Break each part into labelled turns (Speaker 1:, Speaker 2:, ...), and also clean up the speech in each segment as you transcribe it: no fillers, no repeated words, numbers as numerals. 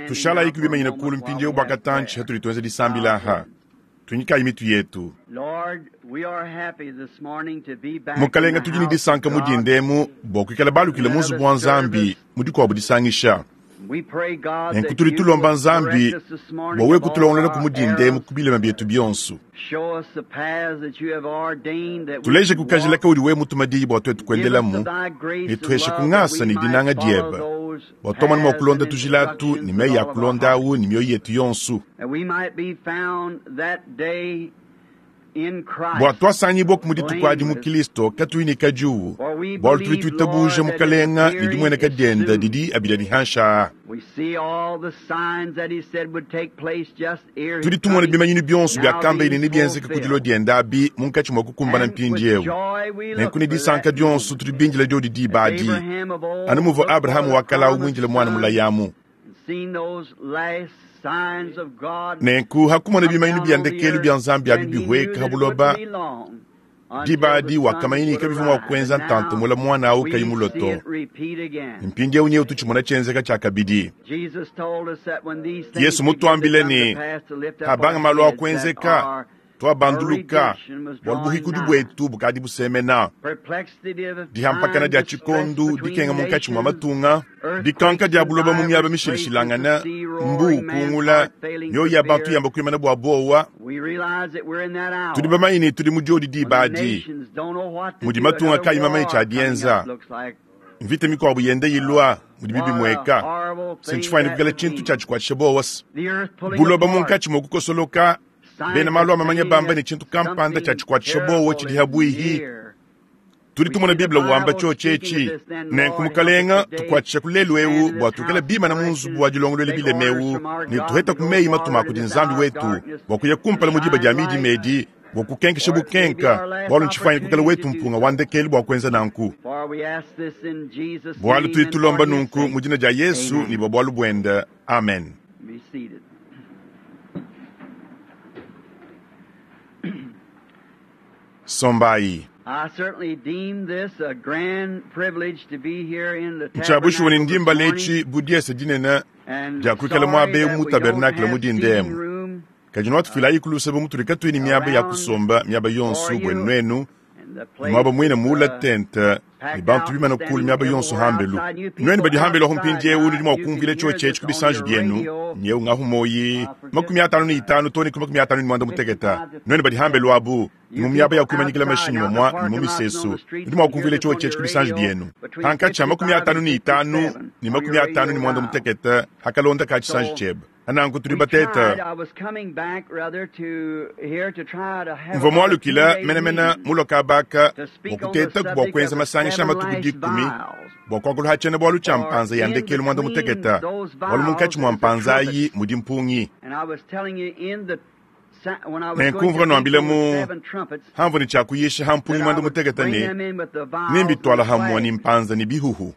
Speaker 1: Tushalayiku bimanyine kulu mpindieu bua katantshi hatudi tuenza disambila aha. Tunyikayi mitu yetu. Mukalenga, tudi ne disanka mu dinda emu bua kuikala balukile mu nzubu wa Nzambi mu dikuabu disangisha. Nenku tudi tulomba Nzambi bua wewe kutulongolola ku mu dinda emu ku bilema bietu bionso. Tuleje ku kajila kaudi wewe mutuma diyi bua tuetu kuendelamu, ne tuheshe ku ngasa ne dinanga diebe bua tuamone mua kulonda tujila atu ne meyi a kulonda awu ne mioyo yetu yonso. Bua tuasangibua mu dituku adi mu Kilisto katuyi ne kadiuwu, bualu tudi tuitabuja Mukalenga ne dimueneka diende didi abidi adi hanshi aa. Tudi tumona bimanyinu bionso biakamba ne nebienzeke ku dilua diende abi munkatshi mua kukumbana mpindieu. Nenku ne disanka dionso tudi bindile diodi diba adi, anu muvua Abrahama wa kale au muindile muana mulayi amu. Nenku hakumona bimanyinu bia ndekelu bia Nzambi abi bihueka ha buloba, diba adi wakamanya ne kabivua mua kuenza ntanta mula muana au kayi mulue to. Mpindieu nyewu tutshimona tshienzeka tshiakabidi. Yesu mutuambile ne, habanga malu a kuenzeka, tuabanduluka, bualu buhikudi buetu bukadi busemena. Dihampakana dia tshikondu, dikenga munkatshi mua matunga, dikanka dia buloba mu miaba mishilashilangane, mbu ukungula, mioyo ya bantu yamba kuimana bua buowa. Tudi bamanye ne tudi mu diodi diba adi, mudi matunga kayi mamanye tshia dienza. Mvita mikuabu yenda ilua, mudibi bimueka se ntshifuanyine kuikala tshintu tshia tshikuatshisha buowa se buloba munkatshi mua kukosoloka. Bena malu a mamanya bamba ne tshintu kampanda tshia tshikuatshisha buowa tshidi habuihi. Tudi tumona Bible wamba tshiotshi etshi, Nenku Mukalenga, tukuatshisha ku lelu eu bua tuikale bimana mu nzubu wa dilongoluela bilema eu ne tuheta ku meyi matuma a kudi Nzambi wetu bua kuya kumpala mu diba dia midima edi bua kukenkesha bukenka, bualu ntshifuanyine kuikala wetu mpunga wa ndekelu bua kuenza nanku. Bualu tudi tulomba nunku mu dina dia Yesu ne bua bualu buende. Amen. Sombayi. Ntshia bushuwa ne ndi mbala etshi bu diese dinene dia kuikala muaba eu mu tabernakle mu dinda emu. Kadi nuatufilayi ku luse bu mutudi katuyi ne miaba ya kusomba miaba yonso buenu nuenu, ne muaba muine muula tente ne bantu bimana kulu miaba yonso hambelu. Nuenu badi hambelu ahu mpindieu nudi mua kumvuila tshiotshi etshi ku bisanji bienu, nyeu ngahu moyi 55 to ne ku 54. Nuenu badi hambelu abu ne mu miaba ya kuimanyikila mashinyi mamua ne mu misesu, nudi mua kumvuila tshiotshi etshi ku bisanji bienu. Hankatshi ha 55 ne 58 hakalonda ka tshisanji tshiebe. Nanku tudi bateta. Mvua mualukila menemene mulua kabaka bua kutetaku bua kuenza masangisha a matuku dikumi bua kuakula ha tshiena-bualu tshia mpanza ya ndekelu muanda mutekete, bualu munkatshi mua mpanza ayi mudi mpungi. Nenku mvua nuambila mu hamvua ne tshia kuyisha ha mpungi muanda mutekete ne, nembituala hamua ne mpanza ne bihuhu.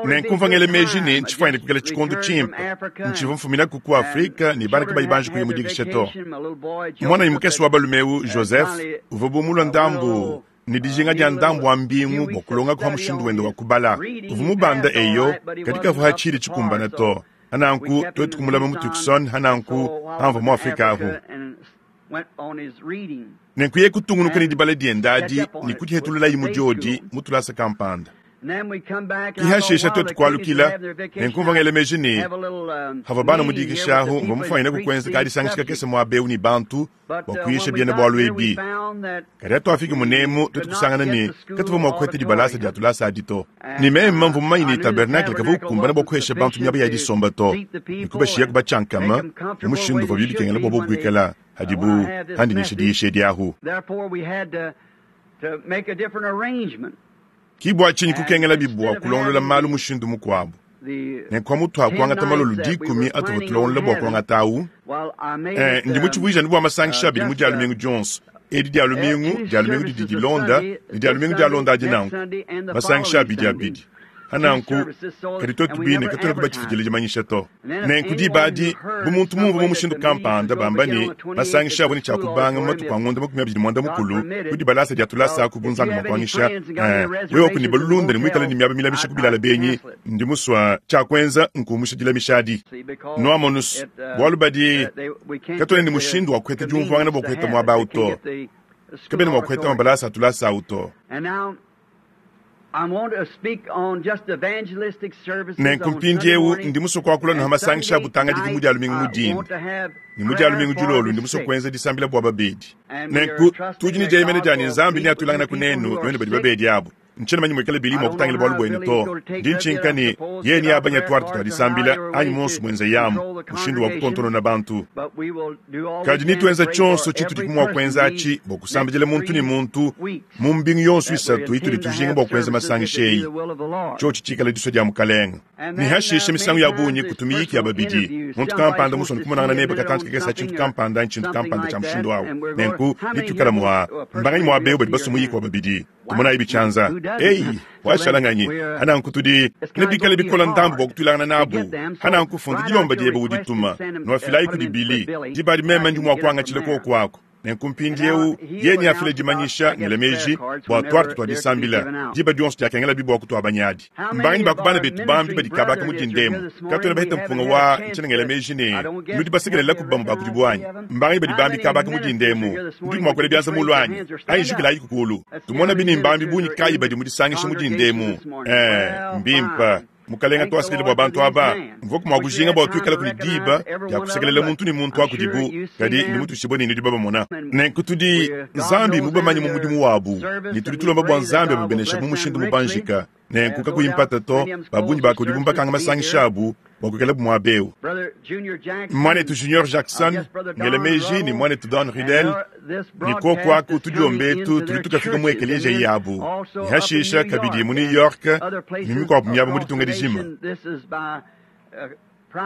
Speaker 1: Nenku mvua ngela meji ne, ntshifuanyine kuikala tshikondo tshimpe. Ntshivua mfuminaku ku Afrike ne bana kabayi banji kuya mu dikisha to. Muananyi mukese wa balume eu, Joseph, uvua bu mulua ndambu ne dijinga dia ndambu wa mbingu bua kulongaku pa mushindu wende wa kubala. Uvua mubanda eyo, kadi kavua ha tshidi tshikumbana to. Hananku tuetu kumulama mu Tucson, hananku hamvua mu Afrike ahu. Nenku yeye kutungunuka ne dibala diende adi ne kudihetululayi mu diodi mu tulasa kampanda. Ki hashisha tuetu kualukila, nenku mvua ngela meji ne, havua bana mu dikisha ahu, mvua mufuanyine kukuenza kadisangisha kakese muaba eu ne bantu bua kuyisha biena-bualu ebi. Kadi hatuafiki munemu, tuetu kusangana ne, katuvua mua kuheta dibalasa dia tulasa adi to. Ne meme mvua mumanye ne, tabernakle kavua ukumbana bua kuhesha bantu miaba ya disomba to, ne kubashiyaku batshiankama mu mushindu uvuabi bikengela bua bobu kuikala hadibu handi nyisha diyisha edi ahu. Ki bua tshinyi kukengelabi bua kulongolola malu mushindu mukuabu. Nenku pamutu pa kuangata malolo dikumi atuvua tulongolola bua kuangata au, eh, ndi mutshivuije anu bua masangisha abidi mu Dia lumingu dionso, edi Dia lumingu, Dia lumingu didi dilonda, ne Dia lumingu dialonda adi nanku, masangisha abidi abidi. Pa nanku, kadi tuetu bine katuenaku batshifidile dimanyisha to. Nenku diba adi, bu muntu mumvue mu mushindu kampanda bamba ne, masangisha avua ne tshia kubanga mu matuku a ngondo 21 ku dibalasa dia tulasa aku bu Nzambi mua kuanyisha, ee, wewe ku ne balulunda ne muikale ne miaba milamisha ku bilala benyi, ndi musua, tshia kuenza nkuumusha dilamisha adi. Nuamonus, bualu badi, katuena ne mushindu wa kuheta diumvuangana bua kuheta muaba au to. Kabena mua kuheta mabalasa a tulasa au to. Nenku mpindiewu ndi musue kuakula nuha masangisha a butangadiki mu Dia lumingu mu dinda, ne mu Dia lumingu dilolo ndi musue kuenza disambila bua babedi. Nenku tudi ne dieyemena dia ne Nzambi neatuilanganaku nenu nuenu badi babedi abu. Ntshiena manye muikale Billy mua kutangila bualu buenu to. Ndi ntshinka ne yeye neabanye tuarte tua disambila anyi muonso muenzeyamu mushindu wa kutontonona bantu. Kadi netuenza tshionso tshitudiku mua kuenza atshi bua kusambidila muntu ne muntu mu mbingu yonso isatu itudi tujinga bua kuenza masangisha eyi, tshiotshi tshikale disua dia Mukalenge. Ne hashishe misangu ya bungi kutu miyiki ya babidi, muntu kampanda musue kumonangana nebe katantshi kakese a tshintu kampanda anyi tshintu kampanda tshia mushindu au. Nenku bituikala mua, mbanganyi muaba eu badi basue muyiki wa babidi? Tumonayi tshianza. Eyi, washala nganyi? Hananku tudi nebikale bikola ndambu bua kutuilangana nabu. Hananku funda dilomba diebe udituma, nuafilayi kudi Billy. Diba adi meme ndi mua kuangatshila kuoku aku. Nenku mpindieu yeye neafile dimanyisha, ngela meji, bua tuarte tua disambila diba dionso diakengelabi bua kutuabanyadi. Mbanganyi ba ku bana betu bambi badi kabaka mu dinda emu? Katuena bahete mpunga wa ntshiena ngela meji ne nudi basekelelaku bamue ba kudibu anyi? Mbanganyi badi bambi kabaka mu dinda emu? Nudiku mua kuela bianza mulu anyi? Anyi jukilayiku kulu tumona ne mbambi bungi kayi badi mu disangisha mu dinda emu. Ee, mbimpe. Mukalenga, tuasekele bua bantu aba. Mvuaku mua kujinga bua tuikalaku ne diba dia kusekelela muntu ne muntu wa kudibu, kadi ndi mutuishibue ne nudi babamona. Nenku tudi, Nzambi mubamanye mu mudimu wabu, ne tudi tulomba bua Nzambi ababeneshe mu mushindu mubanjika. Nenku kakuyi mpata to, ba bungi ba kudibu mbakanga masangisha abu bua kuikalabu muaba eu. Muanetu Junior Jackson, ngela meji, ne muanetu Don Ruddell, ne kuoku aku tudiomba etu tudi tukafika mu ekeleziya yabu, ne hashisha kabidi mu New York ne mikuabu miaba mu ditunga dijima.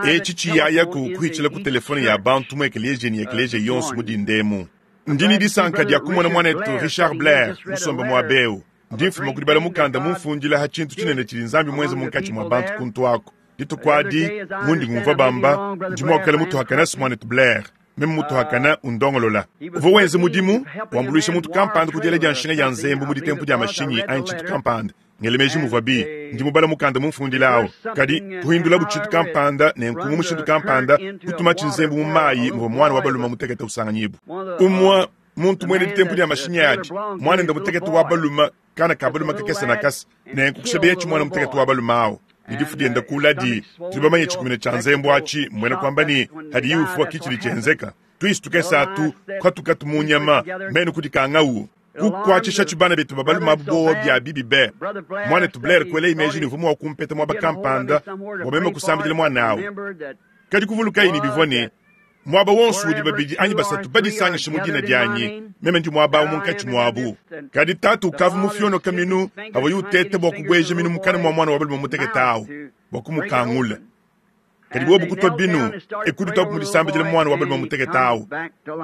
Speaker 1: Etshi tshiyayaku kuhitshila ku telefone ya bantu mu ekeleziya ne ekeleziya yonso mu dinda emu. Ndi ne disanka dia kumona muanetu Richard Blair musombe muaba eu. Ndi mfuma ku dibala mukanda mumfundila ha tshintu tshinene tshidi Nzambi muenze munkatshi mua bantu kuntu aku. Dituku adi, mundi ngumvua bamba, ndi mua kuikala mutuhakana muanetu Blair. Meme mutuhakana undongolola. Uvua wenza mudimu, wambuluisha muntu kampanda ku diela dia nshinga ya nzembu mu ditempu dia mashinyi anyi tshintu kampanda. Ngele meji muvuabi, ndi mubala mukanda mumfundila au. Kadi kuhindulabu tshintu kampanda nenku mu mushindu kampanda kutumatshi nzembu mu mayi muvua muana wa balume mutekete usanganyibua. Umue muntu muena ditempu dia mashinyi adi, muanende mutekete wa balume, kana ka balume kakese nakase, nenku kushebeya muana mutekete wa balume au ne difu diende kuladi. Tudi bamanye tshikumina tshia nzembu atshi, mmuena kuamba ne hadiye ufua ki tshidi tshienzeka. Tuisu tukese atu kuatukatu mu nyama menu kudikangau kukuatshisha tshibana betu ba balume abu bowa bia bibi be. Muanetu Blair kuela meji ne uvua mua kumpeta muaba kampanda bua meme kusambidila muana au. Kadi kuvulukayi ne bivua ne muaba wonso udi babidi anyi basatu badisangishe mu dina dianyi, meme ndi muaba au munkatshi muabu. Kadi tatu ukavua mufionoka minu avuaye uteta bua kubueja minu mukana mua muana wa balume mutekete au bua kumukangula. Kadi bobu kutua binu e kudituabu mu disambidila muana wa balume mutekete au,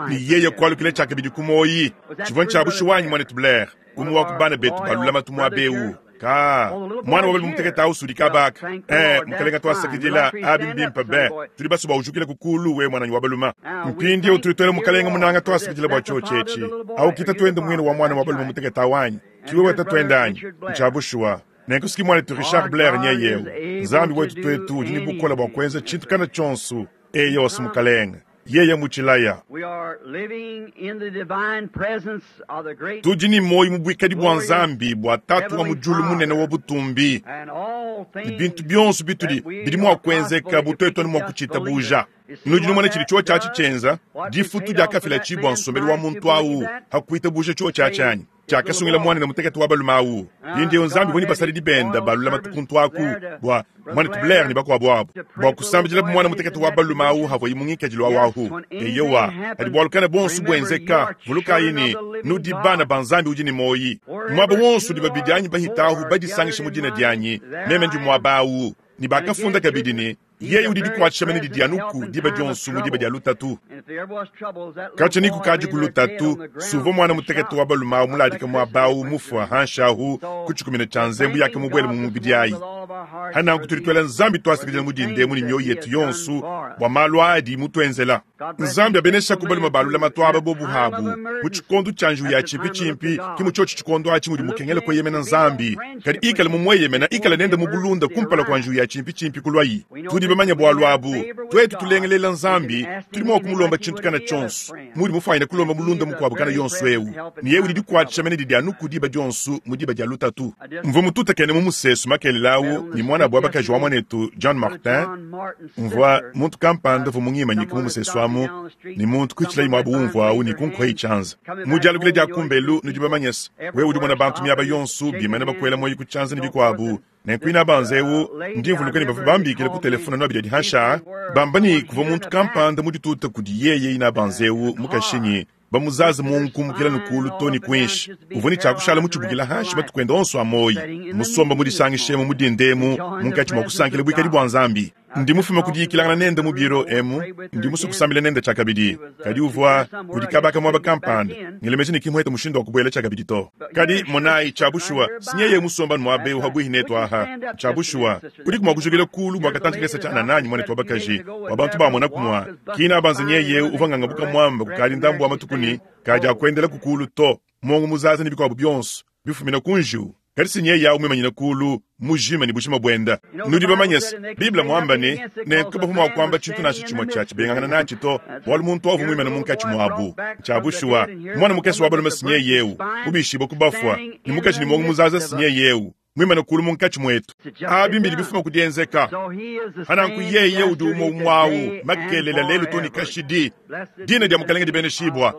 Speaker 1: ne yeye kualukila tshiakabidi ku muoyi. Tshivua ntshia bushuwa anyi, muanetu Blair, umue wa ku bana betu ba lulamatu muaba eu? Ka muana wa balume mutekete au sudi kabaka. Eh, mukalenga tuasakidila, abi mbimpe be. Tudi basue bua ujukile ku kulu we muananyi wa balume. Mpindieu tudi tuela mukalenga munanga tuasakidila bua tshiotshi etshi. Au ki tatuende muine wa muana wa balume mutekete au anyi? Ki wewe tatuende anyi? Ntshia bushuwa. Nenku siki muanetu Richard Blair nyeye eu. Nzambi wetu tuetu udi ne bukole bua kuenza tshintu kana tshionso. Eyo osi mukalenga. Yeye mutshilaya. Tudi ne muoyo mu buikadi bua Nzambi bua Tatu wa mu diulu munene wa butumbi, ne bintu bionso bitudi bidi mua kuenzeka bu tuetu anu mua kutshitabuja. Nudi numona tshidi tshiotshi atshi tshienza? Difutu diakafila tshi bua nsombelu wa muntu au ha kuitabuja tshiotshi atshi anyi? Tshiakasungila muanende mutekete wa balume au. Mpindieu Nzambi uvua ne basadidi bende ba lulamatu kuntu aku bua muanetu Blair ne bakuabu abu bua kusambidilabu muana mutekete wa balume au havuaye mu ngikadilu au ahu. Eyowa, hadi bualu kana buonso buenzeka, vulukayi ne, nudi bana ba Nzambi udi ne muoyi. Muaba wonso udi babidi anyi bahita ahu badisangisha mu dina dianyi, meme ndi muaba au. Ne bakafunda kabidi ne. Yeye udi dikuatshisha mene didi anuku diba dionso mu diba dia lutatu. Katshia ni kukadi ku lutatu, suvua muana mutekete wa balume awu muladika muaba awu mufua hanshi ahu ku tshikumina tshia nzembu yake mubuele mu mubidi ayi. Hananku tudi tuela Nzambi tuasakidila mu dinda emu ne mioyo yetu yonso bua malu adi mutuenzela. Nzambi abeneshaku balume ba lulamatu aba bobu habu mu tshikondo tshia njiwu ya tshimpitshimpi. Ki mu tshiotshi tshikondo atshi mudi mukengela kueyemena Nzambi, kadi ikale mumueyemena, ikale nende mu bulunda kumpala kua njiwu ya tshimpitshimpi kuluayi. Tudi bamanye bualu abu. Tuetu tulengelela Nzambi, tudi mua kumulomba tshintu kana tshionso. Mudi mufuanyine kulomba mulunda mukuabu kana yonso eu, ne yeye udi dikuatshisha mene didi anu ku diba dionso mu diba dia lutatu. Mvua mututakene mu musesu makelela au ne muanabu wa bakaji wa muanetu John Martin. Mvua muntu kampanda uvua mungimanyike mu musesu amu, ne muntu kuitshilayi muaba umvua au ne kunkuayi tshianza. Mu dialukila dia kumbelu, nudi bamanye se, wewe udi umona bantu miaba yonso bimane bakuela muoyo ku tshianza ne bikuabu. Nenku inabanza eu, ndi mvuluka ne bavua bambikila ku telefone anu abidi adi hanshi aa, bamba ne kuvua muntu kampanda mudituta kudi yeye inabanza eu mukashinyi bamuzaze muongo kumukila ne kuulu to ne kuinshi. Uvua ne tshia kushala mutshibukila hanshi matuku ende onso a muoyo, musomba mudisangishemu mu dinda emu munkatshi mua kusankila buikadi bua Nzambi. Ndi mufume ku diyikilangana nende mu biro emu, ndi musue kusambila nende tshiakabidi, kadi uvua kudi kaba ka muaba kampanda, ngela meji ne ki muhete mushindu wa kubuela tshiakabidi to. Kadi monayi, tshia bushuwa, si nyeye musomba anu muaba eu habuihi netu aha. Tshia bushuwa, udiku mua kujukila kuulu bua katantshi kakese tshianana anyi, muanetu wa bakaji, bua bantu bamonaku mua kina banza nyeye eu uvua ngangabuka muamba kukadi ndambu wa matuku ne kadi akuendelaku kuulu to, muongo muzaza ne bikuabu bionso bifumina ku njiwu. Kadi si nyeye au muimanyine kuulu mujima ne bujima buenda. Nudi bamanye se, Bible muamba ne, nenku kabavua mua kuamba tshintu nansha tshimue tshia tshibengangana natshi to, bualu muntu au uvua muimane munkatshi muabu. Ntshia bushuwa, muana mukese wa balume si nyeye eu mubishibue ku bafua, ne mukaji ne muongo muzaza si nyeye eu muimane kuulu munkatshi muetu. Abi mbidi bifuma ku dienzeka. Pananku yeye udi umue umue au makelela lelu to ne kashidi. Dina dia Mukalenge dibeneshibua.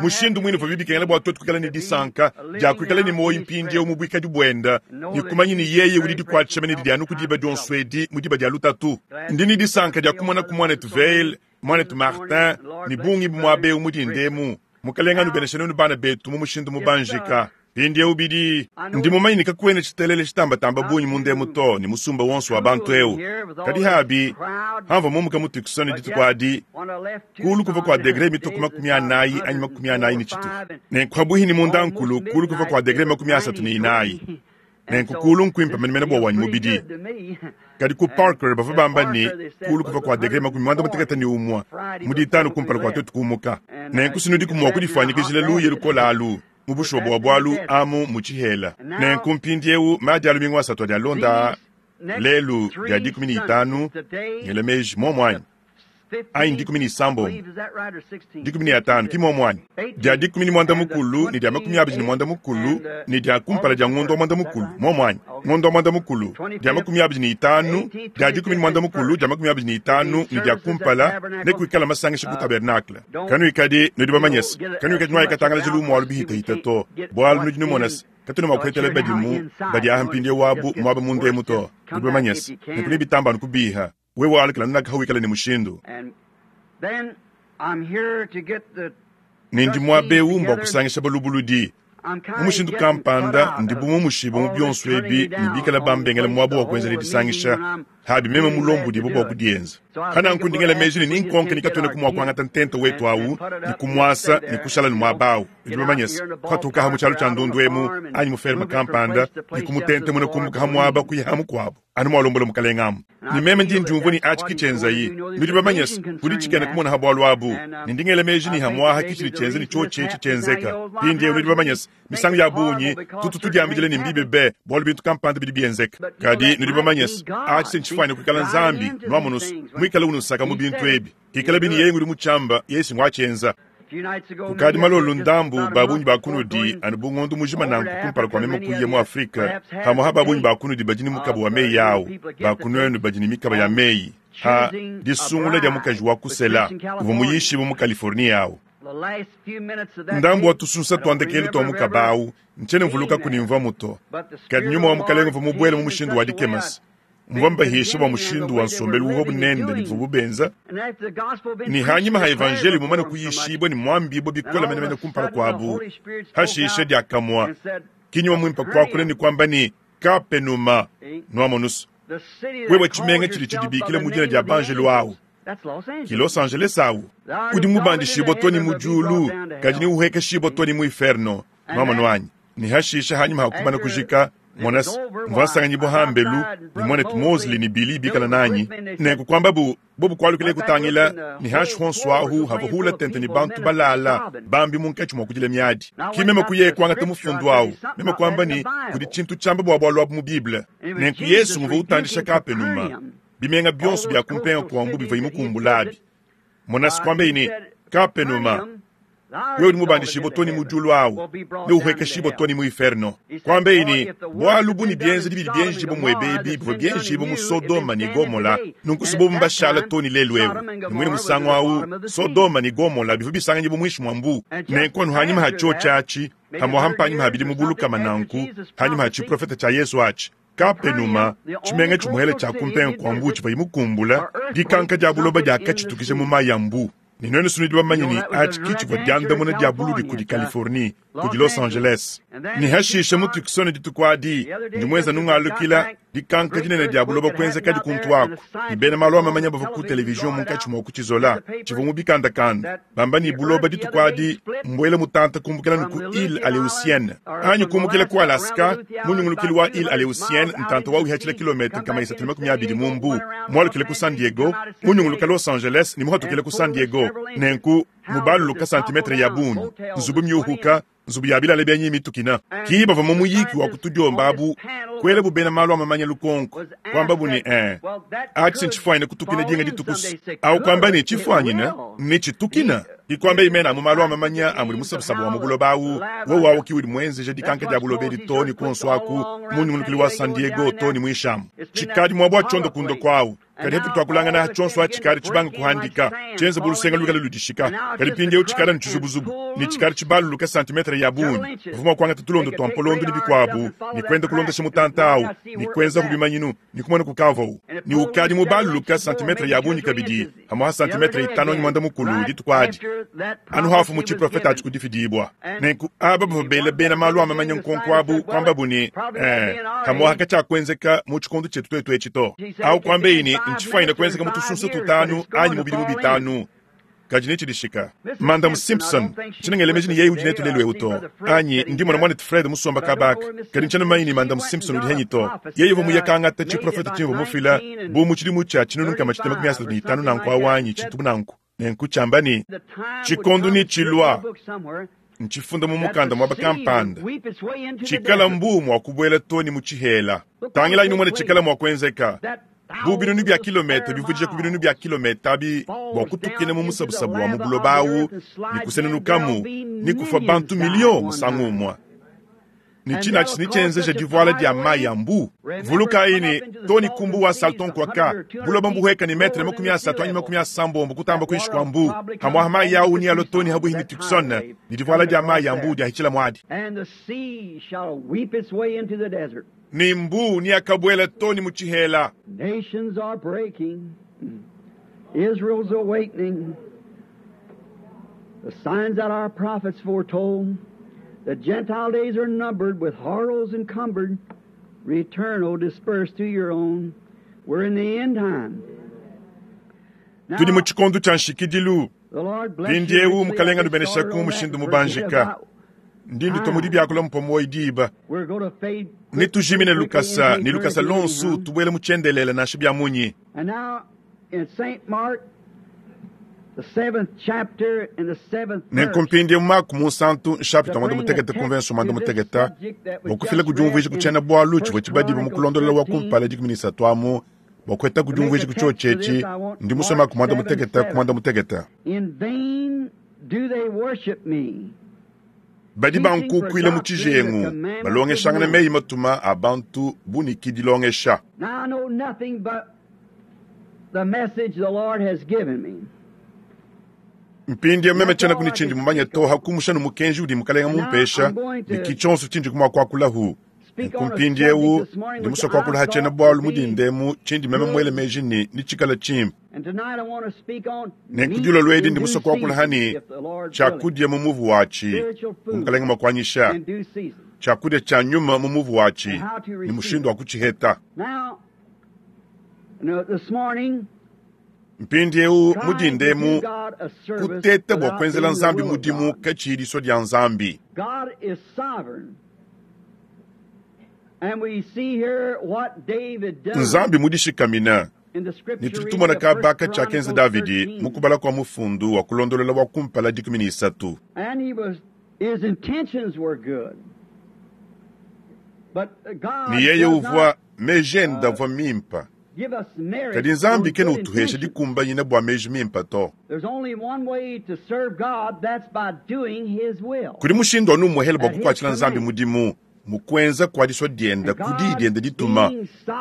Speaker 1: Mushindu muine uvuabi bikengela bua tuetu kuikala ne disanka dia kuikala ne muoyo mpindieu mu buikadi buenda ne kumanya ne yeye udi dikuatshisha mene didi anu ku diba dionso edi mu diba dia lutatu. Ndi ne disanka dia kumonaku muanetu Vayle, muanetu Martin ne bungi bu muaba eu mu dinda emu. Mukalenge anubeneshe nuenu bana betu mu mushindu mubanjika. Mpindieu bidi, ndi mumanye ne kakuena tshitelele tshitambatamba bungi munda emu to ne musumba wonso wa bantu eu. Kadi habi, hamvua mumuka mu Tucson dituku adi, kuulu kuvua kua degre mitue ku 40 anyi 40 ne tshitupa. Nenku pabuihi ne mundankulu, kuulu kuvua kua degre 34. Nenku kuulu nkuimpe menemene bua wanyi mubidi. Kadi ku Parker bavua bamba ne, kuulu kuvua kua degre 61 mu ditanu kumpala kua tuetu kumuka. Nenku sinudiku mua kudifuanyikijila luya lukole alu mu bushuwa bua bualu amu mu tshihela. Nenku mpindieu madi a lumingu asatu adi alonda aa, lelu dia 15, ngela meji muomu anyi? Anyi 16, 15, ki muomu anyi? Dia 18 ne dia 28 ne dia kumpala dia ngondo wa muanda-mukulu, muomu anyi? Ngondo wa muanda-mukulu, dia 25, dia 18, dia 25 ne dia kumpala, nekuikala masangisha ku tabernakle. Kanuikadi nudi bamanye se, kanuikadi nuayikatangalaja lumu alu bihitahita to, bualu nudi numona se, katuena mua kuhetela badimu badi aha mpindieu abu muaba munda emu to. Nudi bamanye se, nenku nebitamba anu kubiha. Wewe alukila nunaka hawikala ne mushindu. Ne ndi muaba eu mbua kusangisha balubuludi. Mu mushindu kampanda ndi bu mumushibue mu bionso ebi ne bikala bambengela muaba wa kuenzela disangisha, habi meme mulombodibue bua kudienza. Pananku ndi ngela meji ne ninkonke ne katuenaku mua kuangata ntenta wetu au ne kumuasa ne kushala ne muaba au. Nudi bamanye se, kupatuka mu tshialu tshia ndundu emu anyi mu ferme kampanda ne kumutentemuna kumbuka ha muaba kuya ha mukuabu, anu mualombola Mukalenge amu. Ne meme ndi ndiumvua ne atshi ki tshienzayi. Nudi bamanye se, kudi tshikena kumona ha bualu abu, ne ndi ngela meji ne hamuaha ki tshidi tshienza ne tshiotshi etshi tshienzeka. Mpindieu nudi bamanye se, misangu ya bungi tutu tudiambidila ne mbibi be bualu bintu kampanda bidi bienzeka. Kadi nudi bamanye se, atshi se ntshifuane kuikala Nzambi, nuamonu se, muikale unusaka mu bintu ebi. Ikalabi ne yeye ngudi mutshiamba, yeye si nguatshienza. Kukadi malolo ndambu ba bungi ba kunudi anu bu ngondo mujima nanku kumpala kua meme kuya mu Afrika, pamuapa ba bungi ba kunudi badi ne mukaba wa meyi au, ba kunuenu badi ne mikaba ya meyi ha disungula dia mukaji wa kusela uvua muyishibue mu Californie au. Ndambu wa tusunsa tua ndekelu tua mukaba au ntshiena mvulukaku ne mvuamu to, kadi nyuma wa Mukalenge uvua mubuele mu mushindu wa dikema se mvua mbahisha bua mushindu wa nsombelu uvuabu nende ne bivuabu benza, ne hanyima ha evanjeliyo mumane kuyishibua ne muambibua bikole menemene kumpala kuabu, hashishe diakamue ki nyuma muimpe kuakula ne kuamba ne, Kapenuma, nuamonusu. Wewe tshimenga tshidi tshidibikila mu dina dia banjelu awu, ki Los Angeles awu, udi mubandishibua to ne mu diulu, kadi neuhuekeshibua to ne mu inferno. Nwamonu anyi? Ne hashisha hanyima ha kumana kujika, mona, mvua nsanganyibua hambelu ne muanetu Mosley ne Billy bikala nanyi, nenku kuambabu bobu kualukile kutangila ne hanshi honso ahu havua hula tente ne bantu balala bambi munkatshi mua kudila miadi. Ki meme kuye kuangata mufundu awu, meme kuamba ne, kudi tshintu tshiamba bua bualu abu mu Bible. Nenku Yesu nguvua utandisha Kapenuma, bimenga bionso bia kumpenga kua mbu bivuaye mukumbulabi. Mona, kuambaye ne, Kapenuma, wewe udi mubandishibue too ne mu diulu awu, neuhuekeshibue too ne mu inferno. Kuambaye ne, Bualu bu ne bienzedi bidi bienjibue muebe ebi bivua bienjibue mu Sodoma ne Gomola, nunku si bobu mbashala too ne lelu eu. Ne muine musangu awu, Sodoma ne Gomola bivua bisanganyibue muinshi mua mbu. Nenku anu hanyima ha tshiotshi atshi, pamuaha mpanyima ha bidimu bu lukama nanku, hanyima ha tshiprofete tshia Yezu atshi, Kapenuma, tshimenga tshimuele tshia ku mpenga kua mbuu tshivuaye mukumbula, dikanka dia buloba diakatshitukija mu mayi a mbuu. Ne nuenu nudi bamanye ne, atshi ki tshivua diandamuna dia buludi kudi Californie, kudi Los Angeles. Ne hashishe mu Tucson dituku adi, ndi muenza nungalukila, dikanka dinene dia buloba kuenzekadi kuntu aku, ne bena malu a mamanya bavua ku television munkatshi mua kutshizola, tshivua mu bikandakanda, bamba ne buloba dituku adi mbuele mutanta kumbukila nu ku Ile Aleutienne, anyi kumbukila ku Alaska, mu nyungulukilu wa Ile Aleutienne, ntanta wa wihatshila kilometre 320 mu mbu, mualukile ku San Diego, munyunguluka Los Angeles ne muhatukile ku San Diego, nenku mubaluluka santimetre ya bungi, nzubu miuhuka, nzubu ya bilala bienyi mitukina. Ki bavua mu muyiki wa ku tudiomba abu kuelabu bena malu a mamanya lukonko, kuambabu ne, Ee, atshi ntshifuanyine kutukina dinga dituku. Au kuamba ne, Tshifuanyine ne tshitukina? Ki kuambaye mena amu malu a mamanya a mudi musabusabu wa mu buloba awu, wowu awu ki udi muenzeja dikanka dia buloba edi too ne kuonso aku mu nyungulukilu wa San Diego too ne muinshi amu. Tshikadi muaba wa tshiondokundoku awu. Kadi hatu tuakulangana tshionso atshi tshikadi tshibanga kuhandika, tshienza bu lusenga luikale ludishika. Kadi mpindieu tshikadi anu tshizubuzubu ne tshikadi tshibaluluka santimetre ya bungi. Bavua mua kuangata tulondo tua mpolondo ne bikuabu ne kuenda kulondesha mutanta au ne kuenzaku bimanyinu ne kumona kukavuawu ne ukadi mubaluluka santimetre ya bungi kabidi, pamuapa santimetre itanu anyi muanda mukulu dituku adi anu hafu mu tshiprofete atshi kudifidibua. Nenku aba bavua bela bena malu a mamanya nkonko abu kuambabu ne, Eh, pamuapa katshiakuenzeka mu tshikondo tshietu tuetu etshi to. Au kuambeyi ne, ntshifuanyine kuenzeka mu tusunsa tutanu anyi mu bidimu bitanu, kadi netshidishika. Madame Simpson, ntshiena ngela meji ne yeye udi netu lelu eu to, anyi ndi mona muanetu Fred musomba kaba aka, kadi ntshiena mumanye ne Madame Simpson udi henyi to. Yeye uvua muye kangata tshiprofete tshimvua mufila bu mu tshidimu tshia 1335 nanku awu anyi tshintu bu nanku, nenku tshiamba ne, Tshikondo netshilua, ntshifunda mu mukanda muaba kampanda, tshikala mbuu mua kubuela too ne mu tshihela. Tangilayi numone tshikala mua kuenzeka. Bu binunu bia kilometre bivudija ku binunu bia kilometre abi bua kutukina mu musabusabu wa mu buloba awu ne kusenunukamu ne kufua bantu miliyo musangu umue. Ne tshina atshi netshienzeja divuala dia mayi a mbu. Vulukayi ne, too ne ku mbu wa Salton kuaka, buloba mbuhueka ne metre 30 anyi 80 kutamba kuinshi kua mbu. Pamuapa mayi au nealue too ne habuihi ne Tucson, ne divuala dia mayi a mbu diahitshila muadi. Ne mbu neakabuela too ne mu tshihela.
Speaker 2: Nations are breaking, Israel's awakening, the signs that our prophets foretold, the Gentile days are numbered, with horrors encumbered, return, O dispersed to your own. We're in the end time.
Speaker 1: Tudi mu tshikondo tshia nshikidilu. Mpindieu Mukalenge anubeneshaku mushindu mubanjika. Ndi ndutua mu dibiakula mupua muoyo diba. Netujimine lukasa ne lukasa luonso tubuela mu tshiendelele nansha bia munyi. Nenku mpindieu Mako Munsantu, nshapita muanda mutekete ku mvenso muanda mutekete, bua kufila ku diumvuija ku tshiena-bualu tshivua tshibadibue mu kulondolola wa kumpala 13 amu, bua kuheta ku diumvuija ku tshiotshi etshi, ndi musue Mako muanda mutekete ku muanda mutekete. Badi bankukuila mu tshijengu, balongeshangana meyi matuma a bantu bu ne ki dilongesha. Mpindieu meme tshienaku ne tshindi mumanye to, ha kumusha ne mukenji udi Mukalenga mumpesha, ne ki tshionso tshindi mua kuakulahu. Nunku mpindieu ndi musue kuakula ha tshiena-bualu mu dinda emu tshindi meme muele meji ne netshikale tshimpe. Nenku dilolo edi ndi musue kuakula ha ne tshiakudia mu muvu watshi, bu Mukalenge mua kuanyisha, tshiakudia tshia nyuma mu muvu watshi ne mushindu wa kutshiheta. Mpindieu mu dinda emu, kuteta bua kuenzela Nzambi mudimu katshiyi disua dia Nzambi. Nzambi mudishikamina, ne tudi tumona kaba katshiakenza Davidi mu kubala kua mufundu wa kulondolola wa kumpala 13. Ne yeye uvua meji ende avua mimpe. Kadi Nzambi kena utuhesha dikumbanyina bua meji mimpe to. Kudi mushindu anu umuehele bua kukuatshila Nzambi mudimu mu kuenza kua disua diende ku diyi diende dituma.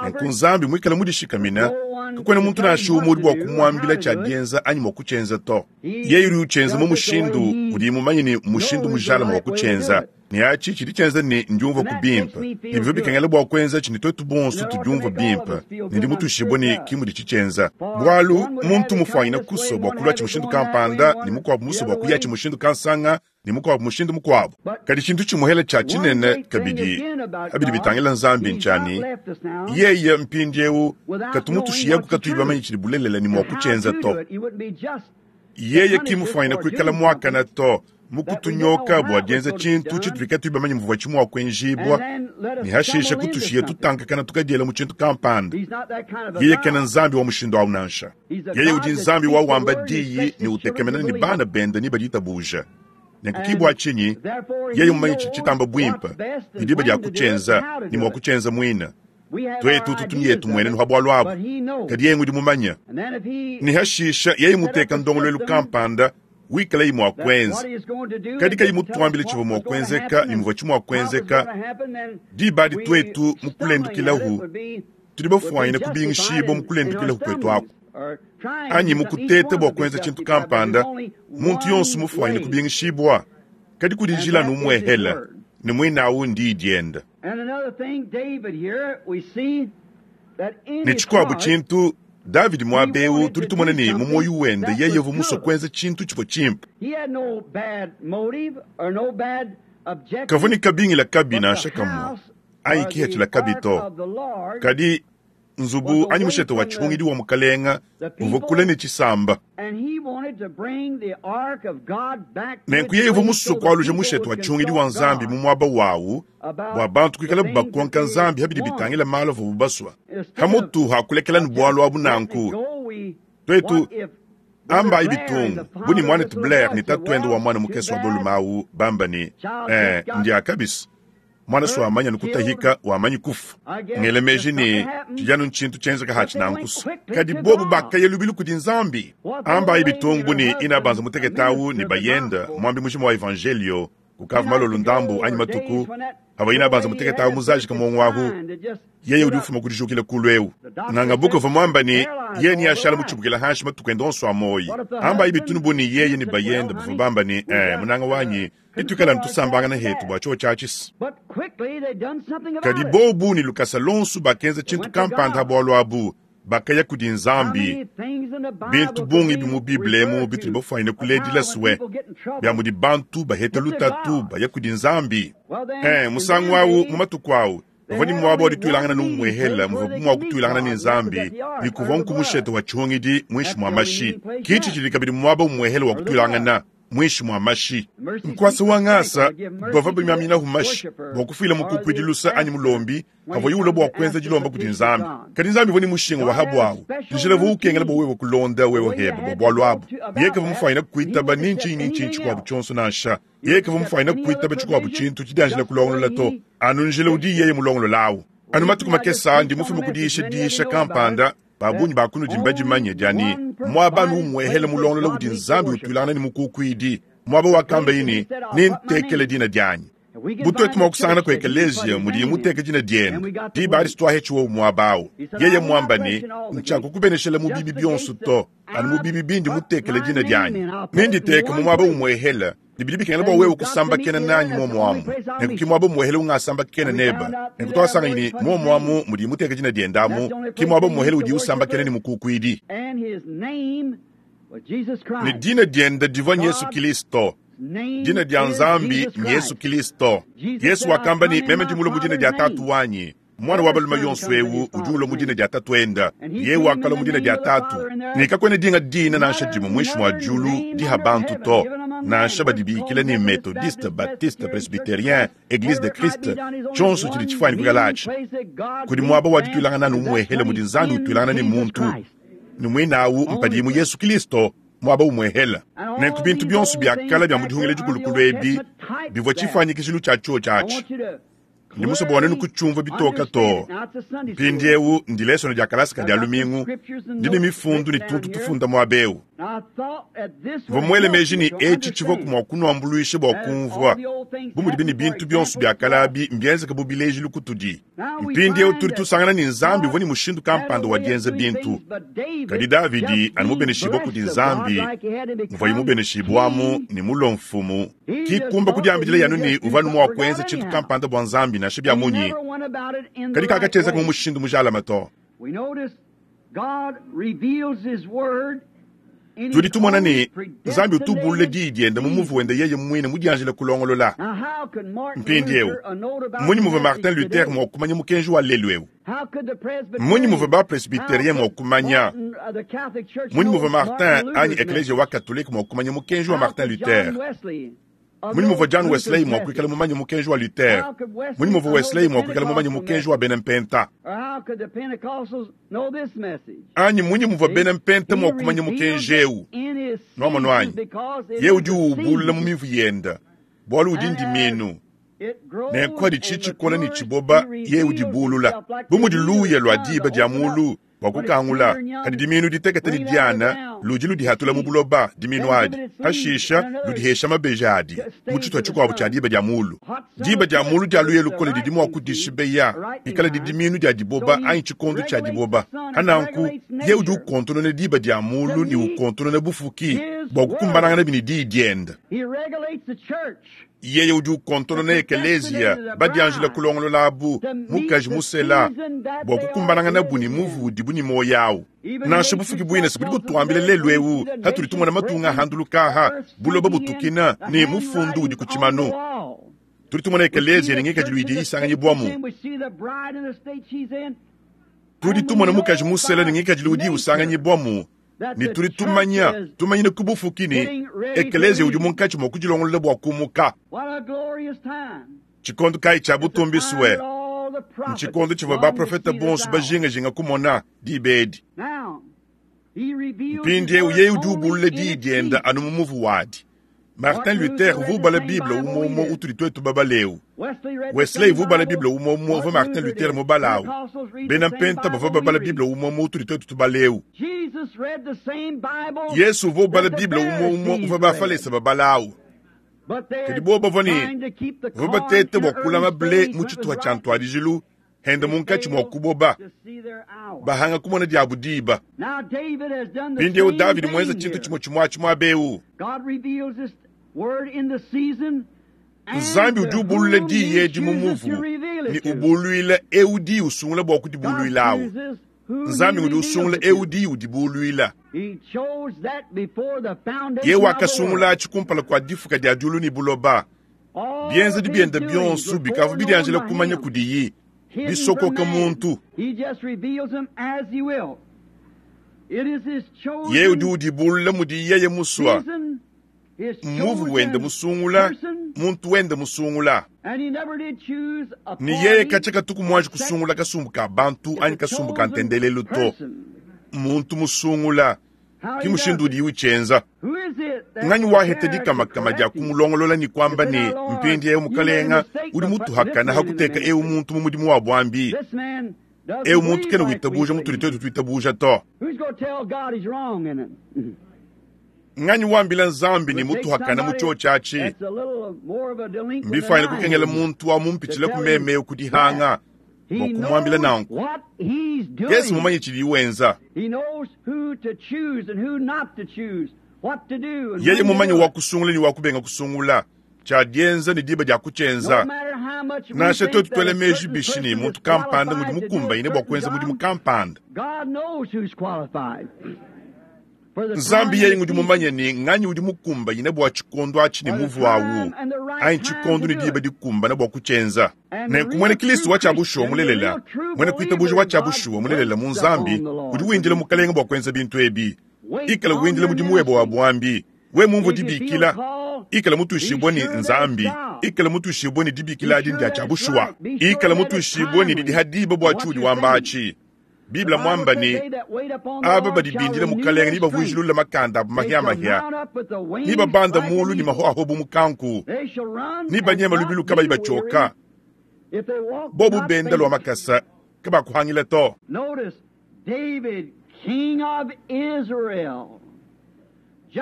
Speaker 1: Nenku Nzambi muikale mudishikamina, kakuena muntu nansha umue udi bua kumuambila tshia dienza anyi mua kutshienza to. Yeye udi utshienza mu mushindu udiye mumanye ne mushindu mujalame wa kutshienza. Ne atshi tshidi tshienza ne ndiumvua ku bimpe, ne bivua bikengela bua kuenza tshi ne tuetu bonso tudiumvua bimpe, ne ndi mutuishibue ne ki mudi tshitshienza. Bualu muntu mufuanyine kusua bua kulua tshi mushindu kampanda, ne mukuabu musue bua kuya tshi mushindu kansanga, ne mukuabu mushindu mukuabu. Kadi tshintu tshimuhela tshia tshinene kabidi abidi bitangila Nzambi ntshia ne, yeye mpindieu katu mutushiyaku katuyi bamanye tshidi bulelela ne mua kutshienza to. Yeye ki mufuanyine kuikala muakane to mu kutunyoka bua dienza tshintu tshitudi katuyi bamanye muvua tshi mua kuenjibua, ne hashishe kutushiya tutankakana tukadiela mu tshintu kampanda. Yeye kena Nzambi wa mushindu au nansha. Yeye udi Nzambi wa wamba diyi ne utekemena ne bana bende ne baditabuja. Nenku ki bua tshinyi yeye mumanye tshidi tshitamba buimpe ne diba dia kutshienza ne mua kutshienza muine. Tuetu tutu ne yetu mmuenenu ha bualu abu, kadi yeye ngudi mumanye. Ne hashisha yeye muteka ndongoluelu kampanda wikalayi mua kuenza, kadi kayi mutuambile tshivua mua kuenzeka ne muvua tshi mua kuenzeka, diba adi tuetu mu kulendukilahu tudi bafuanyine kubingishibua mu kulendukilahu kuetu aku, anyi mu kuteta bua kuenza tshintu kampanda, muntu yonso mufuanyine kubingishibua, kadi kudi njila anu umuehela, ne muinawu ndiyi diende. Ne tshikuabu tshintu, Davidi muaba eu tudi tumona ne mu muoyo wende yeye uvua musue kuenza tshintu tshivua tshimpe. Kavua ne kabingila kabi nansha kamue anyi kipatshila kabi to. Kadi nzubu anyi mushete wa tshihungidi wa mukalenga uvua kule ne tshisamba. Nenku yeye uvua musue kualuja mushete wa tshihungidi wa Nzambi mu muaba wawu bua bantu kuikalabu bakonka Nzambi ha bidi bitangila malu avuabu basua. Hamutu ha kulekela ne bualu abu nanku, tuetu ambayi bitungu bu ne muanetu Blair ne tatuende wa muana mukese wa balume au bamba ne, eh, ndia kabisa. Muana so wamanya nukutahika wamanyi kufa. Ngele meji ne tshidi anu ntshintu tshienzeka hatshi nankuso. Kadi bobu bakaya lubilu kudi Nzambi. Ambayi bitungu bu ne ina banza mutekete au ne bayenda muambi mujima wa evangelio kukava malolo ndambu anyi matuku avua ina banza mutekete au muzajika muongo ahu. Yeye udi ufuma ku dijukila kulu eu. Nganga buka uvua muamba ne yeye ne ashala mutshibukila hanshi matuku ende onso a muoyo. Ambayi bitunu bu ne yeye ne bayenda bavua bamba ne, eh, munanga wanyi, bituikala tusambangana hetu bua tshiowa tshia tshisa. Kadi bobu ne lukasa lonso bakenza tshintu kampanda ha bualu abu, bakaya kudi Nzambi. Bintu bungi bi mu Bible emu bitudi bafuanyine kuledila sue bia mudi bantu baheta lutatu baya kudi Nzambi. Musangu au mu matuku au bavua ne muaba wa dituilangana ne umuehela muvuabu mua kutuilangana ne Nzambi, ne kuvua nku mushete wa tshihungidi muinshi mua mashi. Kitshi tshidi kabidi muaba umuehela wa kutuilangana muinshi mua mashi. Nkuasa wa ngasa bavua bamiaminahu mashi bua kufuila mukukuidi lusa anyi mulombi kavua yula bua kuenza dilomba kudi Nzambi. Kadi Nzambi uvua ne mushinga wa habuawu njila uvua ukengela bua wewe kulonda wewe hebe bua bualu abu. Yeye kavua mufuanyine kuitaba ni ntshinyi ni ntshinyi tshikuabu tshionso nansha. Yeye kavua mufuanyine kuitaba tshikuabu tshintu tshidianjila kulongolola to, anu njila udi yeye mulongolola awu. Anu matuku makese ndi mufume ku diyisha diyisha kampanda. Ba bungi ba kunudi mbadimanye dia ne muaba anu umuehele mulongolola udi Nzambi utuilangana ne mukukuidi, muaba wakambaye ne, nentekele dina dianyi. Bu tuetu mua kusangana ku ekeleziya mudiye muteke dina diende, diba adi situahetshi muaba awu. Yeye muamba ne, ntshiakukubeneshela mu bibi bionso to, anu mu bibi bindi mutekele dina dianyi. Nenditeke mu muaba umuehele, ne bidi bikengela bua wewe kusambakena nanyi muomuamu. Nenku ki muaba umuehele ungasambakena nebe. Nenku tuasanganyi ne muomuamu mudiye muteke dina diende amu, ki muaba umuehele udiye usambakena ne mukukuidi. Ne dina diende divua Yesu Kristo. Dina dia Nzambi Yesu Kristo. Yesu wakamba ne, meme ndi mulue mu dina dia Tatu wanyi. Muana wa balume yonso eu udi ulua mu dina dia Tatuende, yeye wakalua mu dina dia Tatu. Ne kakuena dinga dina nansha dimue muinshi mua diulu diha bantu to, nansha badibikila ne Methodiste, Baptiste, Presbyterien, Eglise de Christ, tshionso tshidi tshifuane kuikala atshi. Kudi muaba wa dituilangana anu umuehele mudi Nzambi utuilangana ne muntu, ne muinawu mpadiye mu Yesu Kilisto, muaba umuehele. Nenku bintu bionso bia kale bia mu dihungila dikulukulu ebi bivua tshifuanyikijilu tshia tshiotshi atshi. Ndi musue bua nuenu kutshiumvua bitoka too. Mpindieu ndi lesone dia kalasa ka dia lumingu, ndi ne mifundu ne tuntu tufunda muaba eu. Mvua muele meji ne, etshi tshivuaku mua kunuambuluisha bua kumvua, bu mudibi ne bintu bionso bia kale abi mbienzeke bu bilejilu kutudi. Mpindieu tudi tusangana ne, Nzambi uvua ne mushindu kampanda wa dienza bintu. Kadi Davidi, anu mubeneshibua kudi Nzambi, muvuaye mubeneshibuamu ne mulue mfumu, ki kumba kudiambidila anu ne, uvua anu mua kuenza tshintu kampanda bua Nzambi nansha bia munyi, kadi kakatshienzeka mu mushindu mujalame to. Tudi tumona ne, Nzambi utu ubulula Diyi diende mu muvu wende yeye muine mudianjila kulongolola. Mpindieu, mmunyi muvua Martin Luther mua kumanya mukenji wa lelu eu? Mmunyi muvua ba-presbyterien mua kumanya? Mmunyi muvua Martin anyi Ekleziya wa Katolike mua kumanya mukenji wa Martin Luther? Mmunyi muvua John Wesley mua kuikala mumanye mukenji wa Luther? Mmunyi muvua Wesley mua kuikala mumanye mukenji wa bena Mpenta? Anyi mmunyi muvua bena Mpenta mua kumanya mukenji eu? Nuamonu anyi? Yeye udi uwubulula mu mivu yende, bualu udi ndimiinu. Nenku padi tshikola ne tshiboba, yeye udibulula. Bu mudi luya lua diba dia muulu bua kukangula, kadi dimiinu ditekete ne diana ludi ludihatula mu buloba, dimiinu adi pashisha ludihesha mabeji adi mu tshituha tshikuabo tshia diba dia muulu. Diba dia muulu dia luya lukole didi mua kudishibeya, pikaladi dimiinu dia diboba anyi tshikondo tshia diboba. Pananku, yeye udi ukontonona diba dia muulu ne ukontonona bufuki bua kukumbananganabi ne diyi diende. Yeye udi ukontonona ekeleziya badianjila kulongolola abu mukaji musela bua kukumbananganabu ne muvu udibu ne muoyo au. Nansha bufuki buine se budi butuambila lelu eu hatudi tumona matunga ahanduluka aha, buloba butukina ne mufundu udi ku tshimanu. Tudi tumona ekeleziya ne ngikadilu idi isanganyibuamu. Tudi tumona mukaji musela ne ngikadilu udi usanganyibuamu. Ne tudi tumanya, tumanyine ku bufuki ne, ekeleziya udi munkatshi mua kudilongolola bua kumuka. Tshikondo kayi tshia butumbi sue? Ntshikondo tshivua baprofete bonso bajingajinga kumona diba edi. Mpindieu yeye udi ubulula diyi diende anu mu muvu wadi. Martin Luther uvua ubala Bible umue umue utudi tuetu babale eu. Wesley uvua ubala Bible umue umue uvua Martin Luther mubale au. Bena Mpenta bavua babala Bible umue umue utudi tuetu tubala eu. Yezu uvua ubala Bible umue umue uvua Bafalese babala au. Kadi bobu bavua ne bavua batete bua kulama ble mu tshituha tshia ntuadijilu hende munkatshi mua kuboba, bahanga kumona diabu diba. Mpindieu Davidi muenza tshintu tshimue tshimue atshi muaba eu. Nzambi udi ubulula diyi edi mu muvu ne ubuluila eu diyi usungula bua kudibuluilawu. Nzambi ngudi usungula eu diyi udibuluila. Yeye wakasungula atshi kumpala kua difuka dia diulu ne buloba. Bienzedi biende bionso bikavua bidianjila kumanya kudiyi, bisokoka muntu. Yeye udi udibulula mudiyi yeye musua, mmuvu wende musungula, muntu wende musungula. Ne yeye katshia katuku muanji kusungula kasumbu ka bantu anyi kasumbu ka ntendelelu to. Muntu musungula ki mushindu udiyi utshienza. Nganyi waheta dikamakama dia kumulongolola ne kuamba ne, mpindieu Mukalenga udi mutuhakana ha kuteka eu muntu mu mudimu wa buambi? Eu muntu kena witabuja mutudi tuetu tuitabuja to. Nganyi wambila Nzambi ne mutuhakana mu tshiotshi atshi? Mbifuanyine kukengela muntu wa mumpitshila ku meme eu ku dihanga bua kumuambila nanku. Yesu mumanye tshidiye wenza. Yeye mumanye wa kusungula ne wa kubenga kusungula, tshia dienza ne diba dia kutshienza. Nansha tuetu tuela meji bishi ne muntu kampanda ngudi mukumbanyine bua kuenza mudimu kampanda, Nzambi yeye ngudi mumanye ne nganyi udi mukumbanyine bua tshikondo atshi ne muvu awu, anyi tshikondo ne diba dikumbane bua kutshienza. Nenku muena Kristo wa tshia bushuwa mulelela, muena kuitabuja wa tshia bushuwa mulelela mu Nzambi, udi windila Mukalenge bua kuenza bintu ebi. Ikala windila mudimu webe wa buambi. We mumvue dibikila, ikala mutuishibue ne Nzambi, ikala mutuishibue ne dibikila adi ndia tshia bushuwa, ikala mutuishibue ne didi ha diba bua tshiudi wamba atshi. Bible muamba ne, aba badi bindila Mukalenge nebavuijilule makanda abu mahiamahia, nebabanda mulu ne mahoaho bu mukanku, nebanyema lubilu kabayi batshioka, bobu benda lua makasa kabakuhangila to.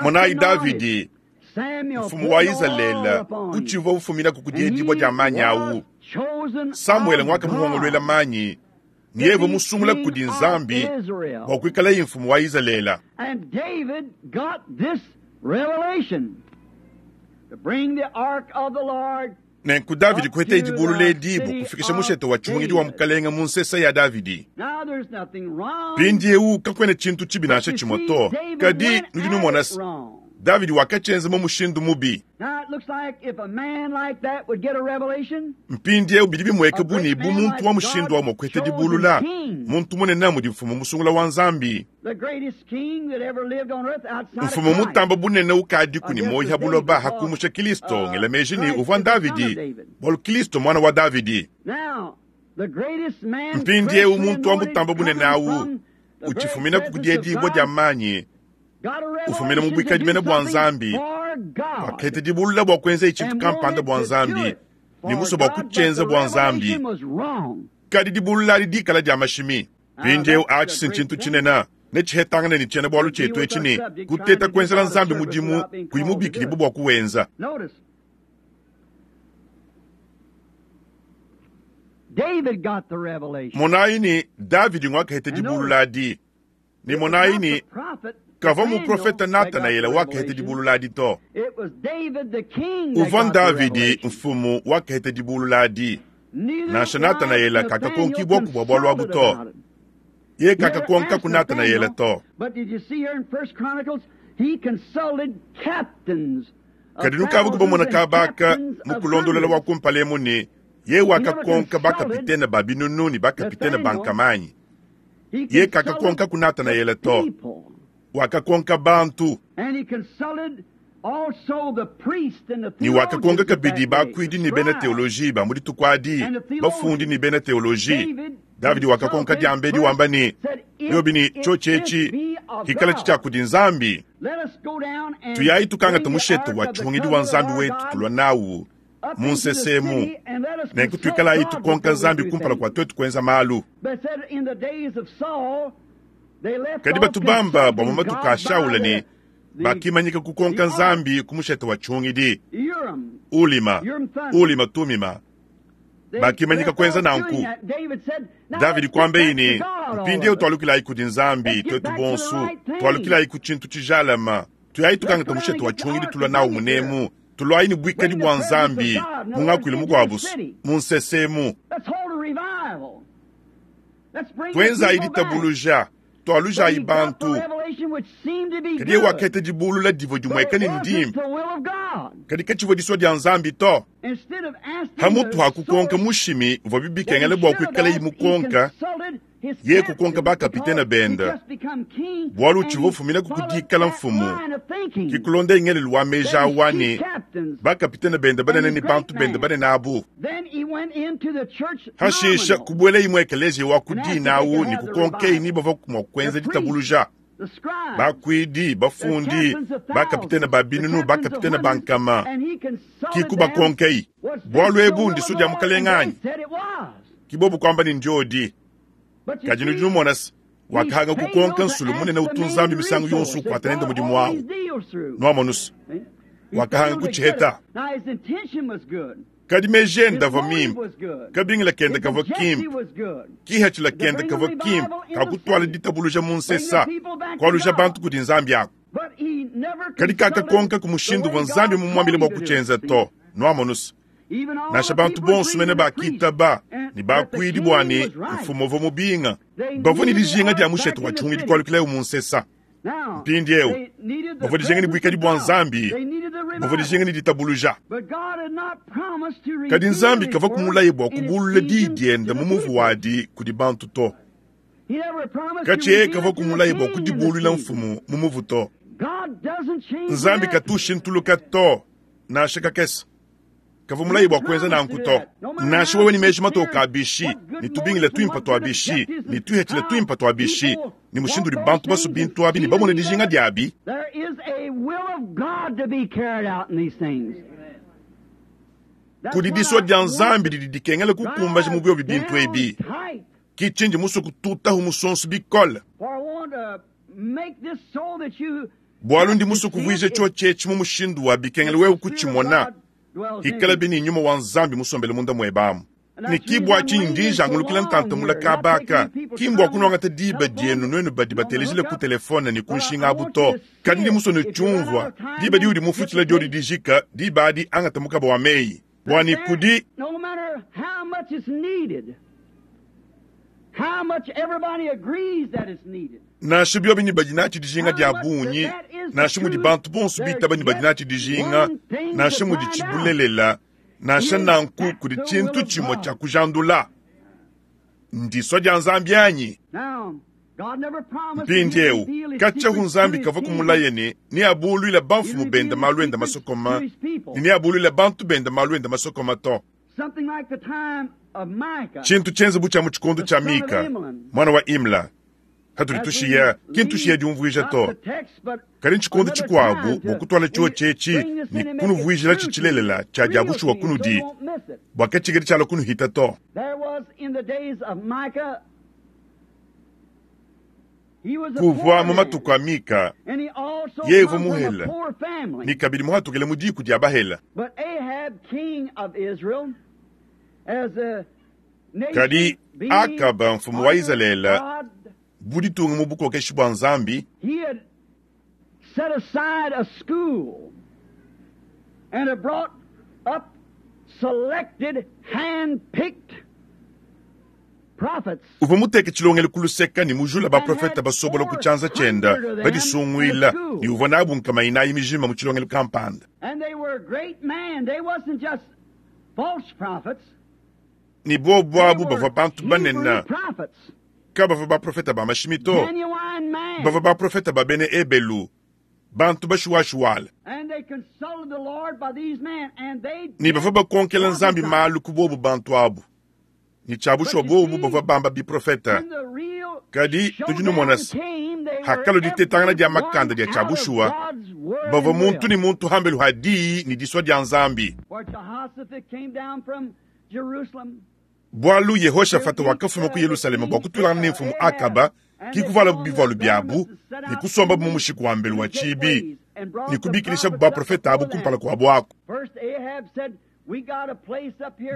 Speaker 1: Monayi Davidi, mfumu wa Izalele, utshivua ufuminaku ku diedibua dia manyi awu. Samuele nguakamuhongoluela manyi, ne yeye musungula kudi Nzambi bua kuikalaye mfumu wa Izalele. Nenku Davidi kuheta dibulula edi bua kufikisha mushete wa tshihungidi wa Mukalenge mu nsesa ya Davidi. Mpindieu kakuena tshintu tshibi nansha tshimue to, kadi nudi numona se, Davidi wakatshienza mu mushindu mubi. Mpindieu bidi bimueka bu ne bu muntu wa mushindu wa mua kuheta dibulula, muntu munene mudi mfumu musungula wa Nzambi. Mfumu mutamba bunene ukadiku ne muoyo ha buloba hakumusha Kristo, ngela meji ne uvua Davidi, bualu Kristo muana wa Davidi. Mpindieu muntu wa mutamba bunene awu utshifumina ku diedibua dia manyi, ufumina mu buikadi mene bua Nzambi, wakaheta dibulula bua kuenza tshintu kampanda bua Nzambi ne musue bua kutshienza bua Nzambi, kadi dibulula adi dikala dia mashimi. Mpindieu atshi si ntshintu tshinene netshihetangane ne tshiena-bualu tshietu etshi ne kuteta kuenzela Nzambi mudimu kuyi mubikidibue bua kuwenza. Monayi ne, Davidi nguakaheta dibulula adi, ne monayi ne, kavua muprofete Natanaele wakaheta dibulula adi to. Uvua Davidi mfumu wakaheta dibulula adi. Nansha Natanaele kakakonkibua bua bualu abu to. Ye kakakonkaku Natanaele to. Kadi nukavua kubamona kabaka mu kulondolola wa kumpala emu ne ye wakakonka bakapitene ba binunu ne bakapitene ba nkamanyi. Ye kakakonkaku Natanaele to. Wakakonka bantu. Ne wakakonka kabidi bakuidi ne bena teoloji ba mu dituku adi, bafundi ne bena teoloji. Davidi wakakonka diambedi wamba ne, biobi ne tshiotshi etshi kikala tshia kudi Nzambi, tuyayi tukangata mushete wa tshihungidi wa Nzambi wetu tulua nawu mu nsesemu, nenku tuikalayi tukonka Nzambi kumpala kua tuetu kuenza malu. Kadi batu bamba bua mu matuku a Shaula ne bakimanyika kukonka Nzambi ku mushete wa tshihungidi, Ulima, Ulima Tumima. Bakimanyika kuenza nanku. Davidi kuambaye ne, mpindieu tualukilayi kudi Nzambi tuetu bonso, tualukilayi ku tshintu tshijalama, tuyayi tukangata mushete wa tshihungidi tulua nawu munemu, tuluayi ne buikadi bua Nzambi mu ngakuilu mukuabu mu nsesemu. Tuenzayi ditabuluja, tualujayi bantu. Kadi yeye wakaheta dibulula divua dimueka ne ndimpe, kadi katshivua disua dia Nzambi to. Hamutu ha kukonka mushimi uvua bibikengela bua kuikalayi mukonka, ye kukonka bakapitene bende, bualu utshivua ufuminaku ku dikala mfumu. Kikulonda ngelelu wa meji awa ne bakapitene bende banene ne bantu bende banene abu. Hashisha kubuelayi mu ekeleziya wa ku dina awu ne kukonkeyi ni bavua mua kuenza ditabuluja. Bakuidi, bafundi, bakapitene ba binunu, bakapitene ba nkama, kikubakonkeyi bualu ebu ndisua dia Mukalenge anyi? Kibobu kuamba ne ndiodi. Kadi nudi numona se, wakahanga kukonka nsulu munene utu Nzambi misangu yonso ukuata nende mudimu awu. Nuamonu se, wakahanga kutshiheta. Kadi meji ende avua mimpe, kabingila kende kavua kimpe, kihatshila kende kavua kimpe kakutuala ditabuluja mu nsesa, kualuja bantu kudi Nzambi aku. Kadi kakakonka ku mushindu uvua Nzambi mumuambile bua kutshienza to. Nuamonu se, nansha bantu bonso mene bakitaba ne bakuidi bua ne mfumu uvua mubinga, bavua ne dijinga dia mushete wa tshihungidi kualukilayo mu nsesa. Mpindieu bavua dijinga ne buikadi bua Nzambi, bavua dijinga ne ditabuluja. Kadi Nzambi kavua kumulaye bua kubulula diyi diende mu muvu wadi kudi bantu to. Katshi kavua kumulaye bua kudibuluila mfumu mu muvu to. Nzambi katu ushintuluka to, nansha kakese. Kavua mulaye bua kuenza nanku to. Nansha wewe ne meji matoke a bishi, ne tubingila tuimpe tua bishi, ne tuhetshila tuimpe tua bishi, ne mushindu udi bantu basue bintu abi ne bamone dijinga diabi, kudi disua dia Nzambi didi dikengela kukumbaja mu biobi bintu ebi. Ki tshindi musue kututahu musonso bikole, bualu ndi musue kuvuija tshiotshi etshi mu mushindu wa bikengela wewe kutshimona, ikala bi ne nyuma wa Nzambi musombele munda muebe amu. Ne ki bua tshinyi ndi njangulukila ntanta mula kabaka, ki mbua kunuangata diba dienu nuenu badi batelejile ku telefone ne ku nshinga abu to. Kadi ndi musue nutshiumvua, diba diudi mufutshila diodi dijika, diba adi angata mukaba wa meyi bua ne kudi Nansha biobi ne badi natshi dijinga dia bungi, nansha mudi bantu bonso bitaba ne badi natshi dijinga, nansha mudi tshibulelela, nansha nanku kudi tshintu tshimue tshia kujandula. Ndisua dia Nzambi anyi? Mpindieu katshia Nzambi kavua kumulaye ne neabuluile bamfumu bende malu ende masokoma ne neabuluile bantu bende malu ende masokoma to. Tshintu tshienze bu tshia mu tshikondo tshia Mika, mwana wa Imla, hatudi tushiya ki ntushiya diumvuija to, kadi ntshikondo tshikuabu bua kutuala tshiotshi etshi ne kunuvuijila tshilelela tshia dia bushuwa kunudi, bua katshikadi tshialua kunuhita to. Kuvua mu matuku a Mika, yeye uvua muhele ne kabidi muhatukile mu diku dia bahela. Kadi Akaba mfumu wa Izalele bu ditunga mu bukokeshi bua Nzambi, uvua muteke tshilongelu ku luseka ne mujula baprofete basobola ku tshianza tshiende badisunguila, ne uvua nabu nkama inayi mijima mu tshilongelu kampanda. Ne bobu abu bavua bantu banene, kabavua baprofete ba mashimi to, bavua baprofete ba bena Ebelu, bantu bashuwashuwala. Ne bavua bakonkela Nzambi malu ku bobu bantu abu, ne tshia bushuwa bobu bavua bamba biprofete. Kadi tudi numona se, hakalua ditetangana dia makanda dia tshia bushuwa, bavua muntu ne muntu hambelu ha diyi ne disua dia Nzambi. Bualu Yehoshafata wakafuma ku Yerusaleme bua kutulangana ne mfumu Akaba, ki kuvualabu bivualu biabu ne kusombabu mu mushiku wa mbelu wa tshibi ne kubikilishabu baprofete abu kumpala kuabu aku.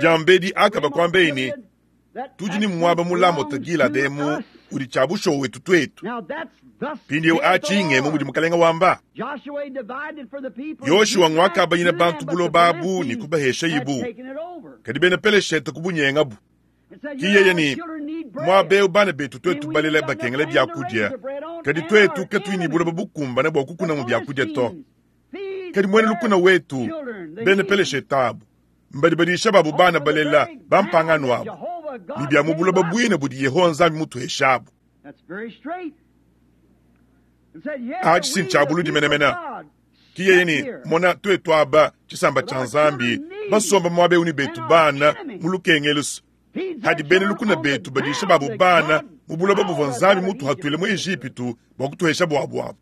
Speaker 1: Diambedi Akaba kuambeyi ne, tudi ne muaba mu Lamote Gilade emu udi tshia bushuwa wetu tuetu. Mpindieu atshi ngemu mudi mukalenga wamba. Yoshua ngwakabanyina bantu buloba abu ne kubahesha ibu, kadi bena Peleshete kubunyengabu. Ki yeye ne muaba eu bana betu tuetu balela bakengela biakudia, kadi tuetu katuyi ne buloba bukumbane bua kukunamu biakudia to. Kadi muena lukuna wetu bena Peleshete abu mbadi badisha babu bana balela bampangano abu ne bia mu buloba buine budi Yehowa Nzambi mutuheshabu. Atshi si ntshia buludi menemene. Ki yeye ne mona tuetu aba tshisamba tshia Nzambi basomba muaba eu ne betu bana mu lukengelu, hadi bena lukuna betu badisha babu bana mu buloba buvua Nzambi mutuhatuile mu Ejipitu bua kutuhesha buabu abu.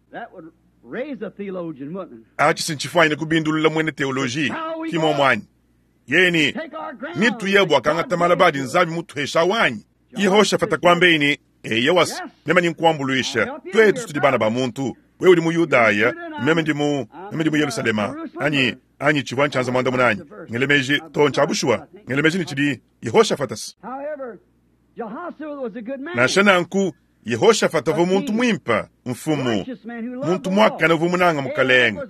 Speaker 1: Atshi si ntshifuanyine kubindulula muena teoloji ki muomu Yeye ne nituye bua kangata malaba adi Nzambi mutuhesha wanyi. Yehoshafata kuambeyi ne eya wasi, meme ni nkuambuluisha, tuetu tudi bana ba muntu, wewe udi mu Yudaya, meme ndi mu Yerusalema, anyi anyi tshivua ntshianza muandamuna anyi ngele meji to ntshia bushuwa, ngele meji ne tshidi Yehoshafata. Nansha nanku Yehoshafata uvua muntu muimpe, mfumu, muntu muakane uvua munanga mukalenge.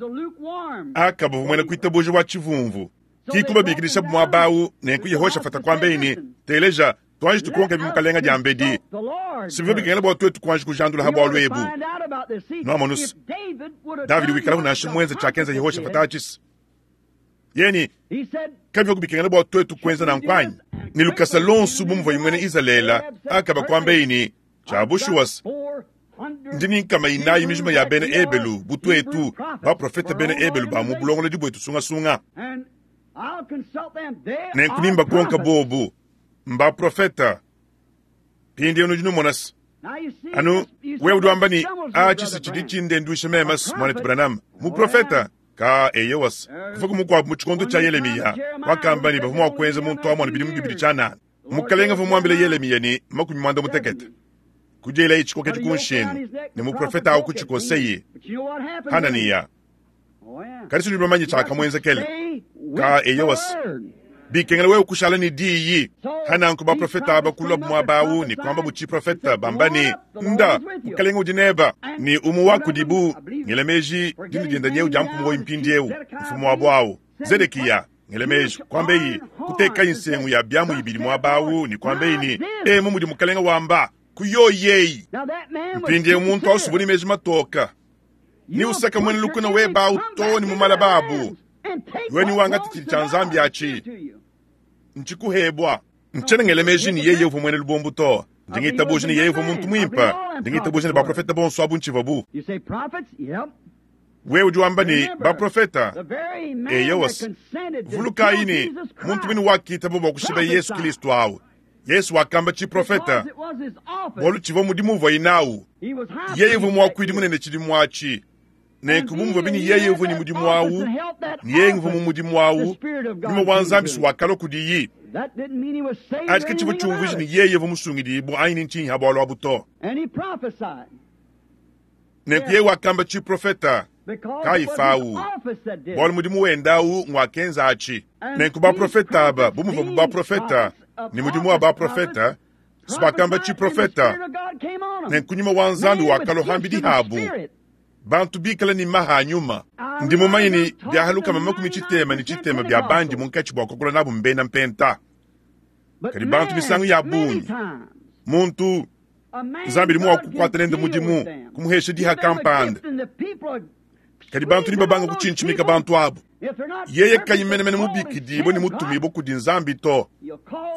Speaker 1: Akaba uvua muena kuitabuja wa tshivumvu. Ki kubabikilishabu muaba awu, nenku Yehoshafata kuambeyi ne, teleja, Tuanji tukonke bimukalenga diambedi. Sivyo bikengela bua tuetu kuanji kujandula ha bualu ebu. Nwamonu se, Davidi wikalaku nansha muenze tshiakenza Yehoshafata atshi. Yeni, kabivua kubikengela bua tuetu kuenza nanku anyi? Ne lukasa luonso bu muvua muena Izalele Akaba kuambaye ne, Tshia bushuwa se, ndi ne nkama inayi mijima ya bena Ebelu bu tuetu, baprofete bena Ebelu ba mu bulongolodi buetu sungasunga. Nenku nimbakonka bobu, mbaprofete. Mpindieu nudi numona se, anu wewe udi wamba ne, Atshi si tshidi tshindenduisha meme, muanetu Branham, muprofete. Ka eyowa se, kuvuaku mukuabu mu tshikondo tshia Yelemiya wakamba ne, bavua mua kuenza muntu amona bidimu bibidi tshianana. Mukalenge uvua muambile Yelemiya ne, 60 kudielaye tshikokedi ku nshingu, ne muprofete au kutshikoseye. Hananiya. Kadi tudi bamanye tshiakamuenzekela. Ka eyowa se, bikengela wewe kushala ne diyi. Hananku baprofete aba kulua muaba awu ne kuamba bu tshiprofete bamba ne, Nda, mukalenge udi neba. Ne umue wa kudibu, ngela meji dina diende nyeu dia mpumu woyi mpindieu, mfumu wabu awu, Zedekiya, ngela meji, kuambeyi, kutekayi nsengu ya biamu ibidi muaba awu ne kuambeyi ne, Emu mudi mukalenge wamba, kuyoyeyi. Mpindieu muntu awu subu ne meji matoka. Ne usaka muena lukuna weba awu too ne mu malaba abu. Wewe niwangata tshidi tshia Nzambi atshi, ntshikuhebua. Ntshiena ngela meji ne yeye uvua muena lubombo to. Ndi ngitabuja ne yeye uvua muntu muimpe. Ndi ngitabuja ne baprofete bonso abu ntshivuabu. Wewe udi wamba ne, baprofete? Eyowa. Vulukayi ne, muntu muine wakitaba bua kushipa Yesu Kristo awu. Yesu wakamba tshiprofete bualu tshivua mudimu uvuaye nawu. Yeye uvua muakuidi munene tshidimu atshi. Nenku bu muvuabi ne yeye uvua ne mudimu awu, ne yeye nguvua mu mudimu awu, nyuma wa Nzambi si wakalua kudiyi. Atshi ke tshivua tshiumvuija ne yeye uvua musungidibue anyi ne ntshinyi ha bualu abu to. Nenku yeye wakamba tshiprofete Kayifa awu, bualu mudimu wende awu ngwakenza atshi. Nenku baprofete aba bu muvuabu baprofete, ne mudimu wa baprofete, si bakamba tshiprofete. Nenku nyuma wa Nzambi wakalua pambidi habu, bantu bikale ne maha a nyuma. Ndi mumanye ne biaha 60 bia bandi munkatshi bua kuakula nabu mbena mpenta. Kadi bantu misangu ya bungi, muntu Nzambi udi mua kukuata nende mudimu, kumuhesha diha kampanda. Kadi bantu nibabanga kutshintshimika bantu abu. Yeye kayi menemene mubikidibue ne mutumibue kudi Nzambi to.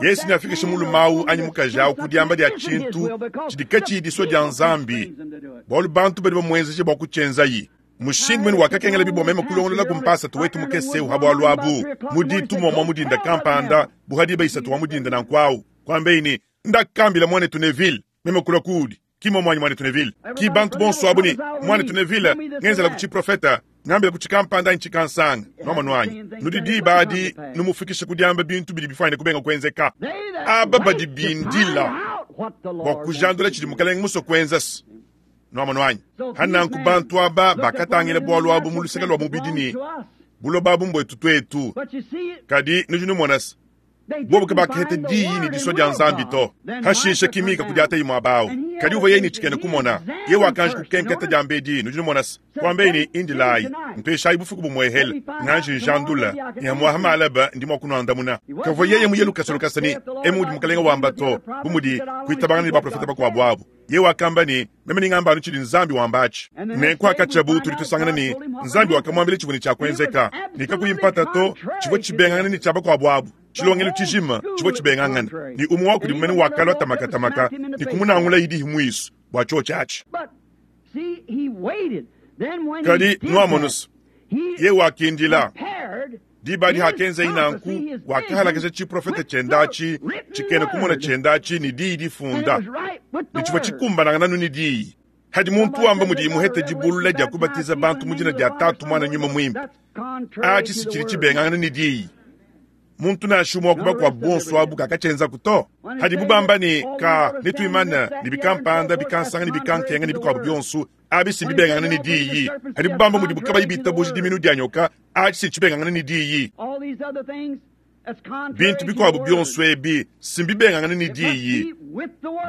Speaker 1: Yesu neafikishe mulume awu anyi mukaji awu ku diamba dia tshintu tshidi katshiyi disua dia Nzambi, bualu bantu badi bamuenzeje bua kutshienzayi. Mushindu mene wakakengelabi bua meme kulongololaku mpasata wetu mukese eu ha bualu abu mu ditu muamua mu dinda kampanda, bu ha diba isatu wa mu dinda nanku awu, kuambeyi ne, Ndakambila muanetu Neville, meme kulua kuudi. Ki muomu anyi, muanetu Neville? Ki bantu bonso abu ne, Muanetu Neville, ngenzelaku tshiprofete, ngambilaku tshikampanda anyi tshikansanga. Nuamonu anyi? Nudi diba adi numufikisha ku diamba bintu bidi bifuanyine kubenga kuenzeka. Aba badi bindila bua kujandula tshidi Mukalenge musue kuenza. Nuamonu anyi? Hananku bantu aba bakatangila bualu abu mu luseke lua mubidi ne, Buloba abu mbuetu tuetu. Kadi nudi numona se, bobu kabakaheta diyi ne disua dia Nzambi to. Hashishe ki Mika kudiataye muaba au, kadi uvua yeye ne tshikena kumona. Yeye wakanji kukenketa diambedi, nudi numona se, kuambaye ne, Indilayi, mpeshayi bufuku bumuehele, nganji njandula, ne hamuaha malaba ndi mua kunuandamuna. Kavua yeye muye lukasa lukasa ne, Emu udi mukalenge wamba to, bu mudi kuitabangana ne baprofete bakuabu abu. Yeye wakamba ne, Meme ningamba anu tshidi Nzambi wamba atshi. Nenku hakatshiabu tudi tusangana ne, Nzambi wakamuambila tshivua ne tshia kuenzeka, ne kakuyi mpata to, tshivua tshibengangana ne tshia bakuabu abu. Tshilongelu tshijima tshivua tshibengangana, ne umue wa kudibu mene wakalua tamakatamaka ne kumunangula idihi muisu bua tshiotshi atshi. Kadi nuamonu se, yeye wakindila. Diba adi hakenzaye nanku, wakahalakasha tshiprofete tshiende atshi, tshikena kumona tshiende atshi ne diyi difunda, ne tshivua tshikumbanangana anu ne diyi. Hadi muntu wamba mudiye muhete dibulula dia kubatiza bantu mu dina dia Tatu, Muana, Nyuma Muimpe, atshi si tshidi tshibengangana ne diyi. Muntu nansha umue wa ku bakuabu bonso abu kakatshienzaku to. Hadibu bamba ne, Ka, netuimane ne bikampanda, bikansanga ne bikankenga ne bikuabu bionso, abi si mbibengangane ne diyi. Hadibu bamba mudibu kabayi bitabuja diminu dia nyoka, atshi si ntshibengangane ne diyi. Bintu bikuabu bionso ebi si mbibengangane ne diyi.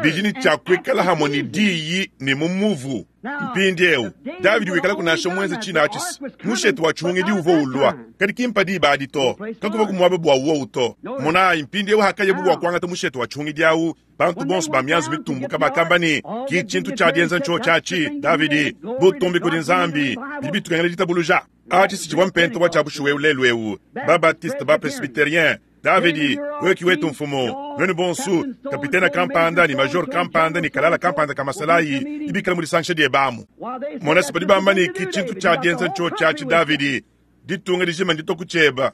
Speaker 1: Bidi ne tshia kuikala hamue ne diyi ne mu muvu. Mpindieu, Davidi wikalaku nansha muenze tshine atshi mushete wa tshihungidi uvua ulua, kadi ki mpa diba adi to, kakuvua ku muaba bua wowu to. Monayi, mpindieu hakayabu bua kuangata mushete wa tshihungidi au, bantu bonso ba mianzu mitumbuka bakamba ne, ki tshintu tshia dienza ntshiotshi atshi, Davidi, butumbi kudi Nzambi, bidi bitukengela ditabuluja. Atshi si tshivua mpenta wa tshia bushuwa eu lelu eu, ba-Baptiste, ba-Presbyterien, Davidi, wewe ki wetu mfumu, nuenu bonsu, kapitene kampanda ne major kampanda ne kalala kampanda ka masalayi ibikala mu disangisha diebe amu. Mona se badi bamba ne ki tshintu tshia dienza ntshiotshi atshi Davidi, ditunga dijima nditua ku tshieba.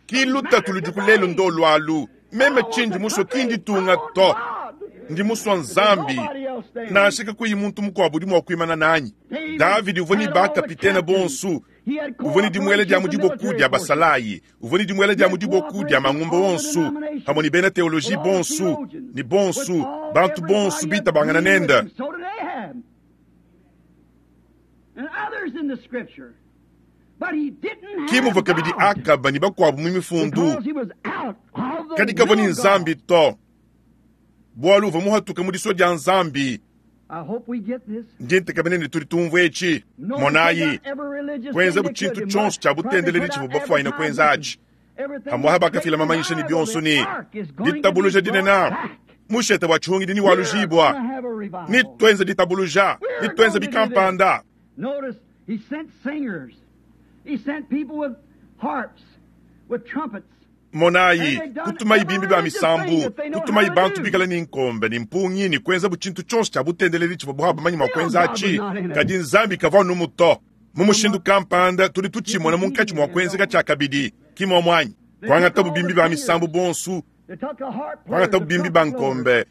Speaker 1: Ki lutatu ludiku lelu ndolu alu. Meme tshindi musue ki nditunga to, ndi musua Nzambi, nansha kakuyi muntu mukuabu udi mua kuimana nanyi. Davidi uvua ne ba kapitene bonsu, uvua ne dimuela dia mu diboku dia basalayi, uvua ne dimuela dia mu diboku dia mangumba onsu, pamue ne bena teoloji bonsu, ne bonsu, bantu bonsu bitabangana nende. Ki muvua kabidi Akaba ne bakuabu mu mifundu, kadi kavua ne Nzambi to, bualu uvua muhatuke mu disua dia Nzambi. Ndi ntekemena ne tudi tumvua etshi. Monayi, kuenzabu tshintu tshionso tshia butendeledi tshivua bafuanyine kuenza atshi. Pamuapa bakafila mamanyisha ne bionso ne ditabuluja dinene, mushete wa tshihungidi ne walujibua, ne tuenza ditabuluja, ne tuenza bikampanda. Monayi, kutumayi bimbi ba misambu, kutumayi bantu bikale ne nkombe ne mpungi ne kuenzabu tshintu tshionso tshia butendeledi tshivua buabu bamanye mua kuenza atshi, kadi Nzambi kavua anumu to. Mu mushindu kampanda tudi tutshimona munkatshi mua kuenzeka tshiakabidi, ki muomu anyi? Kuangatabu bimbi ba misambu bonso, kuangatabu bimbi ba nkombe,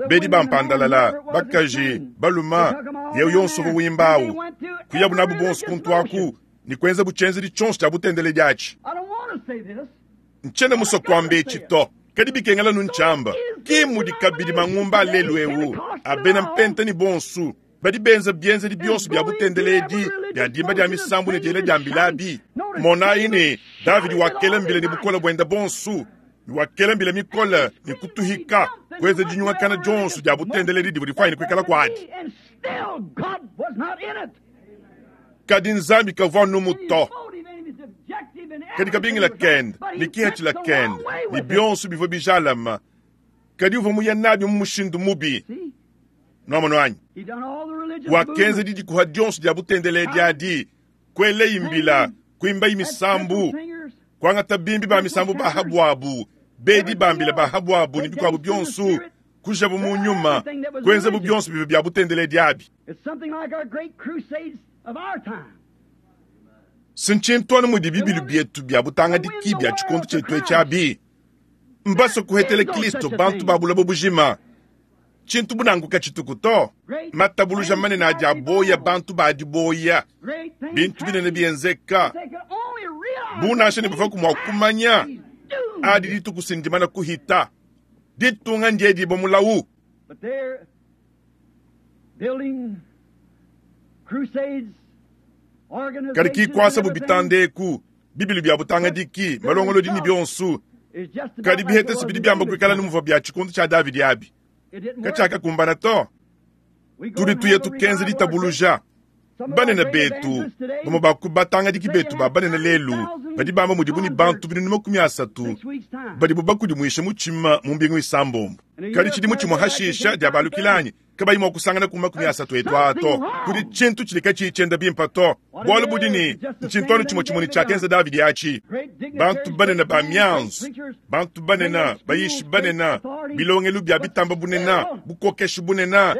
Speaker 1: bedi ba mpandalala, bakaji, baluma, yewu yonso uvua wimba awu, kuyabu nabu bonso kuntu aku ne kuenzabu tshienzedi tshionso tshia butendeledi atshi. Ntshiena musue kuamba etshi to, kadi bikengela nu ntshiamba. Ki mudi kabidi mangumba a lelu eu a bena mpenta ne bonso badi benza bienzedi bionso bia butendeledi bia dimba dia misambu ne diela dia mbila abi. Monayi ne, Davidi wakela mbila ne bukole buende bonso, ne wakela mbila mikole ne kutuhika, kuenza dinyungakana dionso dia butendeledi divua difuanyine kuikala kuadi. Kadi Nzambi kavua anumu to. Kadi kabingila kende ne kihatshila kende ne bionso bivua bijalama, kadi uvua muya nabi mu mushindu mubi. Nuamonu anyi? Wakenza didikuha dionso dia butendeledi adi, kuelayi mbila, kuimbayi misambu, kuangata bimbi ba misambu ba ha buabu, bedi ba mbila ba ha buabu ne bikuabu bionso, kujabu mu nyuma, kuenzabu bionso bivua bia butendeledi abi. Si ntshintu anu mudi bibilu bietu bia butangadiki bia tshikondo tshietu etshi abi. Mbasue kuhetela Kristo bantu ba buloba bujima. Tshintu bu nanku katshituku to. Matabuluja manene adi aboya bantu ba diboya, bintu binene bienzeka bu nansha ne bavuaku mua kumanya adi dituku si ndimana kuhita. Ditunga ndiedibua mulawu. Kadi ki kuasabu bitanda eku, bibilu bia butangadiki, malongolodi ne bionso, kadi bihetesi bidi biamba kuikala ne muvua bia tshikondo tshia Davidi abi katshiakakumbana to. Tudi tuya tukenza ditabuluja. Banene betu, bamue ba ku batangadiki betu ba banene lelu, badi bamba mudibu ne bantu 30,000 badibu bakudimuisha mutshima mu mbingu isambombo. Kadi tshidimu tshimue hashisha diabalukila anyi kabayi mua kusangana ku 30 etu aa to. Kudi tshintu tshidi katshiyi tshienda bimpe to. Bualu budi ne, ntshintu anu tshimue tshimue ne tshiakenza Davidi atshi. Bantu banene ba mianzu, bantu banene, bayishi banene, bilongelu bia bitamba bunene, bukokeshi bunene,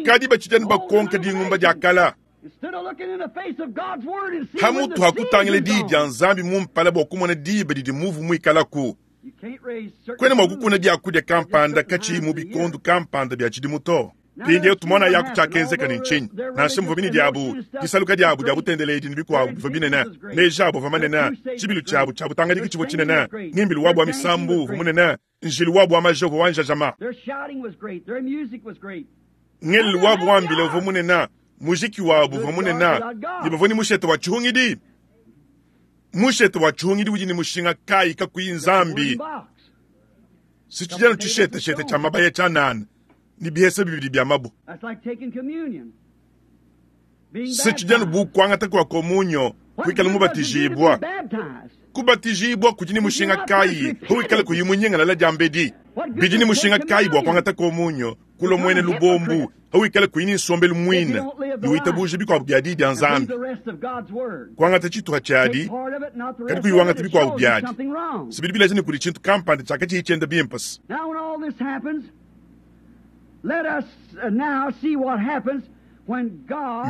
Speaker 1: kadi batshidi anu bakonka dingumba dia kala. Pamutu ha kutangila diyi dia Nzambi mu mpala bua kumona diba didi muvu muikalaku, kuena mua kukuna biakudia kampanda katshiyi mu bikondo kampanda bia tshidimu to. Mpindieu tumonayaku tshiakenzeka ne ntshinyi. Nansha muvua bine diabu, disaluka diabu dia butendeledi ne bikuabu bivua binene, meji abu avua manene, tshibilu tshiabu tshia butangadiki tshivua tshinene, ngimbilu wabu wa misambu uvua munene, njilu wabu wa maja uvua wa njajama, ngelelu wabu wa mbila uvua munene, mujiki wabu uvua munene, ne bavua ne mushete wa tshihungidi. Mushete wa tshihungidi udi ne mushinga kayi kakuyi Nzambi? Si tshidi anu tshisheteshete tshia mabaya tshianana ne bihesa bibidi bia mabue. Si tshidi anu bu kuangata kua komunyo, kuikala mubatijibua. Kubatijibua kudi ne mushinga kayi pawikala kuyi munyingalala diambedi? Bidi ne mushinga kayi bua kuangata komunyo, kulua muena lubombu, pawikala kuyi ne nsombelu muine ne witabuja bikuabu bia Diyi dia Nzambi? Kuangata tshituha tshiadi, kadi kuyi wangata bikuabu biadi, si bidi bileja ne kudi tshintu kampanda tshiakatshiyi tshienda bimpe.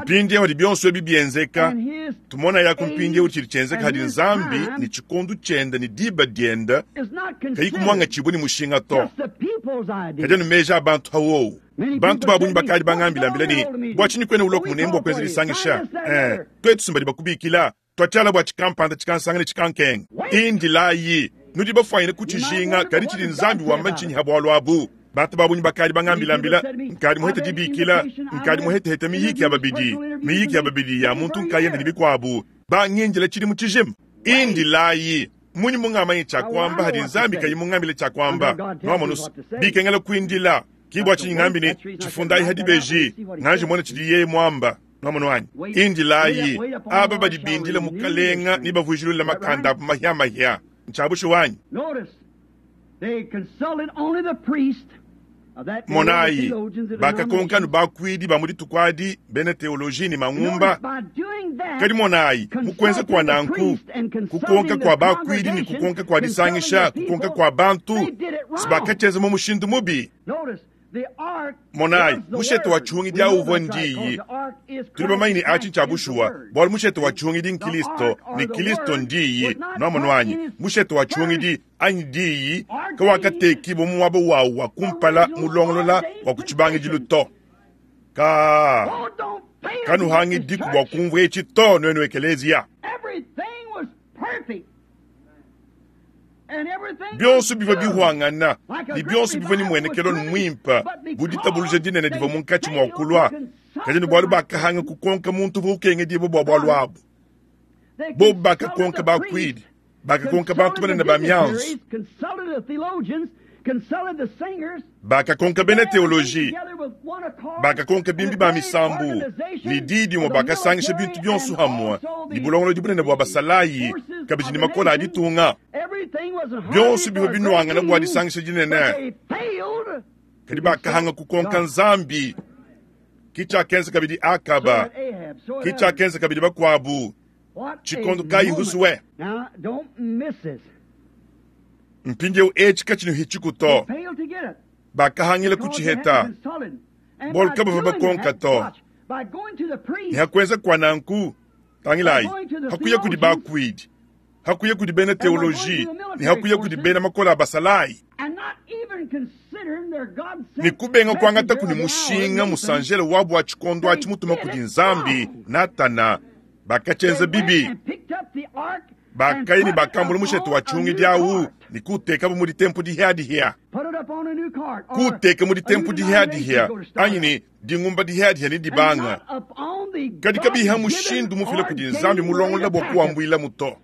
Speaker 1: Mpindieu hadi bionso ebi bienzeka, tumonayaku mpindieu tshidi tshienzeka hadi Nzambi ne tshikondo tshiende ne diba diende kayi kumuangatshibua ne mushinga to. Kadi anu meji a bantu ha wowu. Bantu ba bungi bakadi bangambilambila ne, Bua tshinyi kuena ulua ku munemu bua kuenza disangisha? Eh, tuetu si mbadi bakubikila. Tuatshiala bua tshikampanda tshikansanga ne tshikankenga. Indilayi! Nudi bafuanyine kutshijinga, kadi tshidi Nzambi wamba ntshinyi ha bualu abu? Bantu ba bungi bakadi bangambilambila, nkadi muhete dibikila, nkadi muhetehete miyiki ya babidi, miyiki ya babidi ya muntu nkayende ne bikuabu, bangindila tshidimu tshijima. Indilayi! Munyi mungamanye tshia kuamba hadi Nzambi kayi mungambile tshia kuamba? Nuamonus, bikengela kuindila. Ki bua tshinyi ngambi ne, tshifundayi ha dibeji, nganji mona tshidi yeye muamba. Nwamonu anyi? Indilayi, aba badi bindila Mukalenga ne bavuijilula makanda abu mahia-mahia. Ntshia bushuwa anyi? Monayi, bakakonka anu bakuidi ba mu dituku adi, bena teoloji ne mangumba. Kadi monayi, mu kuenza kua nanku, kukonka kua bakuidi ne kukonka kua disangisha, kukonka kua bantu, si bakatshienza mu mushindu mubi. Monayi, mushete wa tshihungidi awu uvua Ndiyi. Tudi bamanye ne atshi ntshia bushuwa, bualu mushete wa tshihungidi n'Kilisto, ne Kilisto n'Diyi. Nwamonu anyi? Mushete wa tshihungidi, anyi Diyi, kawakatekibua mu muaba wawu wa kumpala mulongolola wa ku tshibangidilu to. Kaa, kanuhangidiku bua kumvua etshi to, nuenu ekeleziya. Bionso bivua bihuangana ne bionso bivua ne muenekelo muimpe bu ditabuluja dinene divua munkatshi mua kulua, kadi ne bualu bakahanga kukonka muntu uvua ukengedibua bua bualu abu. Bobu bakakonka bakuidi, bakakonka bantu banene ba mianzu, Bakakonka bena teoloji, bakakonka bimbi ba misambu, ne di dimue bakasangisha bintu bionso hamue ne bulongolodi bunene bua basalayi, kabidi ne makole a ditunga. Bionso bivua binuangana bua disangisha dinene, kadi bakahanga kukonka Nzambi. Ki tshiakenza kabidi Akaba, ki tshiakenza kabidi bakuabu. Tshikondo kayi husue? Mpindieu etshi katshinuhitshiku to. Bakahangila kutshiheta, bualu kabavua bakonka to. Ne ha kuenza kua nanku, tangilayi, ha kuya kudi bakuidi, ha kuya kudi bena teoloji, ne ha kuya kudi bena makole a basalayi, ne kubenga kuangataku ne mushinga musanjele wabu wa tshikondo atshi mutuma kudi Nzambi, Natana, bakatshienza bibi. Bakaya ne bakambula mushete wa tshihungidi au ne kuutekabu mu ditempu dihiadihia, kuuteka mu ditempu dihiadihia anyi ne dingumba dihiadihia ne dibanga, kadi kabiha mushindu mufila kudi Nzambi mulongolola bua kuwambuilamu to.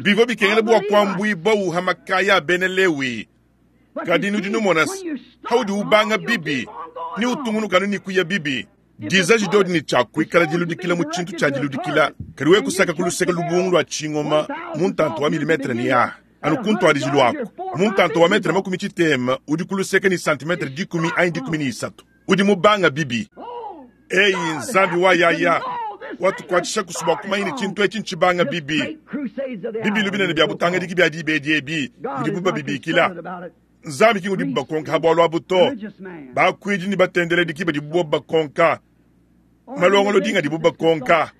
Speaker 1: Bivua bikengela bua kuambuibua ha makaya a Bena Lewi. Kadi nudi numona se, haudi ubanga bibi ne utungunuka anu ne kuya bibi. Dizaji diodi ne tshia kuikala diludikila mu tshintu tshia diludikila, kadi wewe kusaka ku luseke lubungu lua tshingoma mu ntanta wa milimetre ne a anu ku ntuadijilu aku mu ntanta wa metre makumi tshitema udi ku luseke ne santimetre dikumi anyi dikumi ne isatu udi mubanga bibi. Eyi Nzambi wa yaya watukuatshisha kusu bua kumanya ne tshintu etshi ntshibanga bibi. Bibilu binene bia butangadiki bia diba edi ebi mudibu babibikila. Nzambi ki ngudibu bakonka ha bualu abu to. Bakuidi ne batendeledi ki badibu bobu bakonka. Malongolodi ngadibu bakonka.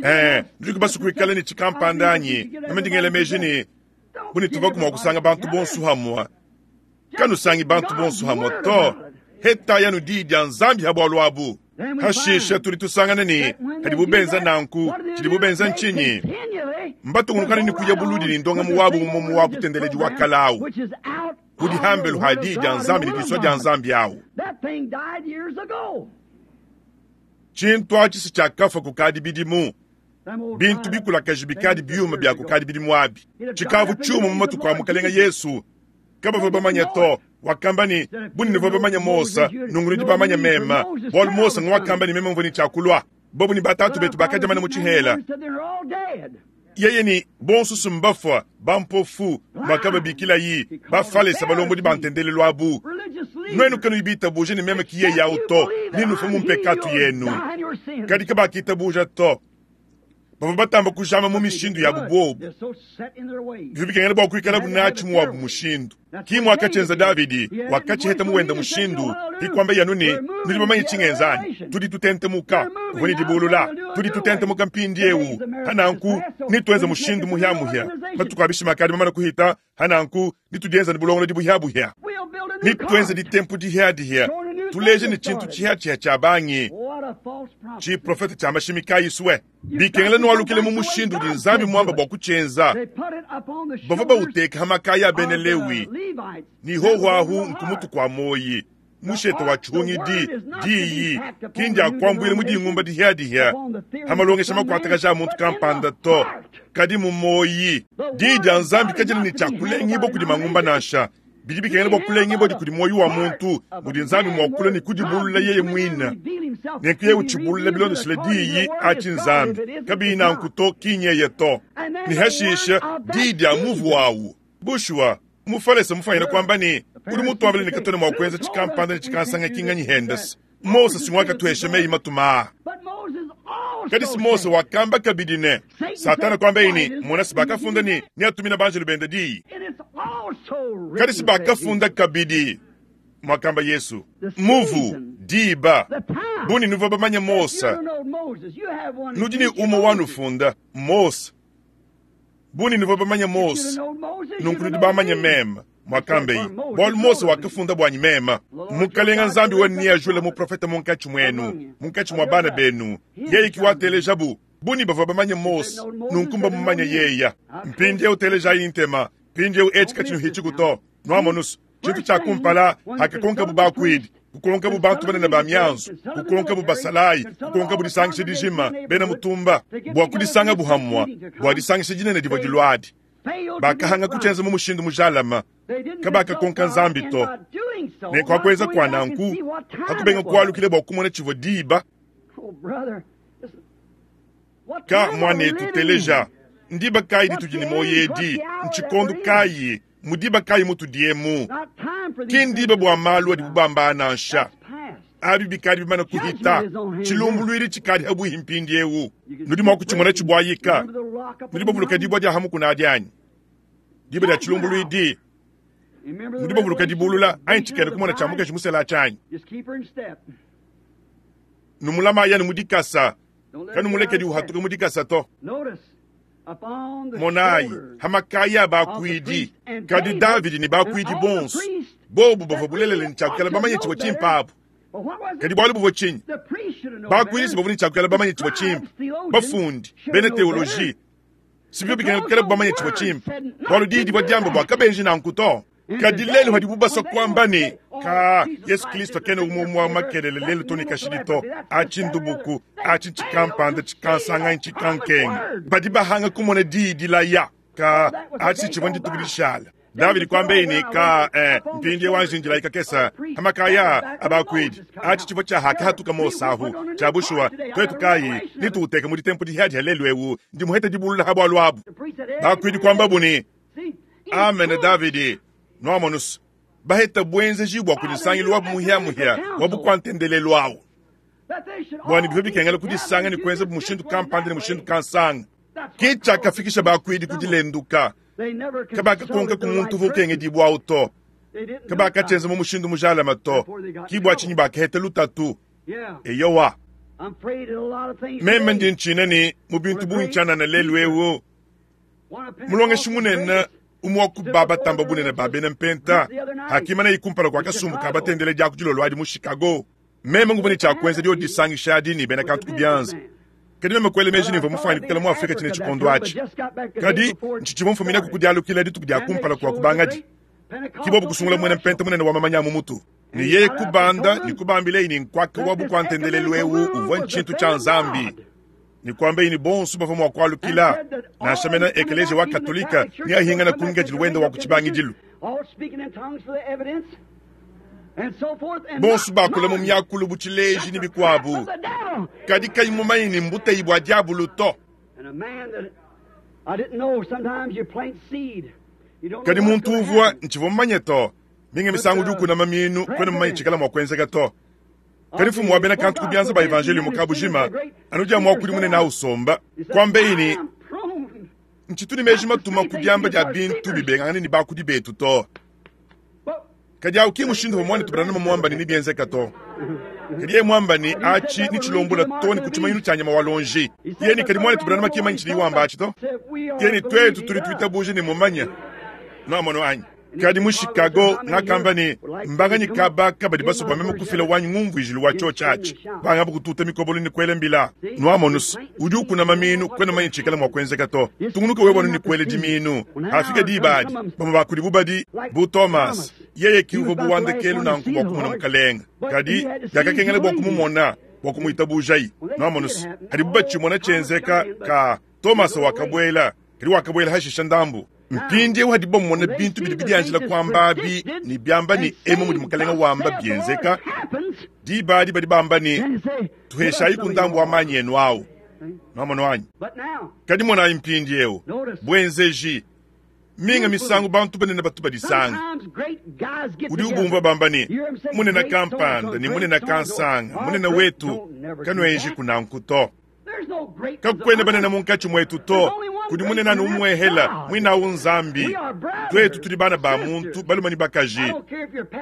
Speaker 1: Eh, nudi basue kuikala ne tshikampanda anyi? Meme ndi ngela meji ne, bu ne tuvaku mua kusanga bantu bonso hamue. Kanusangi bantu bonso hamue to. Hetayi anu diyi dia Nzambi ha bualu abu. Hashishe tudi tusangana ne, padibu benza nanku, tshidibu benza ntshinyi? Mbatungunukane ne kuya buludi ne ndongamu wabu mumomu wa butendeledi wa kale au, udi hambelu ha Diyi dia Nzambi ne disua dia Nzambi au. Tshintu atshi si tshiakafua kukadi bidimu. Bintu bikulakaje bikadi biuma bia kukadi bidimu abi. Tshikavu tshiuma mu matuku a Mukalenge Yesu. Kabavua bamanya to. Wakamba ne, Bu nuvua bamanya Mose, nunku nudi bamanya meme, bualu Mose nguakamba ne meme mvua ne tshia kulua. Bobu ne batatu betu bakadia mana mu tshihela. Yeye ne bonso si mbafua, bampofu, muakababikilayi, Bafalese balombodi ba ntendelelu abu. Nuenu kanuyi bitabuje ne meme ki yeye au to, nenufue mu mpekatu yenu. Kadi kabakitabuja to. Bavua batamba kujama mu mishindu yabu buobu. Bivua bikengela bua kuikalabu natshi mu wabu mushindu. Ki muakatshienza Davidi, wakatshiheta mu wenda mushindu, ki kuambaye anu ne, Nudi bamanye tshingenza anyi? Tudi tutentemuka. Uvua ne dibulula. Tudi tutentemuka mpindieu. Pa nanku, netuenze mushindu muhiamuhia. Matuku a bishima akadi mamane kuhita, pa nanku, netudienze ne bulongolodi buhiabuhia. Netuenze ditempu dihiadihia, tuleje ne tshintu tshihiatshihia tshia bangi. Tshiprofete tshia mashimi kayi sue. Bikengela nualukile mu mushindu udi Nzambi muamba bua kutshienza. Bavua bawuteka ha makaya a Bena Lewi, ne hoho ahu nku mutu kua muoyi. Mushete wa tshihungidi, diyi, ki ndia kuambuila mu dingumba dihiadihia ha malongesha makuatakaja a muntu kampanda to, kadi mu muoyi. Diyi dia Nzambi kadiena ne tshia kulengibua kudi mangumba nansha. Bidi bikengela bua kulengibua kudi muoyo wa muntu, mudi Nzambi mua kulua ne kudibulula yeye muine. Nenku yeye utshibulula bilondeshile diyi atshi Nzambi, kabiyi nanku to, ki nyeye to. Ne hashishe diyi dia muvu awu. Bushuwa, Mufalese mufanyine kuamba ne, Udi mutuambile ne katuena mua kuenza tshikampanda ne tshikansanga ki nganyi hendese? Mose si nguakatuhesha meyi matuma aa. Kadi si Mose wakamba kabidi ne, Satana kuambaye ne, Mona si bakafunda ne, neatumina banjelu bende diyi. Kadi si bakafunda kabidi, muakamba Yesu, muvu, diba, bu ne nuvua bamanye Mose, nudi ne umue wanufunda, Mose. Bu ne nuvua bamanye Mose, nunku nudi bamanye meme, muakambeye, bualu Mose wakafunda buanyi meme. Mukalenga Nzambi wenu neajule muprofete munkatshi muenu, munkatshi mua bana benu, yeye ki watelejabu. Bu ne bavua bamanye Mose, nunku mbamumanye yeya. Mpindieu telejayi ntema, mpindieu etshi katshinuhitshiku to. Nuamonus, tshintu tshia kumpala, hakakonkabu bakuidi, kukonkabu bantu banene ba mianzu, kukonkabu basalayi, kukonkabu disangisha dijima, bena mutumba, bua kudisangabu hamua bua disangisha dinene divua diluadi. Bakahanga kutshienza mu mushindu mujalama, kabakakonka Nzambi to. Nenku hakuenza kua nanku, hakubenga kualukila bua kumona tshivua diba. Ka muanetu, teleja, ndiba kayi ditudi ne muoyo edi? Ntshikondo kayi? Mu diba kayi mutudi emu? Ki ndiba bua malu adibu bamba nansha. Abi bikadi bimane kuhita. Tshilumbuluidi tshikadi habuihi mpindieu. Nudi mua kutshimona tshibuayika. Nudi bavuluka dibua dia ha mukuna adi anyi? Diba dia tshilumbuluidi. Nudi bavuluka dibulula anyi tshikena kumona tshia mukaji musela atshi anyi? Numulamayi anu mu dikasa, kanumulekedi uhatuka mu dikasa to. Monayi, ha makaya a bakuidi, kadi Davidi ne bakuidi bonso, bobu bavua bulelela ne tshiakuikala bamanye tshivua tshimpe abu. Kadi bualu buvua tshinyi? Bakuidi si bavua ne tshiakuikala bamanye tshivua tshimpe, bafundi, bena teoloji, si bivua bikengela kuikala bamanye tshivua tshimpe, bualu diyi divua diamba bua kabenji nanku to. Kadi lelu padibu basua kuamba ne, Ka, Yesu Kristo kena umue umue wa makelele lelu to ne kashidi to, atshi ndubuku, atshi ntshikampanda, tshikansanga, ntshikankenga, badi bahanga kumona diyi dilaya. Ka, atshi tshivua ndituku dishala. Davidi kuambaye ne, Ka, eh, mpindieu anji ndilayi kakese pa makaya a bakuidi. Atshi tshivua tshia hakahatuka Mose ahu. Tshia bushuwa, tuetu kayi nituuteke mu ditempu dihiadiha lelu eu, ndi muhete dibulula ha bualu abu. Bakuidi kuambabu ne, Amene Davidi, nuamonus, baheta buenzeji bua kudi nsangilu wabu muhia-muhia wa bukua-ntendelelu au, bua ne bivua bikengela kudisanga ne kuenza bu mushindu kampanda ne mushindu kansanga. Ke tshiakafikisha bakuidi ku dilenduka. Kabakakonka ku muntu uvua ukengedibua au to. Kabakatshienza mu mushindu mujalame to. Ki bua tshinyi bakaheta lutatu. Eyowa, meme ndi ntshina ne mu bintu bungi tshianana lelu eu, Mulongeshi munene umue wa ku ba batamba bunene ba bena Mpenta akimanaye kumpala kua kasumbu ka batendeledi aku dilolo adi mu Chicago. Meme nguvua ne tshia kuenza diodi disangisha adi ne bena kantu ku bianza, kadi meme kuela meji ne mvua mufuane kuikala mu Afrika tshine tshikondo atshi. Kadi ntshitshivua mfuminaku ku dialukila dituku dia kumpala kua kubangadi. Ke bobu kusungula muena Mpenta munene wa mamanya a mu mutu, ne yeye kubanda ne kubambilaye ne nkuaka wa bukua-ntendelelu eu uvua ntshintu tshia Nzambi. Ne kuambaye ne bonso bavua mua kualukila, nansha mena ekeleziya wa Katolika neahingane ku ngikadilu wende wa ku tshibangidilu. Bonso bakula mu miakulu bu tshileji ne bikuabu, kadi kayi mumanye ne mbuteyi bua diabulu to. Kadi muntu uvua ntshivua mumanye to. Minga misangu udi ukuna mamiinu, kuena mumanye tshikala mua kuenzeka to. Kadi mfumu wa bena kantu ku bianza ba evanjeliyo mu kabujima anu dia muakudi munene usomba, kuambeyi ne, Ntshitu ne meji matuma ku diamba dia bintu bibengangane ne bakudi betu to. Kadi awu ki mushindu uvua muanetu Branham muamba ne nebienzeka to. Kadi yeye muamba ne atshi netshilombola to ne ku tshimanyinu tshia nyama wa luonji. Yeye ne kadi muanetu Branham ki manyi tshidiye wamba atshi to. Yeye ne tuetu tudi tuitabuja ne mumanya. Nuamono anyi? Kadi mu Chicago, ngakamba ne, Mbanganyi kaba kabadi basue bua meme kufila wanyi ngumvuijilu wa tshiotshi atshi? Bangabu kututa mikobolo ne kuela mbila. Nuamonus, udi ukuna mamiinu, kuena mumanye tshikala mua kuenzeka to. Tungunuka wewe anu ne kuela dimiinu. Hafika diba adi, bamue ba kudibu badi bu Thomas. Yeye ki uvua bu wa ndekelu nanku bua kumona Mukalenge. Kadi biakakengela bua kumumona bua kumuitabujayi. Nuamonus, hadibu batshimona tshienzeka, ka Thomas wakabuela, kadi wakabuela hashisha ndambu. Mpindieu hadibu bamona bintu bidi bidianjila kuamba abi ne biamba ne emu mudi Mukalenge wamba bienzeka, diba adi badi bamba ne, Tuheshayiku ndambu wa manyi enu au. Nuamono anyi? Kadi monayi mpindieu buenzeji. Minga misangu bantu banene batu badisanga. Udi ubumvua bamba ne, Munene kampanda ne munene kansanga, munene wetu, kanuenjiku nanku to. Kakuena banene munkatshi muetu to, kudi munene anu umuehela, muinawu Nzambi. Tuetu tudi bana ba muntu, balume ne bakaji.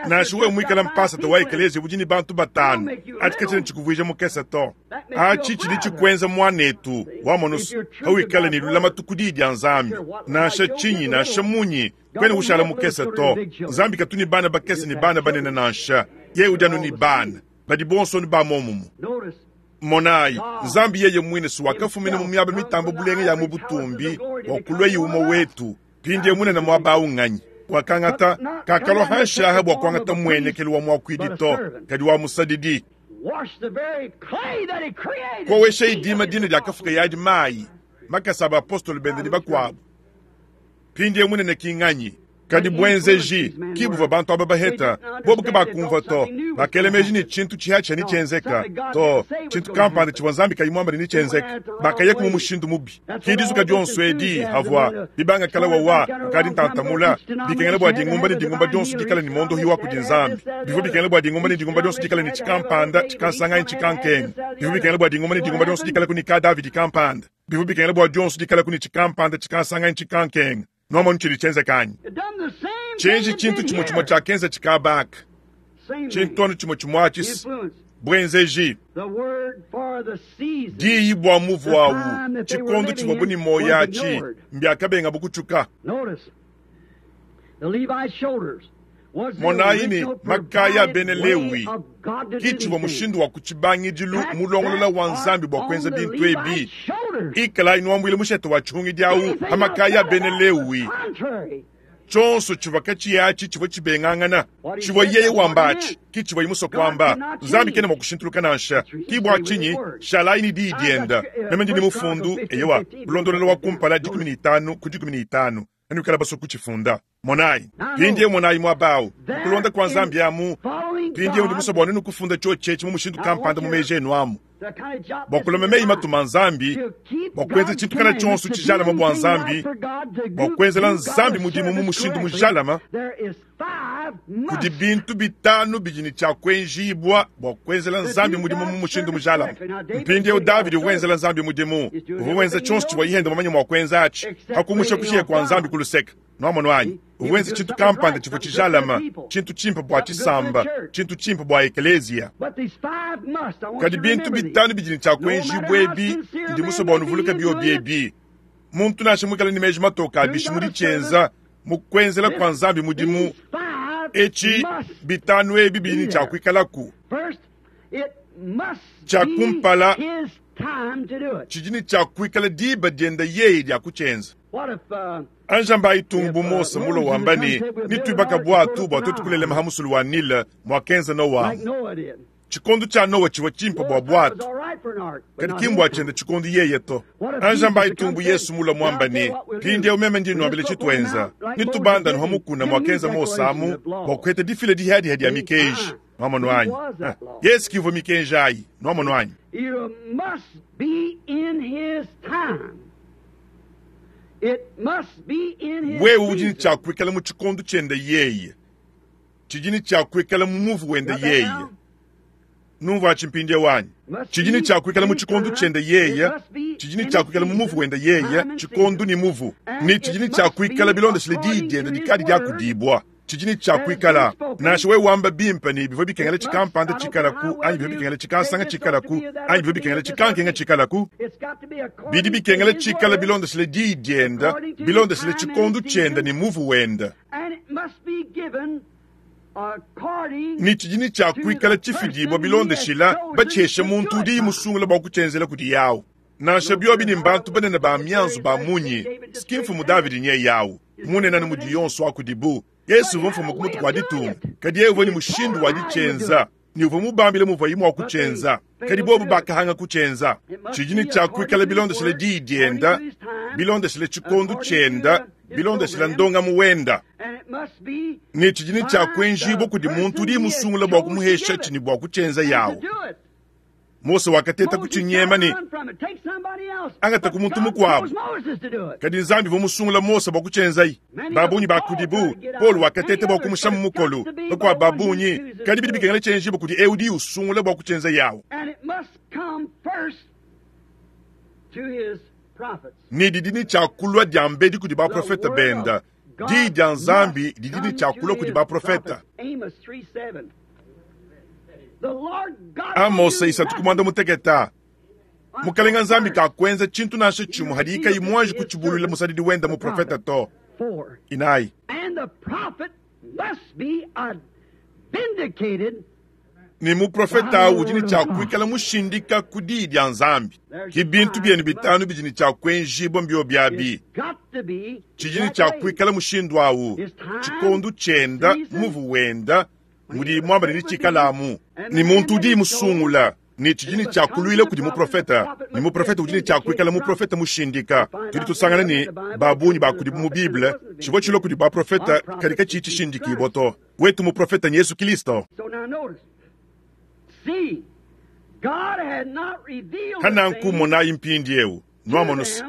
Speaker 1: Nansha wewe muikale mpasata wa ekeleziya udi ne bantu batanu, atshi katshiena tshikuvuija mukese to. Atshi tshidi tshikuenza muanetu, wamonu pawikala ne lulamatu ku Diyi dia Nzambi. Nansha tshinyi, nansha munyi, kuena ushala mukese to. Nzambi katu ne bana bakese ne bana banene nansha, yeye udi anu ne bana, badi bonso anu ba muomumue. Monayi, Nzambi yeye muine si wakafumina mu miaba mitambe bulenga ya mu butumbi bua kuluaye umue wetu. Mpindieu munene muaba au nnganyi? Wakangata, kakalua hanshi aha bua kuangata mmuenekelu wa muakuidi to, kadi wa musadidi. Koweshayi dima dine diakafukaye adi mayi, makasa a bapostolo bende ne bakuabu. Mpindieu munene ki nnganyi? Kadi buenzeji ki buvua bantu aba baheta, bobu kabakumvua to. Bakela meji ne tshintu tshihatshia netshienzeka to, tshintu kampanda tshivua Nzambi kayi muamba ne netshienzeka. Bakayaku mu mushindu mubi. Ki dizuka dionso edi havua bibanga kala wawa kukadi ntantamula, bikengela bua dingumba ne dingumba dionso dikale ne mondohi wa kudi Nzambi. Bivua bikengela bua dingumba ne dingumba dionso dikale ne tshikampanda, tshikansanga anyi tshikankenga. Bivua bikengela bua dingumba ne dingumba dionso dikaleku ne ka Davidi kampanda. Bivua bikengela bua dionso dikaleku ne tshikampanda, tshikansanga anyi tshikankenga. Nuamonu tshidi tshienzeka anyi? Tshienji tshintu tshimue tshimue tshiakenza tshikabaka, tshintu anu tshimue tshimue atshi, buenzeji. Diyi bua muvu awu, tshikondo tshivuabu ne muoyo atshi, mbiakabengabu kutshuka. Monayi ne, makaya a bena Lewi ki tshivua mushindu wa ku tshibangidilu mulongolola wa Nzambi bua kuenza bintu ebi. Ikalayi nuambuila mushete wa tshihungidi au pa makaya a bena Lewi. Tshionso tshivua katshiyi atshi tshivua tshibengangana. Tshivua yeye wamba atshi ki tshivuaye musue kuamba. Nzambi kena mua kushintuluka nansha. Ki bua tshinyi shalayi ne diyi dienda. Meme ndi ne mufundu, eyowa, bulondolola wa kumpala 15 ku 15. Anuikala basue kutshifunda. Monayi, mpindieu monayi muaba au, mu kulonda kua Nzambi amu. Mpindieu ndi musue bua nuenu kufunda tshiotshi etshi mu mushindu kampanda mu meji enu amu, bua kulama meyi matuma a Nzambi, bua kuenza tshintu kana tshionso tshijalama bua Nzambi, bua kuenzela Nzambi mudimu mu mushindu mujalama. Kudi bintu bitanu bidi ne tshia kuenjibua bua kuenzela Nzambi mudimu mu mushindu mujalame. Mpindieu Davidi uvua wenzela Nzambi mudimu, uvua wenza tshionso tshivua yende mumanye mua kuenza atshi, pa kumusha kushiya kua Nzambi ku luseke. Nuamonu anyi? Uvua wenza tshintu kampanda tshivua tshijalame, tshintu tshimpe bua tshisamba, tshintu tshimpe bua ekeleziya. Kadi bintu bitanu bidi ne tshia kuenjibua ebi, ndi musue bua nuvuluke biobi ebi. Muntu nansha muikale ne meji matoke a bishi mu ditshienza mu kuenzela kua Nzambi mudimu, etshi bitanu ebi bidi ne tshia kuikalaku. Tshia kumpala tshidi ne tshia kuikala diba diende yeye dia kutshienza. Anjambayi tung bu Mose mulua wamba ne, Nituibaka buatu bua tuetu kulelema ha musulu wa Nile muakenza Noa. Tshikondo tshia Noa tshivua tshimpe bua buatu, kadi ki mbua tshiende tshikondo yeye to. Anji ambayi tumbu Yesu mulue muambe ne, Mpindieu meme ndi nnuambila tshituenza, netubande anu ha mukuna muakenza Mose amu bua kuheta difila dihiadiha dia mikenji. Nuamonu anyi? Yesu ki uvua mikenji ayi. Nuamonu anyi? Wewe udi ne tshia kuikala mu tshikondo tshiende yeye, tshidi ne tshia kuikala mu muvu wende yeye. Numvuatshi mpindieu anyi? Tshidi ne tshia kuikala mu tshikondo tshiende yeye, tshidi ne tshia kuikala mu muvu wende yeye, tshikondo ne muvu, ne tshidi ne tshia kuikala bilondeshile diyi diende dikadi diakudibua. Tshidi ne tshia kuikala, nansha wewe wamba bimpe ne bivua bikengela tshikampanda tshikalaku, anyi bivua bikengela tshikansanga tshikalaku, anyi bivua bikengela tshikankenga tshikalaku, bidi bikengela tshikala bilondeshile diyi diende, bilondeshile tshikondo tshiende ne muvu wende. Ne tshidi ne tshia kuikala tshifidibua bilondeshila batshihesha muntu udi musungula bua kutshienzela kudi yawu. Nansha biobi ne mbantu banene ba mianzu ba munyi, ski mfumu Davidi nye yawu munene anu mudi yonso wa kudibu. Yesu uvua mfumu ku mutu kua ditunga, kadi yeye uvua ne mushindu wa ditshienza ne uvua mubambile muvuaye mua kutshienza, kadi bobu bakahanga kutshienza. Tshidi ne tshia kuikala bilondeshile diyi dienda, bilondeshile tshikondo tshienda, bilondeshile ndongamu wenda, ne tshidi ne tshia kuenjibua kudi muntu udi musungula bua kumuhesha tshini bua kutshienza yawu. Mose wakateta kutshinyema ne angata ku muntu mukuabu, kadi Nzambi uvua musungula Mose bua kutshienzayi. Babungi ba kudibu, Paulo wakateta bua kumusha mu mukolo, bakuabu babungi, kadi bidi bikengela tshienjibua kudi eu udi usungula bua kutshienza yawu. Ne didi ne tshia kulua diambedi kudi baprofete benda. Diyi dia Nzambi didi ne tshia kulua kudi baprofete. Amose 3:16. Mukalenga Nzambi kakuenza tshintu nansha tshimue hadiye kayi muanji kutshibuluila musadidi wenda muprofete to. 4. Ne muprofete au udi ne tshia kuikala mushindika ku diyi dia Nzambi. Ki bintu bienu bitanu bidi ne tshia kuenjibua mbiobi abi. Tshidi ne tshia kuikala mushindu au, tshikondo tshienda, muvu wenda, mudi muamba ne tshikalamu, ne muntu udi musungula, ne tshidi ne tshia kuluila kudi muprofete, ne muprofete udi ne tshia kuikala muprofete mushindika. Tudi tusangana ne babungi ba kudibu mu Bible tshivua tshilua kudi baprofete kadi katshiyi tshishindikibua to. Wetu muprofete ni Yesu Kristo. Hananku monayi mpindieu nuamonu se,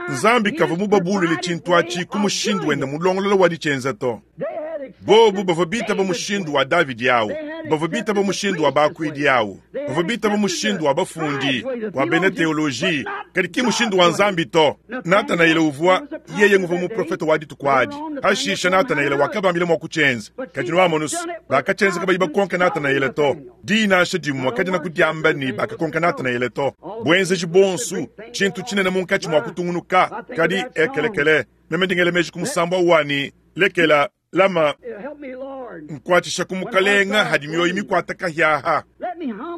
Speaker 1: Nzambi kavua mubabuluile tshintu atshi ku mushindu wende mulongolola wa ditshienza to. Bobu bavua bitaba mushindu wa Davidi au, bavua bitaba mushindu wa bakuidi au, bavua bitaba mushindu wa bafundi, wa bena teoloji, kadi ki mushindu wa Nzambi to. Natanaele uvua yeye nguvua muprofete wa dituku adi. Hashisha Natanaele wakabambila mua kutshienza, kadi nuamonu se, bakatshienza kabayi bakonka Natanaele to. Diyi nansha dimue kadiena kudiamba ne bakakonka Natanaele to. Buenzeji buonso, tshintu tshinene munkatshi mua kutungunuka, kadi ekelekele. Meme ndi ngela meji ku musambu au wa ne, Lekela, lama, nkuatshisha ku Mukalenga hadi mioyo mikuata kahiaha.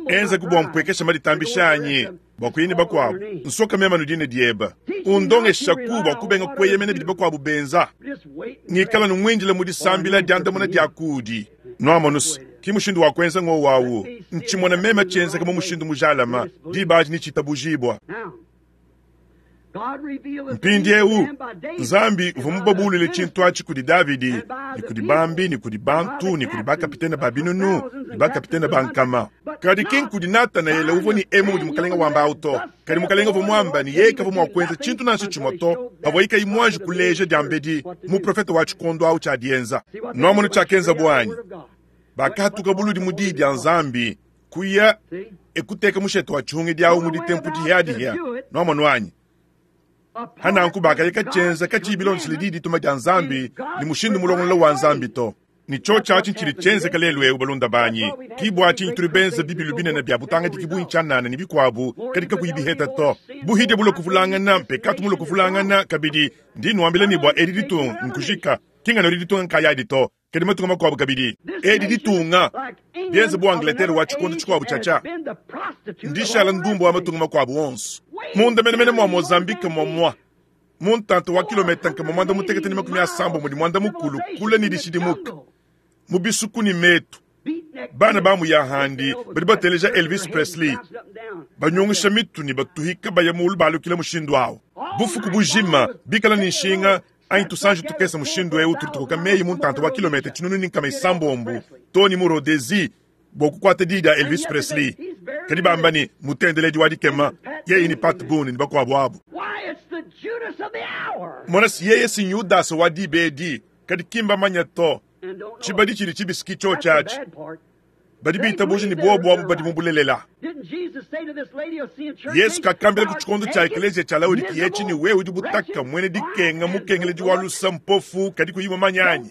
Speaker 1: Enza ku bua mpuekesha maditambisha anyi bua kuya ne bakuabu, nsoka mema nu dina dieba. Undongeshaku bua kubenga kueyemena bidi bakuabu benza. Ngikala numuindila mu disambila diandamuna dia kudi. Nuamonu se, ki mushindu wa kuenza ngowu awu. Ntshimona meme tshienzeka mu mushindu mujalama, diba adi netshitabujibua. Mpindieu, Nzambi uvua mubabuluile tshintu atshi kudi Davidi, ne kudi bambi, ne kudi bantu, ne kudi bakapitene ba binunu, ne bakapitene ba nkama. Kadi ki nkudi Natanaele uvua ne emu mudi Mukalenga wamba au to. Kadi Mukalenga uvua muamba ne yeye kavua mua kuenza tshintu nansha tshimue to pavuaye kayi muanji kuleja diambedi muprofete wa tshikondo au tshia dienza. Nuamonu tshiakenzabu anyi? Bakahatuka buludi mu diyi dia Nzambi, kuya e kuteka mushete wa tshihungidi au mu ditempu dihiadihia. Nuamonu anyi? Hananku bakaya katshienza katshiyi bilondeshile diyi dituma dia Nzambi ne mushindu mulongolola wa Nzambi to. Ne tshiotshi atshi ntshidi tshienzeka lelu eu, balunda banyi. Ki bua tshinyi tudi benza bibilu binene bia butangadiki bungi tshianana ne bikuabu, kadi kakuyi biheta to. Buhidia bulue kuvulangana, mpekatu mulue kuvulangana kabidi. Ndi nuambila ne bua edi ditunga nkujika, ki nganu edi ditunga nkayadi to, kadi matunga makuabu kabidi. Edi ditunga, bienze bu Angleterre wa tshikondo tshikuabu tshiatshia, ndishala ndumba wa matunga makuabu onso. Munda menemene mua Mozambique muamua, mu ntanta wa kilometa 190 mudi 90 kule ne dishidimuka, mu bisuku ne metu. Bana ba mu yahandi badi bateleja Elvis Presley, banyungusha mitu ne batuhika baya mulu balukila mushindu awu. Bufuku bujima bikala ne nshinga anyi tusanji tukese mushindu eu tudi tukoka meyi mu ntanta wa kilometa 670 too ne mu Rhodesie bua kukuata diyi dia Elvis Presley. Kadi bamba ne, mutendeledi wa dikema, yeye ne Pat Boone ne bakuabu abu. Mona, si yeye si Yudasa wa diba edi, kadi ki mbamanya to. Tshibadi tshidi tshibisi ki tshiotshi atshi. Badi bitabuja ne buobu abu badi mu bulelela. Yesu kakambila ku tshikondo tshia ekeleziya tshia Laodikiya etshi ne, wewe udi butaka, muena dikenga, mukengeledi wa lusa, mpofu, kadi kuyi mumanye anyi?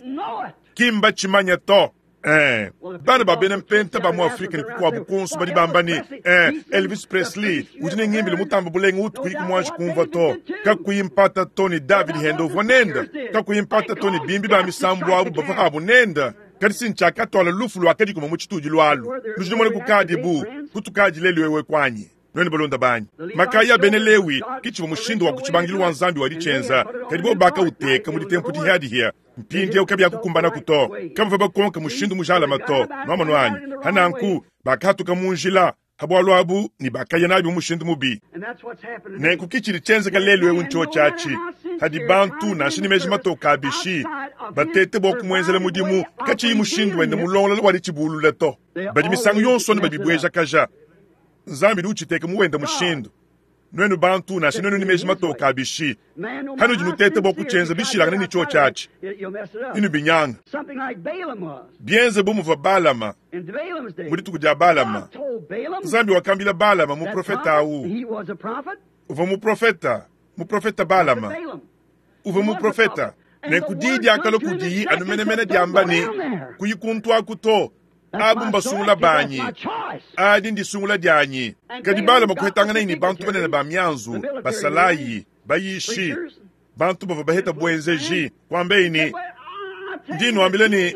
Speaker 1: Ki mbatshimanya to. Eh, bana ba bena mpenta ba mu Afrika ne kukuabu kuonso badi bamba ne, eh, Elvis Presley udi ne ngimbilu mutambe bulenga utu kuyi kumuanji kumvua to. Kakuyi mpata to ne David Hendo uvua nende. Kakuyi mpata to ne bimbi ba misambu abu bavua abu nende. Kadi si ntshiakatuala lufu luakadikuma mu tshitudilu alu. Nudi numona kukadi bu kutukadi lelu ewu eku anyi? Nuenu balunda banyi, makaya a bena Lewi ke tshivua mushindu wa ku tshibangidilu wa Nzambi wa ditshienza, kadi bobu bakauteka mu ditempu dihiadihia. Mpindieu kabiakukumbanaku to. Kabavua bakonka mushindu mujalame to. Nuamonu anyi? Pa nanku bakahatuka mu njila ha bualu abu ne bakaya nabi mu mushindu mubi. Nenku ke tshidi tshienzeka lelu eu ntshiotshi atshi, padi bantu, nansha ne meji matoke a bishi, batete bua kumuenzela mudimu katshiyi mushindu wende mulongolola wa ditshibulula to. Badi misangu yonso anu babibuejakaja. Nzambi udi utshiteka mu wende mushindu. Nuenu bantu, nansha nuenu ne meji matoke a bishi, panudi nuteta bua kutshienza bishilangane ne tshiotshi atshi, nenubinyanga. Bienze bu muvua Balama mu dituku dia Balama. Nzambi wakambila Balama, muprofete au, uvua muprofete, muprofete Balama uvua muprofete. Nenku diyi diakalua kudiyi anu menemene diamba ne, Kuyi kuntu aku to. Abu mbasungula banyi. Adi ndisungula dianyi. Kadi Balama kuhetanganaye ne bantu banene ba mianzu, basalayi, bayishi, bantu bavua baheta buenzeji, kuambaye ne, Ndi nnuambila ne,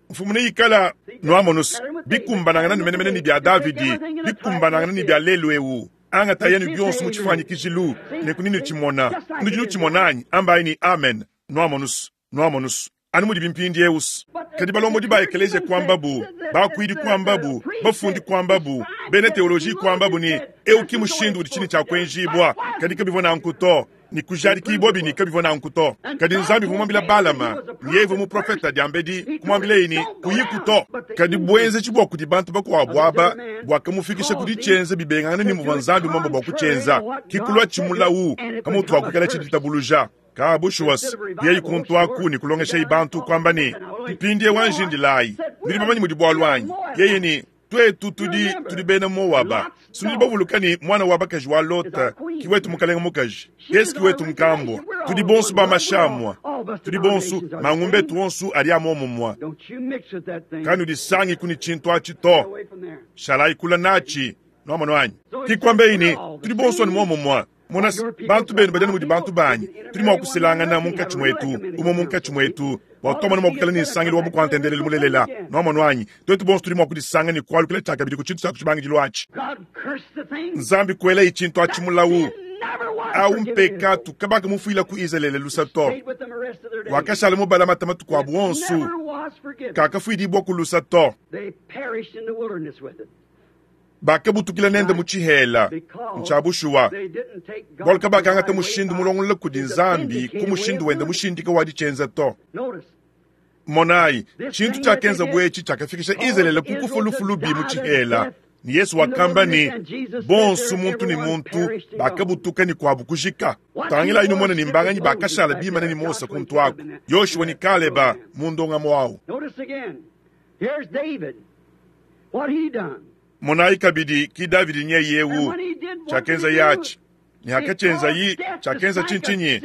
Speaker 1: mfumu neikala nuamonus bikumbanangana ne menemene ne bia Davidi, bikumbanangana ne bia lelu eu. Angatayi anu bionso mu tshifuanyikijilu, nenku nenutshimona. Nudi nutshimona anyi? Ambayi ne, Amen. Nuamonus, nuamonus, anu mudibi mpindiewus. Kadi balombodi ba ekeleziya kuambabu, bakuidi kuambabu, bafundi kuambabu, bena teoloji kuambabu ne, Eu ki mushindu udi tshine tshia kuenjibua. Kadi kabivua nanku to, ne kujadikibuabi ne kabivua nanku to. Kadi Nzambi uvua muambile Balama ne yeye uvua muprofeta diambedi, kumuambilaye ne, Kuyiku to. Kadi buenzeji bua kudi bantu bakuabu aba buakamufikisha ku ditshienza bibengangane ne muvua Nzambi muambe bua kutshienza, ke kuluatshi mulawu pamutu pa kuikalatshi ditabuluja. Ka bushuwa, yeye kuntu aku ne kulongeshaye bantu, kuamba ne, Mpindieu anji indilayi, nudi bamanye mudi bualu anyi? Yeye ne, Tuetu tudi, tudi bena Moaba. Sinudi bavuluka ne, muana wa bakaji wa Lota ki wetu mukalenge mukaji, yeye ki wetu nkambua. Tudi bonso ba mashi amua, tudi bonso, mangumba etu onso adi a muomumue. Kanudisangiku ne tshintu atshi to, shalayi kule natshi. Nuamonu anyi? Ki kuambeyi ne, tudi bonso anu muomumue. Mona, bantu benu badi anu mudi bantu banyi. Tudi mua kuselangana munkatshi muetu, umue munkatshi muetu, bua tuamona mua kuikala ne nsangilu wa bukua-ntendelelu mulelela. Nuamonu anyi? Tuetu bonso tudi mua kudisanga ne kualukila tshiakabidi ku tshintu tshia ku tshibangidilu atshi. Nzambi kuelaye tshintu atshi mulawu. Au mpekatu, kabakamufuila ku Izalele lusa to. Wakashala mubalamate matuku abu onso, kakafuidibua ku lusa to. Bakabutukila nende mu tshihela. Ntshia bushuwa, bualu kabakangata mushindu mulongolola kudi Nzambi ku mushindu wende mushindika wa ditshienza to. Monayi, tshintu tshiakenzabu etshi tshiakafikisha Izalele ku kufua lufu lubi mu tshihela, ne Yezu wakamba ne, bonso muntu ne muntu bakabutuka ne kuabu kujika. Tangilayi numone ne mbanganyi bakashala bimane ne Mose kuntu aku, Yoshua ne Kaleba mu ndongamu au. Monayi kabidi, ki Davidi nyeye eu, tshiakenzaye atshi, ne hakatshienzayi, tshiakenza tshintshinyi?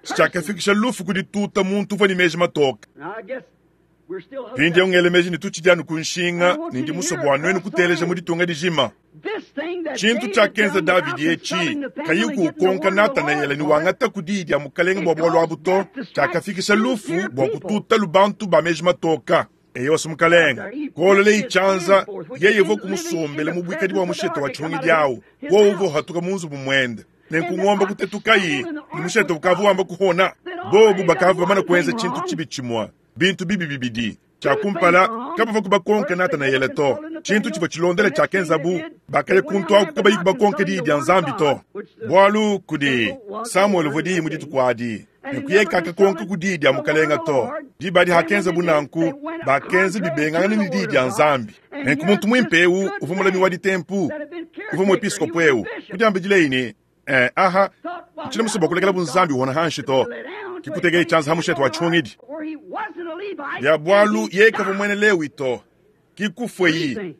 Speaker 1: Tshiakafikisha lufu ku dituta muntu uvua ne meji matoke. Mpindieu ngela meji ne tutshidi anu ku nshinga, ne ndi musue bua nuenu kuteleja mu ditunga dijima. Tshintu tshiakenza Davidi etshi, kayi ukonka Natanaele ne wangataku diyi dia mukalenge bua bualu abu to, tshiakafikisha lufu bua kututalu bantu ba meji matoka. Eyowa, mukalenge, kuololeye tshianza, yeye uvua kumusombele mu buikadi bua mushete wa tshihungidi awu, wowu uvua uhatuka mu nzubu muende. Nenku ngombe kutetukayi, ne mushete ukavua wamba kuhona. Bobu bakavua bamane kuenza tshintu tshibi tshimue, bintu bibi bibidi. Tshia kumpala, kabavua kubakonka Natanaele to. Tshintu tshivua tshilondela tshiakenzabu, bakaya kuntu aku kabayi kubakonka diyi dia Nzambi to. Bualu kudi Samuele uvua diyi mu dituku adi, ne kuye kakakonka ku diyi dia mukalenga to. Diba adi hakenzabu nanku, bakenza bibengangana ne diyi dia Nzambi. Nenku muntu muimpe eu uvua mulami wa ditempu, uvua muepiskopo eu, kudiambidileyi ne, Eh, aha, ntshiena musue bua kulekela bunzambi uhona hanshi to. Kikutekeye tshianza ha mushete wa tshihungidi. Bia bualu yeye kavua muena Lewi to, kikufue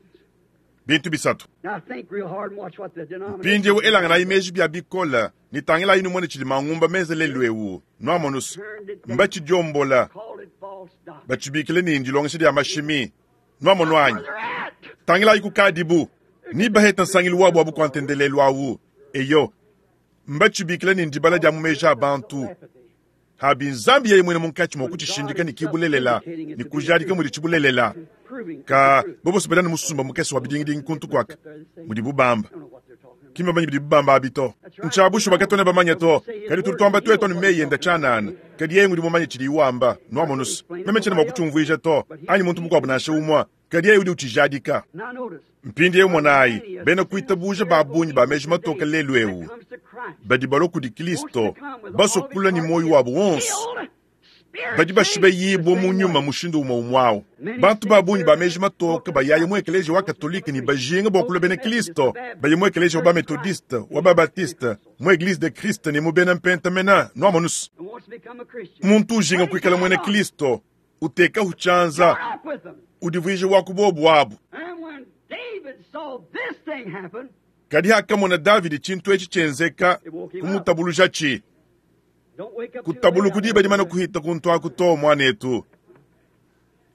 Speaker 1: Bintu bisatu. Mpindieu elanganayi meji bia bikole ne tangilayi numone tshidi mangumba menze lelu eu. Nuamonus, mbatshidiombola, batshibikile ne ndilongesha dia mashimi. Nuamonu anyi? Tangilayi kukadibu ni baheta nsangilu wabu wa bukua-ntendelelu awu. Eyo, mbatshibikile ne ndibala dia mu meji a bantu. Habi Nzambi yeye muine munkatshi mua kutshishindika ne ki bulelela ne kujadika mudi tshibulelela. Ka bobo badi anu musumba mukese wa bidingidingi kuntu kuaka mudibu bamba. Ki mbamanye bidibu bamba abi to. Ntshia bushuwa katuena bamanye to. Kadi tudi tuamba tuetu anu meyi enda tshianana. Kadi yeye ngudi mumanye tshidiye wamba. Nuamonu's, meme tshiena mua kutshiumvuija to, anyi muntu mukuabu nansha umue. Kadi yeye udi utshijadika. Mpindieu monayi, bena kuitabuja ba bungi ba meji matoke lelu eu badi balua kudi Kristo basue kulua ne muoyo wabu wonso, badi bashibeyibue mu nyuma mushindu umue umue au. Bantu ba bungi ba meji matoke bayaya mu ekeleziya wa Katolike ne bajinga bua kulua bena Kristo, baye mu ekeleziya wa ba-Metodiste, wa ba-Batiste, mu Eglise de Christ ne mu bena Mpenta mena. Nuamonus, muntu ujinga kuikala muena Kristo utekahu tshianza, udivuija wa ku bobu abu. Kadi hakamona Davidi tshintu etshi tshienzeka, kumutabulujatshi. Kutabuluku diba dimane kuhita kuntu aku to, muanetu.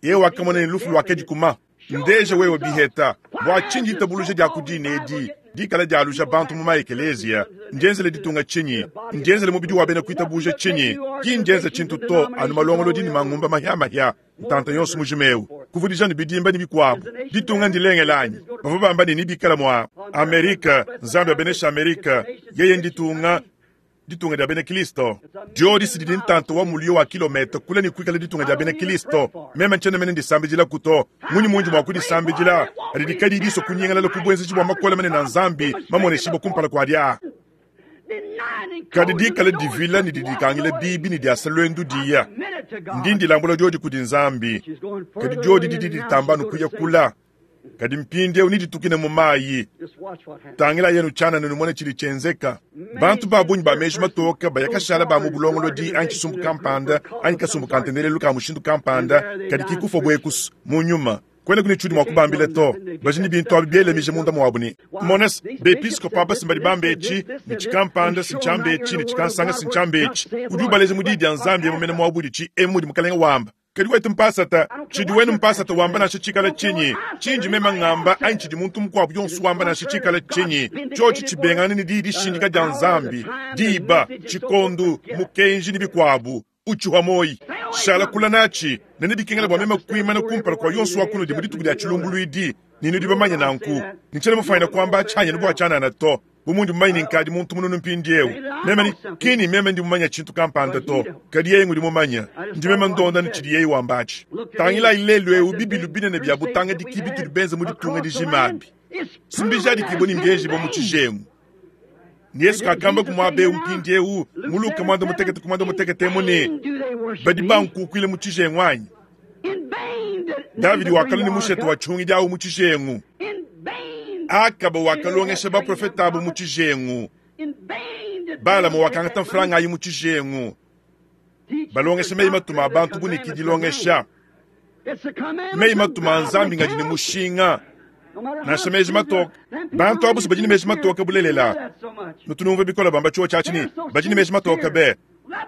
Speaker 1: Yeye wakamona ne lufu luakadikuma. Ndeja wewe biheta, bua tshinyi ditabuluja dia ku dina edi dikala dialuja bantu mu maekeleziya? Ndienzele ditunga tshinyi? Ndienzele mubidi wa bena kuitabuja tshinyi? Ki ndienza tshintu to, anu malongolodi ne mangumba mahia-mahia, ntanta yonso mujima eu, kuvudija ne bidimba ne bikuabu. Ditunga ndilengele anyi? Bavua bamba ne nebikale mua Amerika. Nzambi abeneshe Amerika, yeye nditunga ditunga dia bena Kristo. Diodi si didi ntanta wa muliyo wa kilometa kule ne kuikala ditunga dia bena Kristo. Meme ntshiena mene ndisambidilaku to. Munyi mundi mua kudisambidila? Adi kadiyi disua kunyingalala ku buenzeji bua makole manene a Nzambi mamoneshibue kumpala kuadi aa. Kadi dikala divila ne didikangila bibi ne diasa luendu diya. Ndi ndilambula diodi kudi Nzambi, kadi diodi didi ditamba anu kuya kula. Kadi mpindieu neditukine mu mayi. Tangilayi anu tshianana numone tshidi tshienzeka. Bantu ba bungi ba meji matoke baya kashala ba mu bulongolodi anyi tshisumbu kampanda anyi kasumbu ka ntendelelu ka mushindu kampanda kadi ki kufua buekusu mu nyuma. Kuenaku ne tshiudi mua kubambila to. Badi ne bintu abi bielamija munda muabu ne, Mona se, bepiskopo aba si mbadi bamba etshi, ne tshikampanda si ntshiamba etshi, ne tshikansanga si ntshiamba etshi. Udi ubaleja mu Diyi dia Nzambi emu mene muabu uditshi, emu mudi Mukalenge wamba. Kadi wetu mpasata, tshidi wenu mpasata wamba nansha tshikala tshinyi, tshindi meme ngamba anyi tshidi muntu mukuabu yonso wamba nansha tshikala tshinyi, tshiotshi tshibengangane ne diyi dishindika dia Nzambi, diba, tshikondu, mukenji ne bikuabu, utshihua muoyi. Shala kula natshi, ne nebikengela bua meme kuimana kumpala kua yonso wa kunudi mu dituku dia tshilumbuluidi, ne nudi bamanye nanku. Ne tshiena mufuanyine kuamba tshianyi anu bua tshianana to. Bu mundi mumanye ne nkadi muntu mununu mpindieu, meme ne, ki ne meme ndi mumanye tshintu kampanda to, kadi yeye ngudi mumanye. Ndi meme ndonda ne tshidi yeye wamba atshi. Tangilayi lelu eu bibilu binene bia butangadiki bitudi benze mu ditunga dijima abi, si mbijadikibue ne mbienjibue mu tshijengu. Ne Yesu kakamba ku muaba eu mpindieu mu Luka 16 ku 16 emu ne, Badi bankukuila mu tshijengu anyi? Davidi wakalua ne mushete wa tshihungidi au mu tshijengu. Akaba wakalongesha baprofete abu mu tshijengu. Balama wakangata mfranga ayi mu tshijengu. Balongesha meyi matuma a bantu bu ne ki dilongesha. Meyi matuma a Nzambi ngadi ne mushinga. Nansha meji matoke. Bantu abu si badi ne meji matoke bulelela. Nutu numvua bikole bamba tshiwo tshiatshi ne, badi ne meji matoke be.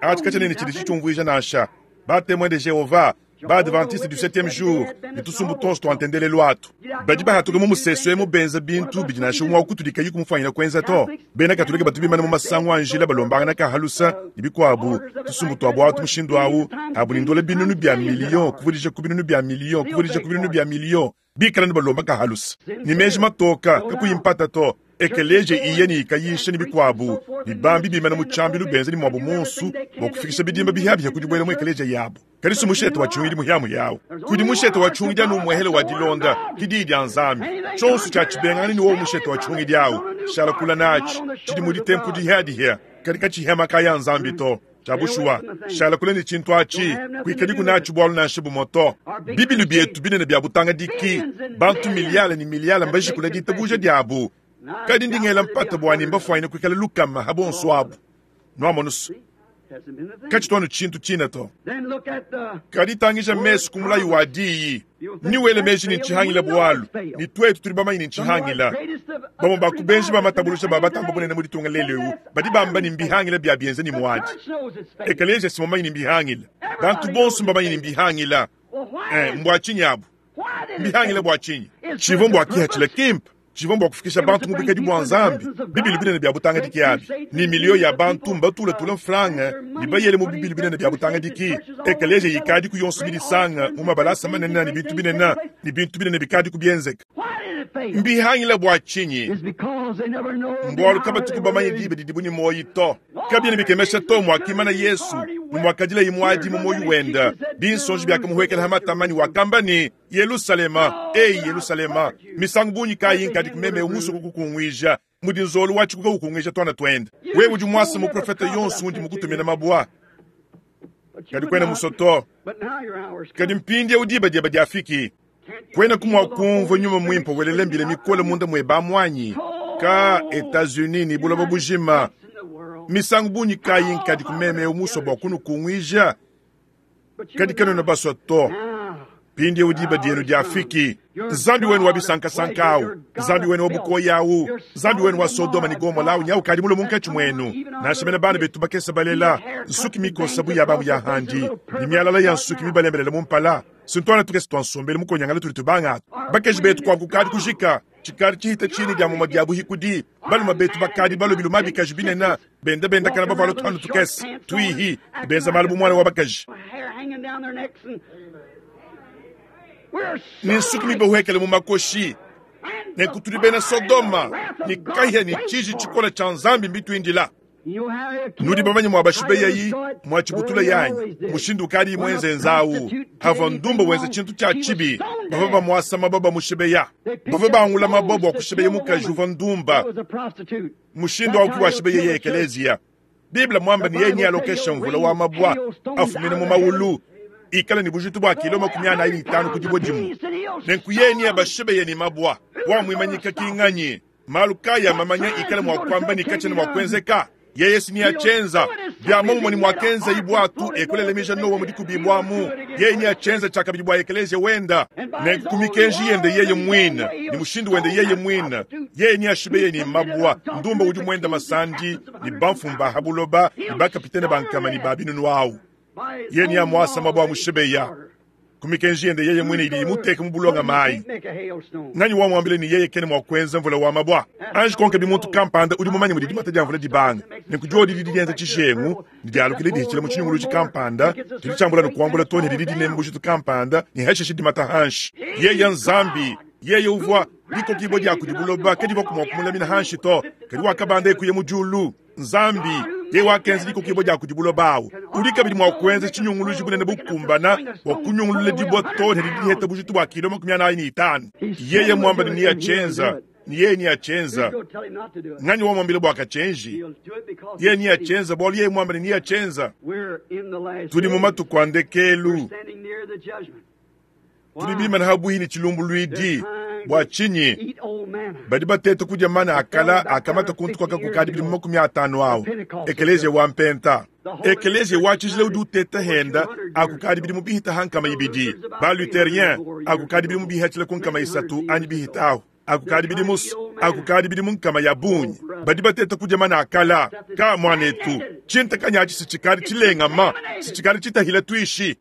Speaker 1: Atshi katshiena ne tshidi tshitshiumvuija nansha. Ba Temoins de Jehovah, ba Adventiste du Septieme Jour ne tusumbu tuonso tua ntendelelu atu badi bahatuka mu musesu emu benza bintu bidi nansha umue wa kutudi kayi kumufuanyina kuenza to. Bena Katolike batu bimana mu masangu a njila balombangana ka halusa ne bikuabu. Tusumbu tua buatu mushindu au abu ne ndola binunu bia miliyo kuvudija ku binunu bia miliyo kuvudija ku binunu bia miliyo bikala ne balomba ka halusa ne meji matoka kakuyi mpata to. Ekeleziya iya ne ikayisha ne bikuabu, ne bambi bimana mu tshiambilu benza ne muabu muonso bua kufikisha bidimba bihiabihia ku dibuela mu ekeleziya yabu. Kadi si mushete wa tshihungidi muhia-muhia au. Kudi mushete wa tshihungidi anu umuehele wa dilonda, ke diyi dia Nzambi. Tshionso tshia tshibengangane ne wowo mushete wa tshihungidi au, tshishala kula natshi, tshidi mu ditempu dihia-dihia, kadi katshihia makaya a Nzambi to. Tshia bushuwa, shala kule ne tshintu atshi, kuikadiku natshi bualu nansha bumue to. Bibilu bietu binene bia butangadiki, bantu miliyale ne miliyale mbajikule ditabuja diabu, kadi ndi ngela mpata bua ne mbafuanyine kuikala lukama ha bonso abu. Nuamonusu, katshitu anu tshintu tshine to. Kadi tangija mesu ku mulayi wa diyi, ne wele meji ne ntshihangila bualu, ne tuetu tudi bamanye ne ntshihangila. Bamue ba ku benji ba matabulusha ba batamba bunene mu ditunga lelu eu badi bamba ne mbihangila bia bienza ne muadi. Ekeleziya si mumanye ne mbihangila. Bantu bonso mbamanye ne mbihangila. Eh, mbua tshinyi abu? Mbihangila bua tshinyi? Tshivua mbua kihatshila kimpe. Tshivua mbua kufikisha bantu mu buikadi bua Nzambi. Bibilu binene bia butangadiki abi, ne miliyo ya bantu mbatulatula mfranga ne bayele mu bibilu binene bia butangadiki. Ekeleziya yikadiku yonso midisanga mu mabalasa manene ne bintu binene, ne bintu binene bikadiku bienzeka. Mbihangila bua tshinyi? Mbualu kabatuku bamanye diba didibu ne muoyo to. Kabiena bikemesha to muakimana Yesu ne muakadilaye muadi mu muoyo wende. Binsonji biakamuhuekela ha matama ne wakamba ne, Yelusalema, eyi Yelusalema, misangu bungi kayi nkadiku meme musue kukukunguija mudi nzolo wa tshikuka ukunguija tuana tuende. Wewe udi muase muprofete yonso undi mukutumina mabua, kadi kuena musue to. Kadi mpindieu diba diebe diafiki. Kuenaku mua kumvua nyuma muimpe welela mbila mikole munda muebe amu anyi? Ka Etats-Unis ne buloba bujima, misangu bungi kayi nkadiku meme eu musue bua kunukunguija, kadi kanuena basue to. Mpindieu diba dienu diafiki. Nzambi wenu wa bisankasanka au, Nzambi wenu wa bukoya au, Nzambi wenu wa Sodoma ne Gomola au nyau kadi mulue munkatshi muenu. Nansha mene bana betu bakese balela, nsuki mikosa bu ya bamu ya handi, ne mialala ya nsuki mibalembelele mu mpala. Sintuana tukese tua nsombelu mukonyangala tudi tubanga bakaji betu kuabu kukadi kujika tshikadi tshihita tshine dia mumue dia buhikudi. Balume betu bakadi balue biluma bikaji binene, benda bendakana bavuala tuhanu tukese tuihi, benza malu bu muana wa bakaji ne nsuki mibahuekele mu makoshi. Nenku tudi bena Sodoma, ne kahia ne tshiji tshikole tshia Nzambi mbituindila. Nudi bamanye mua bashibeyayi, mua tshibutula yanyi, mushindu ukadi muenze nzawu. Havua ndumba wenza tshintu tshia tshibi, bavua bamuasa mabua bamushibeya. Bavua bangula mabua bua kushibeya mukaji uvua ndumba. Mushindu au ki washibeyeye ekeleziya. Bible muamba ne yeye nealokeshe mvula wa mabua afumina mu maulu, ikala ne bujitu bua kilo 45 ku dibue dimue. Nenku yeye neabashibeye ne mabua. Wamuimanyika ki nganyi? Malu kayi a mamanya ikala mua kuamba ne katshiena mua kuenzeka? Yeye si neatshienza. Bia muomumue ne muakenzayi buatu e kulelemija Nowa mu dikubibuamu, yeye neatshienza tshiakabidi bua ekeleziya wenda. Nenku ku mikenji yende yeye muine ne mushindu wende yeye muine, yeye neashibeye ne mabua ndumba udi muenda masandi ne bamfumu ba ha buloba ne bakapitene ba nkama ne ba binunu au. Yeye neamuasa mabua amushibeya ku mikenji yende yeye muine idi imuteka mu bulonga mayi. Nganyi wamuambile ne yeye kena mua kuenza mvula wa mabua? Anji konka bi muntu kampanda udi mumanye mudi dimata dia mvula dibanga, ne ku diodi didi dienza tshijengu ne dialukila dihitshila mu tshinyunguluji kampanda, didi tshiambula ne kuambula too ne didi dinema bujitu kampanda ne hashishe dimata hanshi. Yeye Nzambi, yeye uvua dikokibua dia kudi buloba kadivuaku mua kumulamina hanshi to, kadi wakabanda e kuya mu diulu. Nzambi, yeye wakenza dikokibua dia kudi buloba awu, udi kabidi mua kuenza tshinyunguluji bunene bukumbana bua kunyungulula dibua too ne didi diheta bujitu bua kilo 45. Yeye muamba ne neatshienza, ne yeye neatshienza. Nganyi wamuambila bua katshienji? Yeye neatshienza bualu yeye muamba ne neatshienza. Tudi mu matuku a ndekelu. Tudi bimane habuihi ne tshilumbuluidi. Bua tshinyi badi bateta kudia mana a kala akamata kuntu kuaka kukadi bidimu 50 awu? Ekeleziya wa mpenta, ekeleziya wa tshijila udi uteta henda akukadi bidimu bihita ha 200, ba Lutherien akukadi bidimu bihatshila ku 300 anyi bihita ahu akukadi bidimu akukadi bidimu nkama ya bungi badi bateta kudia mana a kala. Ka muanetu, tshintakanya atshi sitshikadi tshilengama, sitshikadi tshitahila tuishi.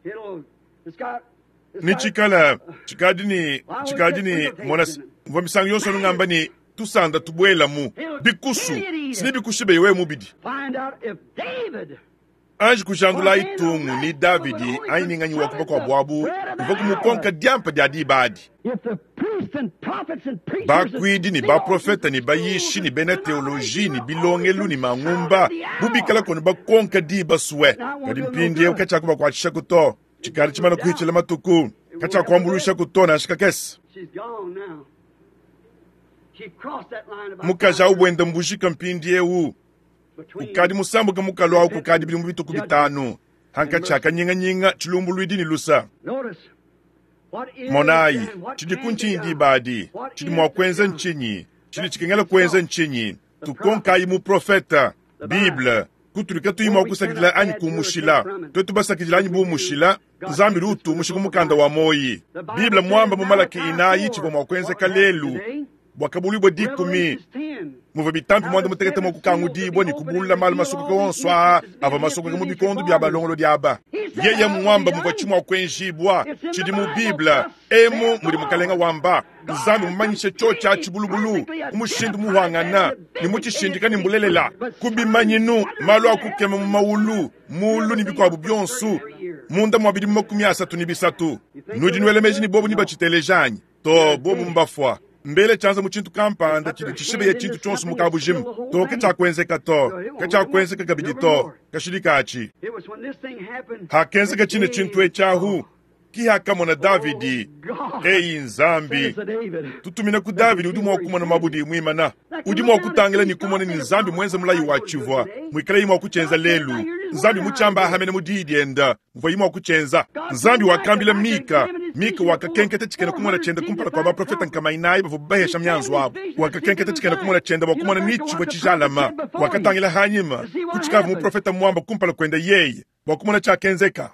Speaker 1: Ne tshikala tshikadi ne tshikadi ne mona mvua misangu yonso anu ngamba ne tusanda tubuelamu bikusu sine bikushibe wewe mubidi. Anji kujandulayi tungu ni Davidi anyi ni nganyi wa kuba kua buabu uvua kumukonka diampa dia diba adi. Bakuidi ne baprofete ne bayishi ne bena teoloji ne bilongelu ne mangumba bu bikala konu bakonka diba sue, kadi mpindieu katshiakubakuatshishaku to. Tshikadi tshimana kuhitshila matuku, katshiakuambuluishaku to nansha kakese. Mukaji au buenda mbujika mpindieu. Ukadi musambuke mukalu au kukadi bidimu bitue ku bitanu. Hankatshi ha kanyinganyinga, tshilumbuluidi ne lusa. Monayi, tshidiku ntshinyi diba adi? Tshidi mua kuenza ntshinyi? Tshidi tshikengela kuenza ntshinyi? Tukonkayi muprofete, Bible, kutudi katuyi mua kusakidila anyi kumushila. Tuetu basakidila anyi bumushila, Nzambi udi utumusha ku mukanda wa muoyi. Bible muamba mu Malaki inayi tshivua mua kuenzeka lelu Buakabuluibua dikumi, muvua bitampi muanda-mutekete mua kukangudibua ne kubulula malu masokoka onso aa avua masokoka mu bikondo bia balongolodi aba. Yeye muamba muvua tshimua kuenjibua, tshidi mu Bible, emu mudi Mukalenga wamba. Nzambi mumanyishe tshiotshi atshi bulubulu, mu mushindu muhuangana, ne mutshishindika ne mbulelela, ku bimanyinu, malu a kukema mu mawulu, mulu ne bikuabu bionso, munda mua bidimu 33. Nudi nuela meji ne bobu nebatshiteleja anyi? To, bobu mbafua. Mbele tshianza mu tshintu kampanda tshidi tshishibeya tshintu tshionso mu kabujima. To, katshiakuenzeka to. Katshiakuenzeka kabidi to. Kashidi katshi. Hakenzeka tshine tshintu etshi ahu, ki hakamona Davidi. Eyi Nzambi, tutumina ku Davidi udi mua kumona mabudi muimana. Udi mua kutangila ne kumona ne Nzambi muenze mulayi wa tshivua muikalayi mua kutshienza lelu. Nzambi mutshiamba ahamene mu diyi dienda. Mvuayi mua kutshienza. Nzambi wakambila Mika. Mika wakakenketa tshikena kumona tshiende kumpala kua baprofete nkama inayi bavua bahesha mianzu abu. Wakakenketa tshikena kumona tshiende bua kumona ni tshivua tshijalama. Wakatangila hanyima ku tshikavua muprofete muamba kumpala kuende yeye bua kumona tshiakenzeka.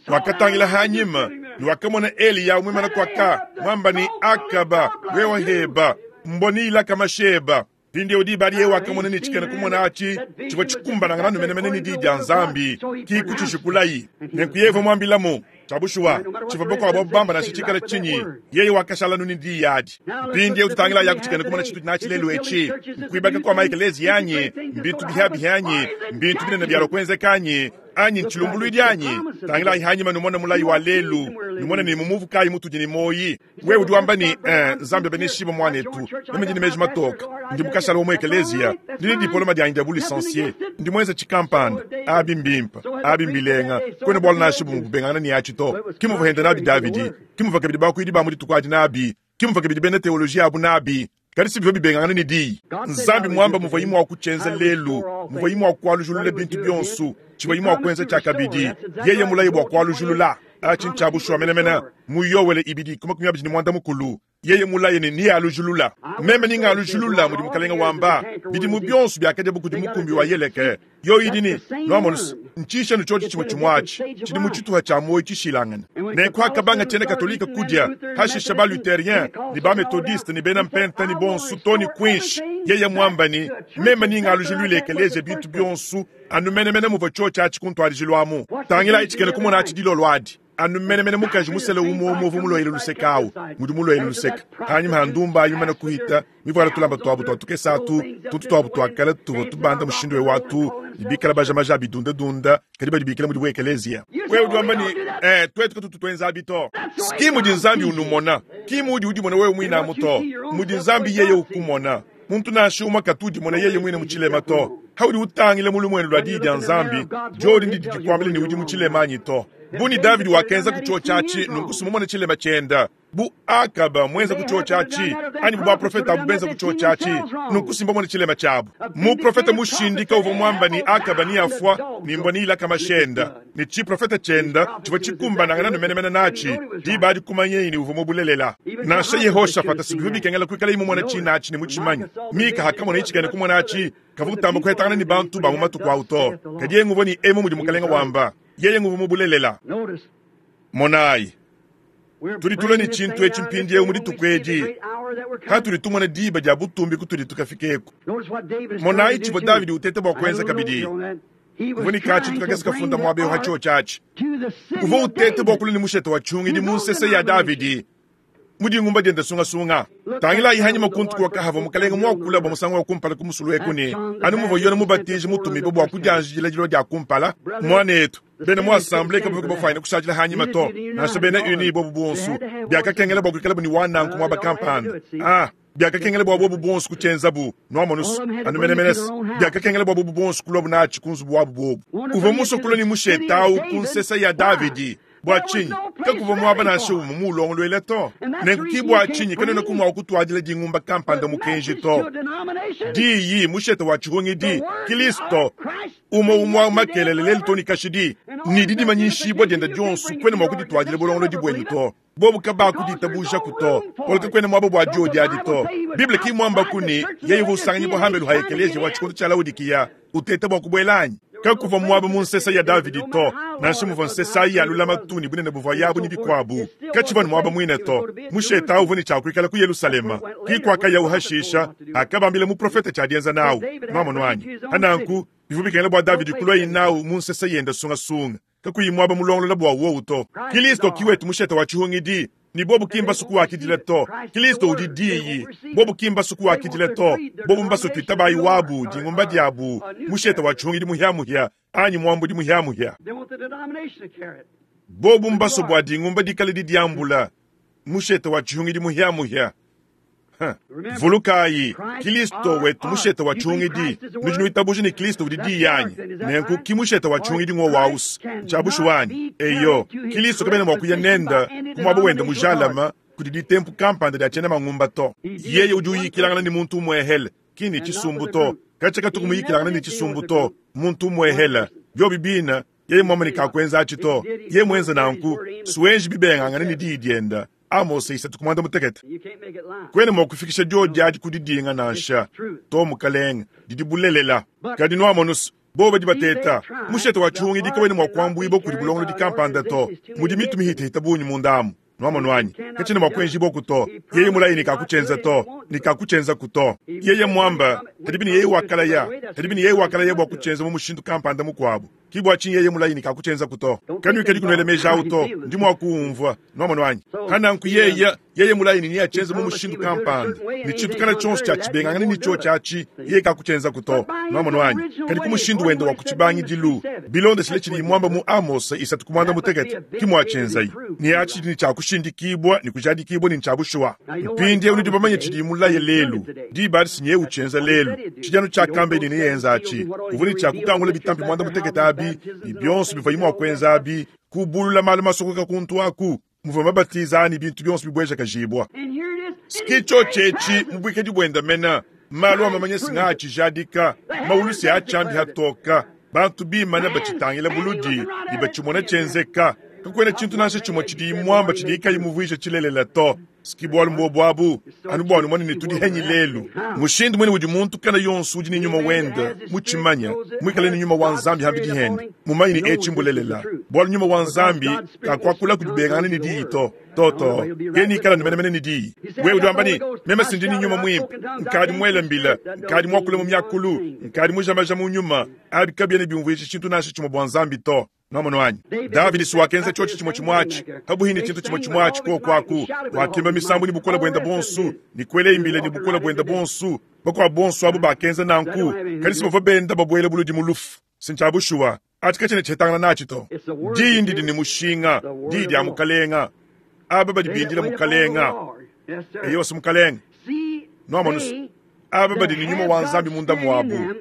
Speaker 1: Wakatangila hanyima ne wakamona Eliya muimana kuaka muamba ne, Akaba, wewe heba, mboni ilaka masheba. Mpindieu diba adi yeye wakamona ne tshikena kumona atshi tshivua tshikumbanangana anu menemene ne Diyi dia Nzambi, ki kutshijikulayi. Nenku yeye uvua muambilamu. Tshia bushuwa, tshivua bakuabu abu bamba nansha tshikale tshinyi, yeye wakashala anu ne Diyi adi. Mpindieu tutangilayaku tshikena kumona tshitudi natshi lelu etshi. Nkuibaka kua maekeleziya anyi? Mbintu bihiabihi anyi? Mbintu binene bialua kuenzeka anyi? Anyi ntshilumbuluidi anyi? Tangilayi hanyima numone mulayi wa lelu, numone ne mu muvu kayi mutudi ne muoyi. Wewe udi wamba ne, Eh, Nzambi abeneshibue muanetu, meme ndi ne meji matoke, ndi mukashala wa mu ekeleziya, ndi ne dipoloma dianyi dia bu-lisansie, ndi muenze tshikampanda. Abi mbimpe, abi mbilenga, kuena bualu nansha bumue bubengangana ne atshi to. Ke muvua hende nabi Davidi, ke muvua kabidi bakuidi ba mu dituku adi nabi, ke muvua kabidi bena teolojiya abu nabi. Kadi si bivua bibengangana ne Diyi. Nzambi muamba muvuayi mua kutshienza lelu, muvuayi mua kualujulula bintu bionso, tshivuayi mua kuenza tshiakabidi. Yeye mulaye bua kualujulula. Atshi ntshia bushuwa menemene. Mu Yoele ibidi ku 25, yeye mulaye ne nealujulula. Meme ningalujulula, mudi Mukalenge wamba, bidimu bionso biakadiabu kudi mukumbi wa Yeleke. Yoyi idi ne, Nuamonu's, ntshishanu tshiotshi tshimue tshimue atshi tshidi mu tshituha tshia muoyo tshishilangane. Nenku hakabanga tshiena Katolike kudia, hashisha ba-Lutherien ne ba-Methodiste ne bena Mpenta ne bonso to ne kuinshi, yeye muamba ne, Meme ningalujuluile ekeleziya bintu bionso anu menemene muvua tshiotshi atshi ku ntuadijilu amu. Tangilayi tshikena kumona atshi dilolo adi. Anu menemene mukaji musele umue umue uvua muluele luseke au ngudi muluele luseke hanyima ha ndumba ayi mimane kuhita mivuala tulamba tuabu tua tukese atu, tuntu tuabu tua kale tuvua tubanda mushindu eu atu, ne bikala baja maja a bidundadunda, kadi badi bikila mudibu ekeleziya. Wewe udi wamba ne, Eh, tuetu katutu tuenza abi to. Ki mudi Nzambi unumona, ki muudi udimona wewe muine amu to, mudi Nzambi yeye ukumona. Muntu nansha umue katu udimona yeye muine mu tshilema to. Haudi utangila mu lumuenu lua Diyi dia Nzambi, diodi ndidi dikuambila ne udi mu tshilema anyi to. Bu ne Davidi wakenza ku tshiotshi atshi, nunku sumumone tshilema tshienda. Bu Akaba muenza ku tshiotshi atshi, anyi bu baprofete abu benza ku tshiotshi atshi, nunku simbamone tshilema tshiabu. Muprofete mushindika uvua muamba ne Akaba neafua ne mbua neilaka mashenda, ne tshiprofete tshienda tshivua tshikumbanangana ne menemene natshi. Diba adi kumanyeyi ne uvua mu bulelela. Nansha Yehoshafata si bivua bikengela kuikalaye mumone tshina atshi ne mutshimanye. Mika akamona tshikena kumona atshi, kavua utamba kuhetangana ne bantu ba mu matuku au to, kadi yeye nguvua ne emu mudi Mukalenge wamba, yeye nguvua mu bulelela. Monayi, tudi tulua ne tshintu etshi mpindieu mu dituku edi, hatudi tumona diba dia butumbi kutudi tukafikeku. Monayi tshivua Davidi uteta bua kuenza kabidi. Uvua ne katshintu kakese kafunda muaba eu ha tshiotshi atshi. Uvua uteta bua kulua ne mushete wa tshiungidi mu nsese ya Davidi mu dingumba diende sungasunga. Tangilayi hanyima kuntu kuakahavua mukalenge muakula bua musangu wa kumpala ku musulu eku ne, anu muvua Yone Mubatiji mutumibue bua kudianjidila dilua dia kumpala, muanetu, bena mu assemblee kabavua bafuanyine kushadila hanyima to, nansha bena Uni bobu buonso, biakakengela bua kuikalabu ne wa nanku muaba kampanda. Ah! Biakakengela bua bobu bonso kutshienzabu, nuamonu's, anu menemene's. Biakakengela bua bobu bonso kuluabu natshi ku nzubu wabu bobu. Uvua musue kulua ne mushete au ku nsesa ya Davidi. Bua tshinyi? Kakuvua muaba nansha umue muulongoluela to. Nenku ki bua tshinyi kanuenaku mua kutuadila dingumba kampanda mukenji to. Diyi, mushete wa tshihungidi, Kilisto, umue umue au makelela lelu too ne kashidi, ne didimanyishibua diende dionso, kuena mua kudituadila bulongolodi buenu to. Bobu kabakuditabujaku to, bualu kakuena muaba bua diodi adi to. Bible ki mmuambaku ne, yeye uvua usanganyibua hambelu ha ekeleziya wa tshikondo tshia Laodikiya uteta bua kubuela anyi? Kakuvua muaba mu nsesa ya Davidi to, nansha muvua nsesa ayi ya lulamatu ne bunene buvua yabu ne bikuabu, katshivua ne muaba muine to. Mushete au uvua ne tshia kuikala ku Yelushalema, ki kuakayawu hashisha, hakabambila muprofete tshia dienza nawu. Nuamonu anyi? Pa nanku, bivua bikengela bua Davidi kuluaye nawu mu nsesa yende sungasunga. kakuyi muaba mulongolola bua wowu to. Kilisto ki wetu mushete wa tshihungidi, ne bobu ki mbasu kuwakidila to. Kilisto udi Diyi, bobu ki mbasu kuwakidila to. Bobu mbasu tuitabayi wabu, dingumba diabu, mushete wa tshihungidi muhia-muhia, anyi muambudi muhia-muhia. Bobu mbasu bua dingumba dikale didiambula, mushete wa tshihungidi muhia-muhia. Vulukayi, Kilisto wetu mushete wa tshihungidi. Nudi nuitabuja ne Kilisto udi Diyi anyi? Nenku ki mushete wa tshihungidi ngwowu awu's. Ntshia bushuwa anyi? Eyo. Kilisto kabena mua kuya nende ku muaba wende mujalame kudi ditempu kampanda dia tshiena mangumba to. Yeye udi uyikilangana ne muntu umuehele, ki ne tshisumbu to. Katshia katuku muyikilangana ne tshisumbu to, muntu umuehele. Biobi bine, yeye muambe ne kakuenza atshi to. Yeye muenze nanku, suenji bibengangane ne diyi diende. Amose 3 muanda mutekete. Kuena mua kufikisha diodi adi ku didinga nansha. To, mukalenge, didi bulelela. Kadi nuamonu's, bobo badi bateta. Mushete wa tshihungidi kawena mua kuambuibua kudi bulongolodi kampanda to. Mudi mitu mihitahita bungi munda amu. Nuamonu anyi? Katshiena mua kuenjibuaku to. Yeye mulaye ne kakutshienza to, ne kakutshienzaku to. Yeye muamba, kadibi ne yeye wakalaya, kadibi ne yeye wakalaya bua kutshienza mu mushindu kampanda mukuabu. Ki bua tshinyi yeye mulaye ne kakutshienzaku to. Kanuikadi kunuela meji awu to. Ndi mua kuwumvua. Nuamonu anyi? Pa nanku yeye, yeye mulaye ne neatshienze mu mushindu kampanda, ne tshintu kana tshionso tshia tshibengangane ne tshiotshi atshi, yeye kakutshienzaku to. Nuamonu anyi? Kadi ku mushindu wende wa ku tshibangidilu, bilondeshile tshidiye muamba mu Amose isatu ku muanda mutekete, ki muatshienzaye. Ne atshi tshidi ne tshia kushindikibua ne kujadikibua ne ntshia bushuwa. Mpindieu nudi bamanye tshidiye mulaye lelu. Diba adi si nyeye utshienza lelu. Tshidi anu tshiakambeye ne neyenze atshi. Uvua ne tshia kukangula bitampi muanda mutekete abi, ne bionso bivuaye mua kuenza abi, kubulula malu masokoka kuntu aku, muvua mabatiza a ne bintu bionso bibuejakajibua. Ski tshiotshi etshi mu buikadi buende mene, malu a mamanya si ngaatshijadika, maulu si atshiambi hatoka, bantu bimane batshitangila buludi ne batshimona tshienzeka. Kakuena tshintu nansha tshimue tshidiyi muamba tshidiyi kayi muvuije tshilelela to. Ski bualu mbuobu abu, anu bua numone ne tudi henyi lelu. Mushindu muine udi muntu kana yonso udi ne nyuma wende mutshimanye, muikale ne nyuma wa Nzambi hambidi hende, mumanye ne etshi mbulelela, bualu nyuma wa Nzambi kakuakula kudi bengangana ne diyi to. To, to. Yeye ikala anu menemene ne diyi. Wewe udi wamba ne, Meme si ndi ne nyuma muimpe, nkadi muele mbila, nkadi muakule mu miakulu, nkadi mujamaja mu nyuma. Abi kabiena biumvuija tshintu nansha tshimue bua Nzambi to. Nwamonu anyi? Davidi si wakenza tshiotshi tshimue tshimue atshi, pabuhi ne tshintu tshimue tshimue atshi kuoku aku. Wakimba misambu ne bukole buende buonso, ne kuela imbila ne bukole buende buonso. Bakuabu bonso abu bakenza nanku, kadi si bavua benda babuela buludi mu lufu. Si ntshia bushuwa, atshi katshiena tshihetangana natshi to. Diyi ndidi ne mushinga, diyi dia Mukalenga. Aba badi bindila Mukalenga. Eyowa, si Mukalenga. Nwamonu, aba badi ne nyuma wa Nzambi munda muabu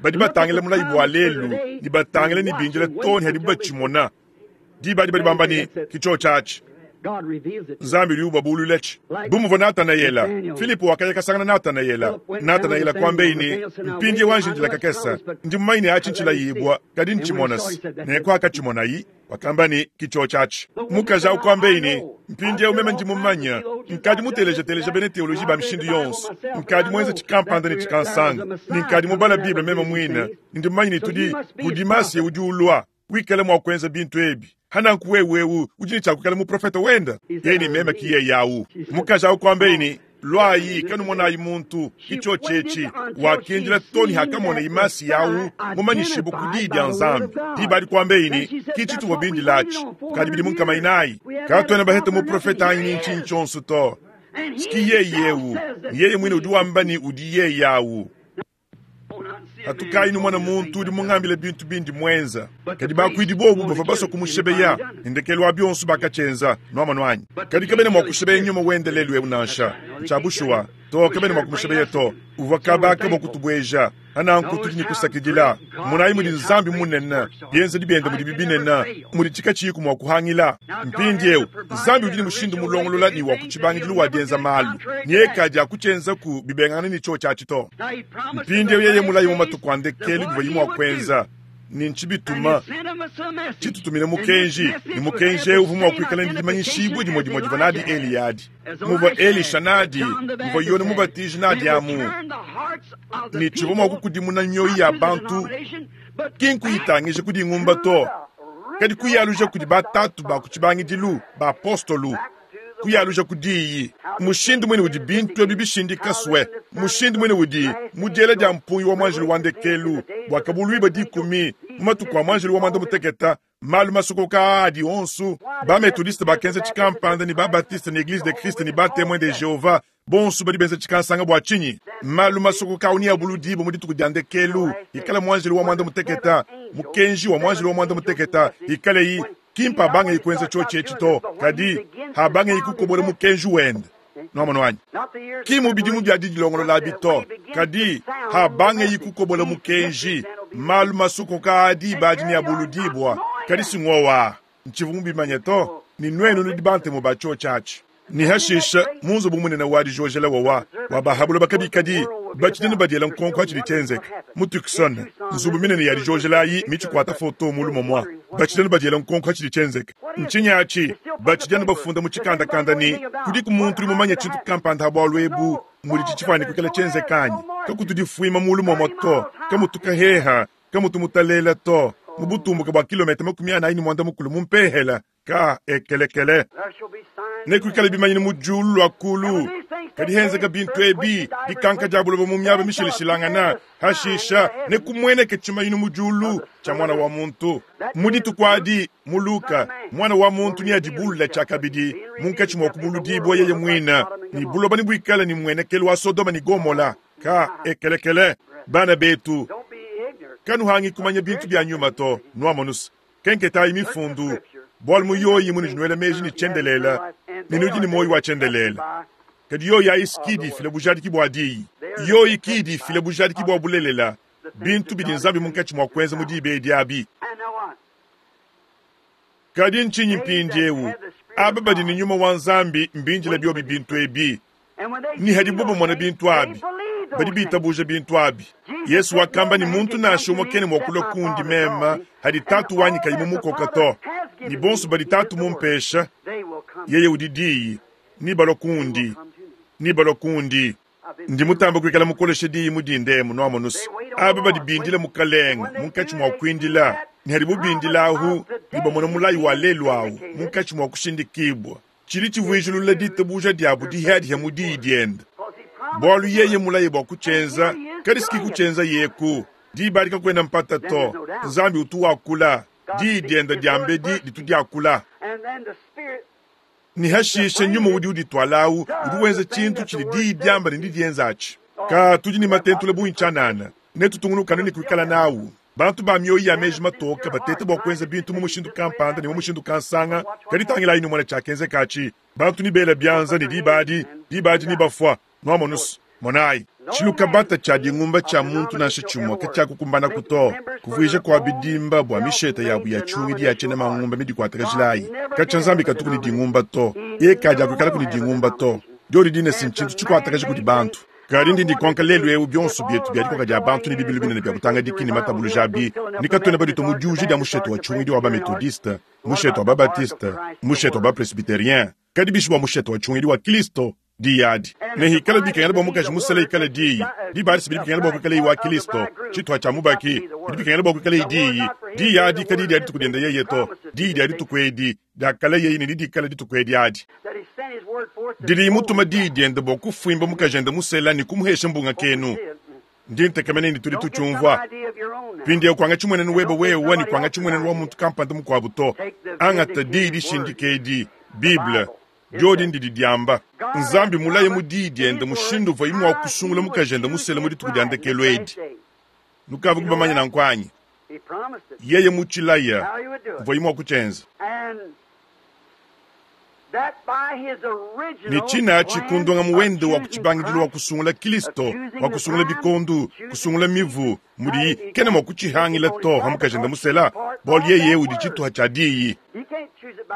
Speaker 1: badi batangila mulayi bua lelu ne batangila ne bindila too ne hadibu batshimona. Diba adi badi bamba ne, Ke tshiotshi atshi. Nzambi udi ubabululatshi. Bu muvua Natanayela, Filipo wakaya kasangana Natanayela. Natanayela kuambeyi ne, Mpindieu anji ndila kakese, ndi mumanye ne atshi ntshilayibua, kadi ntshimona-se. Nenku hakatshimonayi, Wakamba ne, Ki tshiotshi atshi. Mukaji au kuambeyi ne, Mpindieu meme ndi mumanye. Nkadi muteleja-teleja bena teoloji ba mishindu yonso. Nkadi muenze tshikampanda ne tshikansanga, ne nkadi mubala Bible meme muine, ne ndi mumanye ne tudi kudi Masiya udi ulua, wikala mua kuenza bintu ebi. Hananku wewe eu udi ne tshia kuikala muprofete wende? Yeye ne, Meme ki yeye au. Mukaji au kuambeyi ne, Luayi, kanumonayi muntu, ki tshiotshi etshi. Wakindila too ne hakamonayi Masiya au mumanyishibue ku Diyi dia Nzambi. Diba adi kuambeyi ne, Ki tshituvua bindile atshi kukadi bidimu nkama inayi. Katuena bahete muprofete anyi ntshinyi tshionso to. Ski yeye eu, ne yeye muine udi wamba ne udi yeye au. Patukayi numone muntu udi mungambile bintu bindi muenza. Kadi bakuidi bobu bavua basua kumushebeya, ne ndekelu wa bionso bakatshienza. Nuamonu anyi? Kadi kabena mua kushebeya nyuma wende lelu eu nansha. Ntshia bushuwa. To, kabena mua kumushebeya to. Uvua kaba ka mua kutubueja. Nanku tudi ne kusakidila. Monayi mudi Nzambi munene, bienzedi biende mudibi binene, mudi tshikatshiyiku mua kuhangila. Mpindieu, Nzambi udi ne mushindu mulongolola ne wa ku tshibangidilu wa dienza malu, ne eka dia kutshienzaku bibengangane ne tshiotshi atshi to. Mpindieu yeye mulayi mu matuku a ndekelu bivuaye mua kuenza, ne ntshibituma tshitutumine mukenji, ne mukenji eu uvua mua kuikala ne dimanyishibua dimue dimue divua nadi Eliya adi, muvua Elisha nadi, muvua Yone Mubatiji nadi amu, ne tshivua mua kukudimuna mioyo ya bantu, ki nkuyitangija ku dingumba to, kadi kuyaluja kudi batatu ba ku tshibangidilu, bapostolu, kuyaluja ku diyi. Mushindu muine udi bintu ebi bishindika swe, mushindu muine udi mu diela dia mpungi wa muanjelu wa ndekelu, bua kabuluibua 10 mu matuku a muanjelu wa muanda mutekete, malu masokoka aa adi onso. Ba-Methodiste bakenza tshikampanda ne ba-Baptiste ne Eglise de Christ ne ba-Temoins de Jehovah bonso badi benza tshikansanga bua tshinyi? Malu masokoka au neabuludibue mu dituku dia ndekelu, ikala muanjelu wa muanda mutekete, mukenji wa muanjelu wa muanda mutekete, ikaleyi ki mpabangeyi kuenza tshiotshi etshi to, kadi habangeyi kukobola mukenji wende. Nuamonu anyi? Ki mu bidimu bia didilongolola abi to, kadi habangeyi kukobola mukenji. Malu masokoka adi badi neabuludibua, kadi si ngowa ntshivua mubimanye to, ne nuenu nudi bantemu ba tshiotshi atshi. Ne hashisha mu nzubu munene wa dijojela wawa wa bahabula bakabikadi batshidi ne badiela nkonko atshidi tshienzeka mu Tucson, nzubu minene ya dijojela ayi mitshikuata foto mu lumomua batshidi ne badiela nkonko atshidi tshienzeka. Ntshinyi atshi? Batshidi ne bafunda mu tshikandakanda ne kudiku muntu udi mumanye tshintu kampanda ha bualu ebu mudi tshitshifuane kuikala tshienzeka anyi? Kakutudifuima mu lumomua to, kamutu kaheha, kamutu mutalela to, mu butumbuke bua kilometa 45 mu mpehela ka ekelekele. Nekuikale bimanyinu mu diulu lua kulu, kadi henzeka bintu ebi dikanka dia buloba mu miaba mishilashilangana. Hashisha nekumueneke tshimanyinu mu diulu tshia Mwana wa Muntu. Mu dituku adi, mu Luka, Mwana wa Muntu neadibulula tshiakabidi munkatshi mua kubuludibua yeye muine, ne buloba nebuikale ne muenekelu wa Sodoma ne Gomola. Ka ekelekele. Bana betu, kanuhangi kumanya bintu bia nyuma to, nuamonusa. Kenketayi mifundu, bualu mu yoyi munudi nuela meji ne tshiendelele, ne nudi ne muoyo wa tshiendelele. Kadi yoyi ayi ki idi ifila bujadiki bua diyi. Yoyi ki idi ifila bujadiki bua bulelela, bintu bidi Nzambi munkatshi mua kuenza mu diba edi abi. Kadi ntshinyi mpindieu? Aba badi ne nyuma wa Nzambi mbindile biobi bintu ebi. Ne hadibo bamona bintu abi, badi bitabuja bintu abi. Yesu wakamba ne muntu nansha umue kena mua kulua kundi meme hadi Tatu wanyi kayi mumukoka to. Ne bonso badi Tatu mumpesha, yeye udi diyi, ne balua kundi, ne balua kundi. Ndi mutamba kuikala mukoleshe diyi mu dinda emu, nuamonusa. Aba badi bindila Mukalenge munkatshi mua kuindila, ne hadibo bindila ahu, ne bamona mulayi wa lelu awu munkatshi mua kushindikibua. Tshidi tshivuijilula ditabuja diabu dihiadiha mu diyi diende, bualu yeye mulaye bua kutshienza, kadi siki kutshienza yeku. Diba adi kakuena mpata to. Nzambi utu wakula, diyi diende diambedi ditu diakula. Ne hashisha nyuma udi uditualawu udi wenza tshintu tshidi diyi diamba ne didienza atshi. Ka tudi ne matentula bungi tshianana, ne tutungunukanu ne kuikala nawu. Bantu ba mioyo ya meji matoke batete bua kuenza bintu mu mushindu kampanda ne mu mushindu kansanga, kadi tangilayi numone tshiakenzeka atshi. Bantu ne bela bianza ne diba adi, diba adi ne bafua. Nuamonus, monayi. Tshilukabata tshia dingumba tshia muntu nansha tshimue katshiakukumbanaku to, kuvuija kua bidimba bua misheta yabu ya tshiungidi ya tshiena mangumba midikuatakajilayi. Katshia Nzambi katuku ne dingumba to, yeye kadiakuikalaku ne dingumba to. Diodi dine si ntshintu tshikuatakaja kudi bantu. Kadi ndi ndikonka lelu eu bionso bietu bia dikoka dia bantu ne bibilu binene bia butangadiki ne matabuluja abi, ne katuena baditua mu diuja dia mushete wa tshiungidi wa ba-Methodiste, mushete wa ba-Baptiste, mushete wa ba-Presbyterien, kadi bishi bua mushete wa tshiungidi wa Kristo, diyi adi. Ne hikala bikengela bua mukaji musela ikale diyi, diba adi si bidi bikengela bua kuikaleyi wa Kristo, tshituha tshia mubaki, bidi bikengela bua kuikaleyi diyi. Diyi adi kadiyi dia dituku diende yeye to, diyi dia dituku edi diakala yeye ne didikala dituku edi adi. Didi mutuma diyi diende bua kufuimba mukajende musela ne kumuhesha mbunga kenu. Ndi ntekemena ne tudi tutshiumvua. Mpindieu kuangatshi mmuenenu webe wewe ne kuangatshi mmuenenu wa muntu kampanda mukuabu to. Angata diyi dishindika edi, Bible, diodi ndidi diamba. Nzambi mulaye mu diyi diende mushindu uvuaye mua kusungula mukajende musela mu dituku dia ndekelu edi. Nukavua bamanye nanku anyi? Yeye mutshilaya, uvuaye mua kutshienza. Ne tshinatshi ku ndongamu wende wa ku tshibangidilu wa kusungula Kilisto, wa kusungula bikondu, kusungula mivu, mudiyi kena mua kutshihangila to ha mukajende musela, bualu yeye udi tshituha tshia diyi.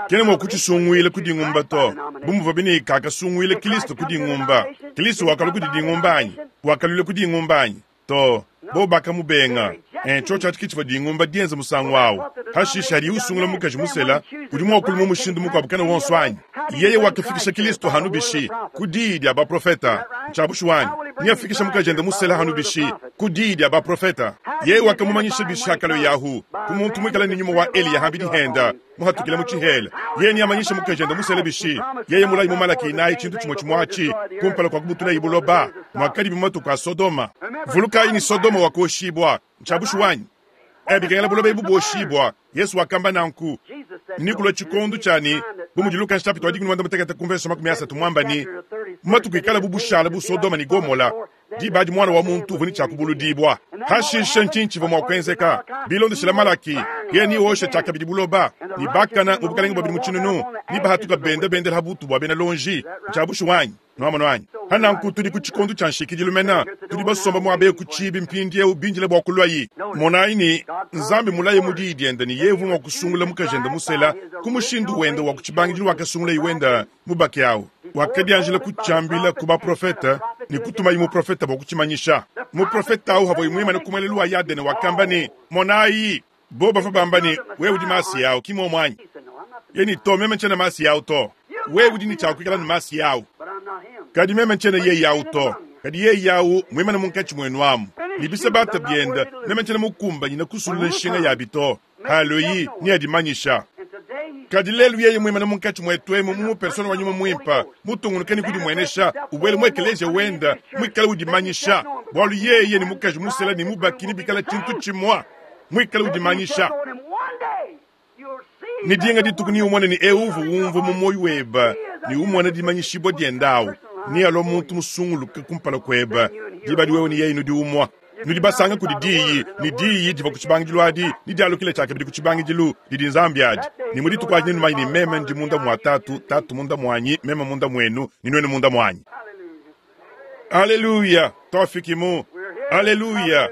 Speaker 1: Kena mua kutshisunguila ku dingumba to, bu muvuabi ne kakasunguila Kilisto ku dingumba. Kilisto wakalua kudi dingumba anyi? Wakaluila ku dingumba anyi? To, bobo bakamubenga. E, tshiotshi atshi ke tshivua dingumba dienza musangu au. Hashishe hadiye usungula mukaji musela, udi mua kulua mu mushindu mukuabu kena wonso anyi? Yeye wakafikisha Kilisto hanu bishi? Ku diyi dia baprofeta. Ntshia bushuwa anyi? Neafikishe mukajende musela hanu bishi? Ku diyi dia baprofeta. Yeye wakamumanyisha bishi hakalua ahu? Ku muntu muikale ne nyuma wa Eliya hambidi henda, muhatukile mu tshihela. Yeye neamanyishe mukajende musela bishi? Yeye mulayi mu Malaki inayi tshintu tshimue tshimue atshi, kumpala kua kubutulayi buloba, muakadibi mu matuku a Sodoma. Vulukayi ne Sodoma wakoshibua. Ntshia bushuwa anyi? E, bikengela buloba ebu buoshibua. Yesu wakamba nanku. Nekulua tshikondo tshia ne, bu mudi Luka nshapita wa dikumi ne muanda-mutekete ku mvese 30 muamba ne, mu matuku ikala bu bushala bu Sodoma ne Gomola, diba adi Muana wa muntu uvua ne tshia kubuludibua. Hashishe ntshinyi tshivua mua kuenzeka? Bilondeshile Malaki, yeye neoshe tshiakabidi buloba, ne bakana mu bukalenge bua bidimu tshinunu nebahatuka benda bendela ha butu bua bena lonji. Ntshia bushuwa anyi? Nuamonu anyi? Pa nanku tudi ku tshikondo tshia nshikidilu mena. Tudi basomba muaba eu ku tshiibi mpindieu bindile bua kuluayi. Monayi ne, Nzambi mulaye mu Diyi diende ne yeye uvua mua kusungula mukajende musela ku mushindu wende wa ku tshibangidilu wakasungulaye wende mubaki au. Wakadianjila kutshiambila ku baprofete ne kutumaye muprofete bua kutshimanyisha. Muprofete au avuaye muimane ku muelelu wa Yadene wakamba ne, Monayi! Bobu bavua bamba ne, Wewe udi Masiya au, ki muomu anyi? Yeye ne, To, meme ntshiena Masiya au to. Wewe udi ne tshia kuikala ne Masiya au. Kadi meme ntshiena yeye au to. Kadi yeye au muimane munkatshi muenu amu, ne bisabata biende, meme ntshiena mukumbanyine kusulula nshinga yabi to. Haloyi neadimanyisha. Kadi lelu yeye muimane munkatshi muetu emu mu persona wa Nyuma Muimpe, mutungunuke ne kudimuenesha, ubuela mu ekeleziya wende, muikale udimanyisha, bualu yeye ne mukaji musela ne mubaki nebikale tshintu tshimue, muikale udimanyisha. Ne dinga dituku neumone ne eu uvua umvua mu muoyo webe ne umona dimanyishibua diende au, nealua muntu musunguluke kumpala kuebe, diba adi wewe ne yeye nudi umue. Nudi basanga kudi Diyi, ne Diyi divua ku tshibangidilu adi, ne dialukila tshiakabidi ku tshibangidilu, didi Nzambi adi. Ne mu dituku adi nenumanye ne meme ndi munda mua Tatu, Tatu munda muanyi, meme munda muenu, ne nuenu munda muanyi. Aleluya! Tuafiki mu. Aleluya!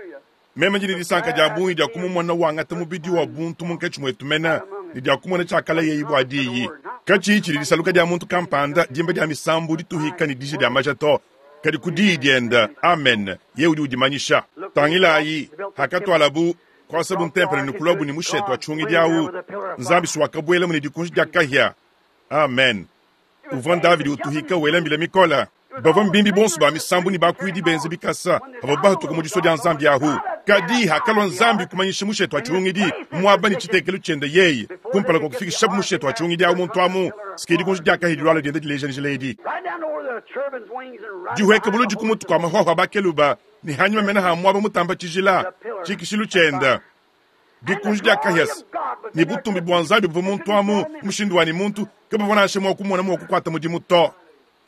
Speaker 1: Meme ndi ne disanka dia bungi dia kumumona wangata mubidi wa buntu munkatshi muetu mene, ne dia kumona tshiakalayeyi bua Diyi. Katshiyi tshidi disaluka dia muntu kampanda, dimba dia misambu, dituhika ne dija dia maja to, kadi ku diyi diende, amen, yeye udi udimanyisha. Tangilayi, hakatualabu kuasabu ntempelo ne kuluabu ne mushete wa tshihungidi au, Nzambi si wakabuelamu ne dikunji dia kahia, amen, uvua Davidi utuhika wela mbila mikole. Bavua mbimbi bonso ba misambu ne bakuidi benze bikasa bavua bahatuka mu disua dia Nzambi ahu. Kadi hakalua Nzambi kumanyisha mushete wa tshihungidi muaba ne tshitekelu tshiende yeye, kumpala kua kufikishabu mushete wa tshihungidi au muntu amu, sike dikunji dia kahia dilualua dienda dileja njila edi dihueka buludi ku mutu kua mahuahua a bakeluba ne hanyima mena ha muaba mutamba tshijila, tshikishilu tshiende. Dikunji dia kahia ne butumbi bua Nzambi buvua muntu amu mushindu wa ne muntu kabavua nansha mua kumona mua kukuata mudimu to.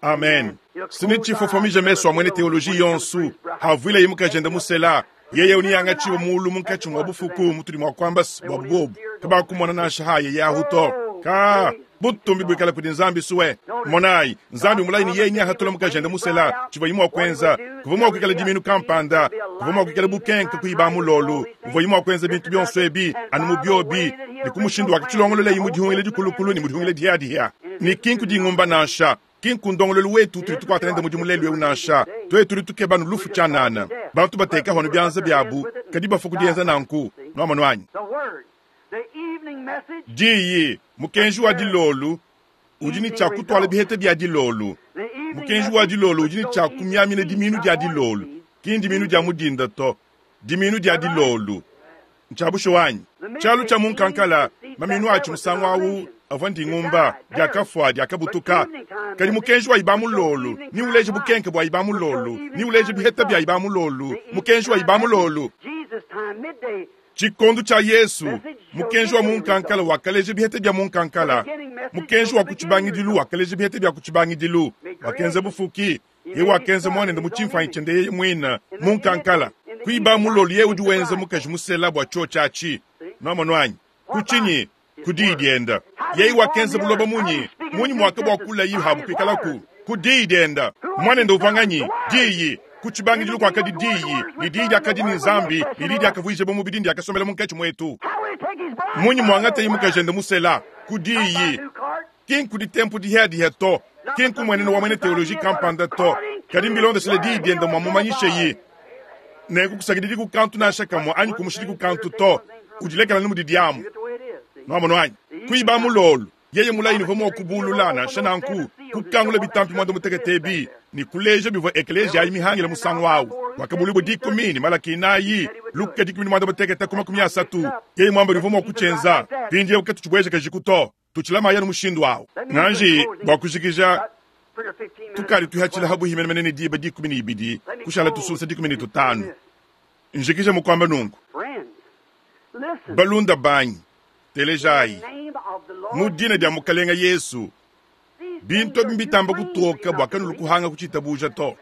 Speaker 1: Amen. Sine tshifofomija mesu a muena teoloji yonsu havuilaye mukajende musela, yeye uniangatshiwe mulu munkatshi mua bufuku mutudi mua kuamba bua bubobu kabakumona nansha haye yahu to. Ka butumbi buikale kudi Nzambi suwe. Monayi, Nzambi mulayi ne yeye nyahatula mukajende musela, tshivuaye mua kuenza kuvua mua kuikala diminu kampanda, kuvua mua kuikala bukenke kuiba mulolu, uvuaye mua kuenza bintu bionso ebi anu mu biobi ne ku mushindu wakatshilongololaye mu dihungila dikulukulu ne mu dihungila dihiadihia. Ne ki nku dingumba nansha, ki nku ndongoluelu wetu utudi tukuata nende mudimu lelu eu nansha. Tuetu tudi tukeba anu lufu tshianana. Bantu batekaho anu bianza biabu, kadi bafua ku dienza nanku. Nuamonu anyi? Diyi, mukenji wa dilolu, udi ne tshia kutuala biheta bia dilolu. Mukenji wa dilolu udi ne tshia kumiamina diminu dia dilolu, ki ndiminu dia mu dinda to, diminu dia dilolu. Ntshia bushuwa anyi? Tshialu tshia mu nkankala, maminu atshi musangu au avua ndingumba, diakafua, diakabutuka. Kadi mukenji wa iba mulolu ni uleje bukenke bua iba mulolu, ni uleje biheta bia iba mulolu, mukenji wa iba mulolu. Tshikondo tshia Yesu, mukenji wa mu nkankala wakaleja biheta bia mu nkankala, mukenji wa ku tshibangidilu wakaleja biheta bia ku tshibangidilu, wakenza bufuki, Yeye wakenza muanende mu tshimfuanyi tshiende yeye muine mu nkankala. Kuiba mulolu yeye udi wenza mukaji musela bua tshiotshi atshi. Nuamonu anyi? Ku tshinyi? Ku diyi diende. Yeye wakenza buloba munyi? Munyi muakabua kulayi habu kuikalaku? Ku diyi dienda. Muanende uvua nganyi? Diyi. Ku tshibangidilu kuakadi Diyi, ne Diyi diakadi ne Nzambi, ne Diyi diakavuijibua mubidi ne diakasombela munkatshi muetu. Munyi muangataye mukajende musela? Ku Diyi. Ki nku ditempu dihiadihia to, ki nku muenenu wa muena teoloji kampanda to, kadi mbilondeshile Diyi diende muamumanyisheyi. Nenku kusakididiku kantu nansha kamue anyi kumushidiku kantu to, udilekela anu mudidi amu. Nuamonu anyi? Kuiba mulolu, yeye mulayi uvua mua kubulula, nansha nanku, kukangula bitampi muanda-mutekete ebi ne kuleja bivua ekeleziya ayi mihangile musangu awu. Wakabuluibua dikumi ne Malaki inayi, Luka dikumi ne muanda-mutekete ku 30. Yeye muambe ne uvua mua kutshienza. Mpindieu katutshibuejakajiku to. Tutshilamayi anu mushindu awu. Nganji, bua kujikija, tukadi tuihatshila habuhi menemene ne diba 12, kushala tusunsa 15. Njikija mu kuamba nunku. Balunda banyi, telejayi. Mu dina dia Mukalenga Yesu, bintu abi mbitamba kutoka bua kanulu kuhanga kutshitabuja to.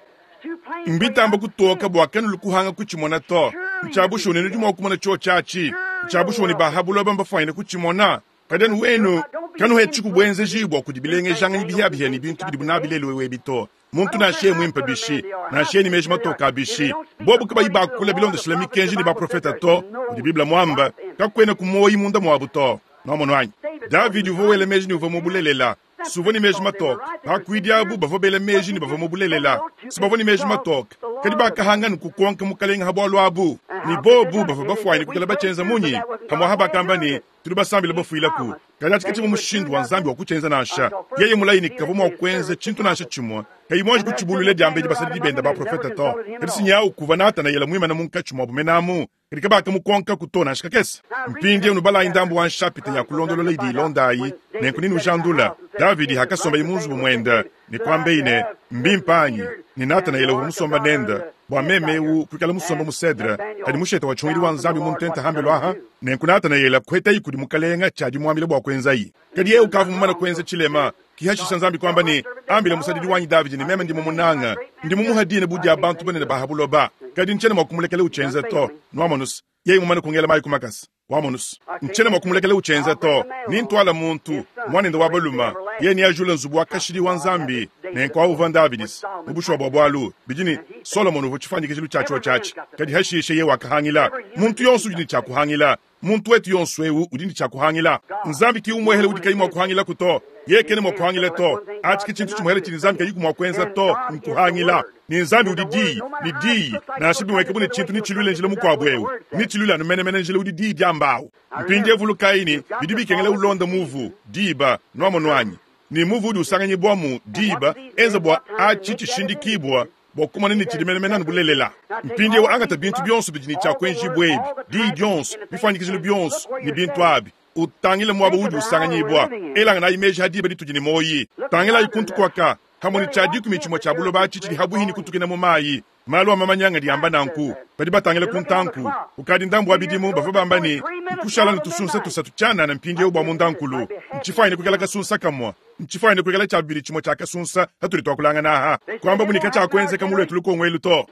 Speaker 1: Mbitamba kutoka bua kanulu kuhanga kutshimona to. Ntshia bushuwa ne nudi mua kumona tshiotshi atshi. Ntshia bushuwa ne ba ha buloba mbafuanyine kutshimona. Kadi anu wenu kanuhetshiku buenzeji bua kudi bilengejanganyi bihiabihia ne bintu bidibu nabi lelu eu ebi to. Muntu nansha yeye muimpe bishi, nansha yeye ne meji matoke a bishi, bobu kabayi bakula bilondeshile mikenji ne baprofete to, mudi Bible muambe, kakuena ku muoyo munda muabu to. Nuamonu anyi? Davidi uvua wela meji ne uvua mu bulelela, si uvua ne meji matoke. Bakuidi abu bavua bela meji ne bavua mu bulelela, si bavua ne meji matoke. Kadi bakahanga ne kukonka mukalenge ha bualu abu, ne bobu bavua bafuanyine kuikala batshienza munyi? Pamu'apa bakamba ne, Tudi basambile bafuilaku. Kadi atshi katshivua mushindu wa Nzambi wa kutshienza nansha. Yeye mulayi ne kavua mua kuenza tshintu nansha tshimue kayi muanji kutshibuluila diambedi basadidi bende baprofete to. Kadi sinyawu kuvua Natanayele muimane munkatshi muabu menamu, kadi kabakamukonkaku to nansha kakese. Mpindieu nubalayi ndambu wa nshapita ya kulondolola idi ilonda ayi, nenku nenujandula. Davidi hakasombaye mu nzubu muende ne kuambeyi ne, Mbimpe anyi? Ne Natanayele uvua musomba nende, bua meme eu kuikala musomba mu cedre, kadi mushete wa tshihungidi wa Nzambi mu ntenta hambelu aha. Nenku Natanayele kuhetayi kudi mukalenga tshiadimuambila bua kuenzayi. Kadi yeye ukavua mumane kuenza tshilema. Kihashisha Nzambi kuamba ne, Ambila musadidi wanyi Davidi ne meme ndi mumunanga, ndi mumuha dina bu dia bantu banene ba ha buloba, kadi ntshiena mua kumulekela utshienza to. Nuamonus, yeye mumane kungela mayi ku makasa. Wamonus, ntshiena mua kumulekela utshienza to. Nintuala muntu, muanende wa balume, yeye neajule nzubu wa kashidi wa Nzambi. Nenku awu uvua Ndavidis. Mu bushuwa bua bualu, bidi ne, Solomone uvua tshifuanyikijilu tshia tshiotshi atshi, kadi hashishe yeye wakahangila. Muntu yonso udi ne tshia kuhangila. Muntu wetu yonso eu udi ne tshia kuhangila. Nzambi ki umuehele udi kayi mua kuhangilaku to. Yeye kena mua kuhangila to. Atshi ke tshintu tshimuehele tshidi Nzambi kayiku mua kuenza to, nkuhangila. Ne Nzambi udi Diyi, ne Diyi, nansha bimueka bu ne tshintu netshiluile njila mukuabu eu, netshiluile anu menemene njila udi Diyi diamba au. Mpindieu vulukayi ne, bidi bikengela ulonde muvu, diba, nuamonu anyi? Ne muvu udi usanganyibuamu, diba, enza bua atshi tshishindikibua, bua kumona ne tshidi menemene anu bulelela. Mpindieu angata bintu bionso bidi ne tshia kuenjibua ebi, Diyi dionso, bifuanyikijilu bionso, ne bintu abi. Utangile muaba udi usanganyibua. Elanganayi meji ha diba ditudi ne muoyi. Tangilayi kuntu kuaka, hamue ne tshia dikumi tshimue tshia buloba atshi tshidi habuihi ne kutukina mu mayi. Malu a mamanya ngadi amba nanku. Badi batangila ku ntanku. Kukadi ndambu wa bidimu bavua bamba ne, nkushala ne tusunsa tusatu tshianana mpindieu bua mundankulu. Ntshifuanyine kuikala kasunsa kamue. Ntshifuanyine kuikala tshia bibidi tshimue tshia kasunsa hatudi tuakulangana aha. Kuambabu ne katshiakuenzeka mu luetu lukongo elu to.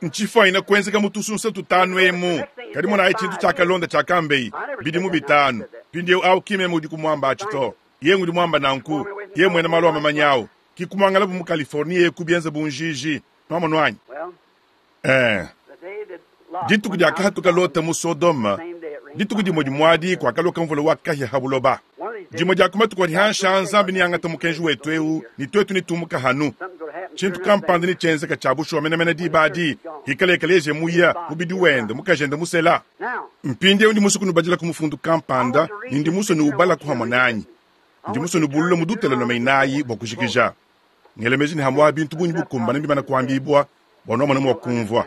Speaker 1: Ntshifuanyine kuenzeka mu tusunsa tutanu emu. Kadi monayi tshintu tshiakalonda tshiakambei, bidimu bitanu. Mpindieu au ki meme udi kumuamba atshi to. Yeye ngudi muamba nanku. Yeye muena malu a mamanya au. Ki kumuangalabu mu Californie eku bienze bu njiji. Nuamonu anyi? Eh. Dituku diakahatuka Lota mu Sodoma, dituku dimue dimuadi kuakaloka mvula wa kahia ha buloba. Dimue dia ku matuku adi hanshi aa Nzambi neangate mukenji wetu eu ne tuetu netumuka hanu. Tshintu kampanda netshienzeka tshia bushuwa menemene diba adi, hikala ekeleziya muya, mubidi wende, mukajende musela. Mpindieu ndi musue kunubadila ku mufundu kampanda ne ndi musue nuubalaku hamue nanyi. Ndi musue nubulule mu Dutelonome inayi bua kujikija. Ngela meji ne hamua bintu bungi bukumbane mbimana kuambibua bua nuamona mua kumvua.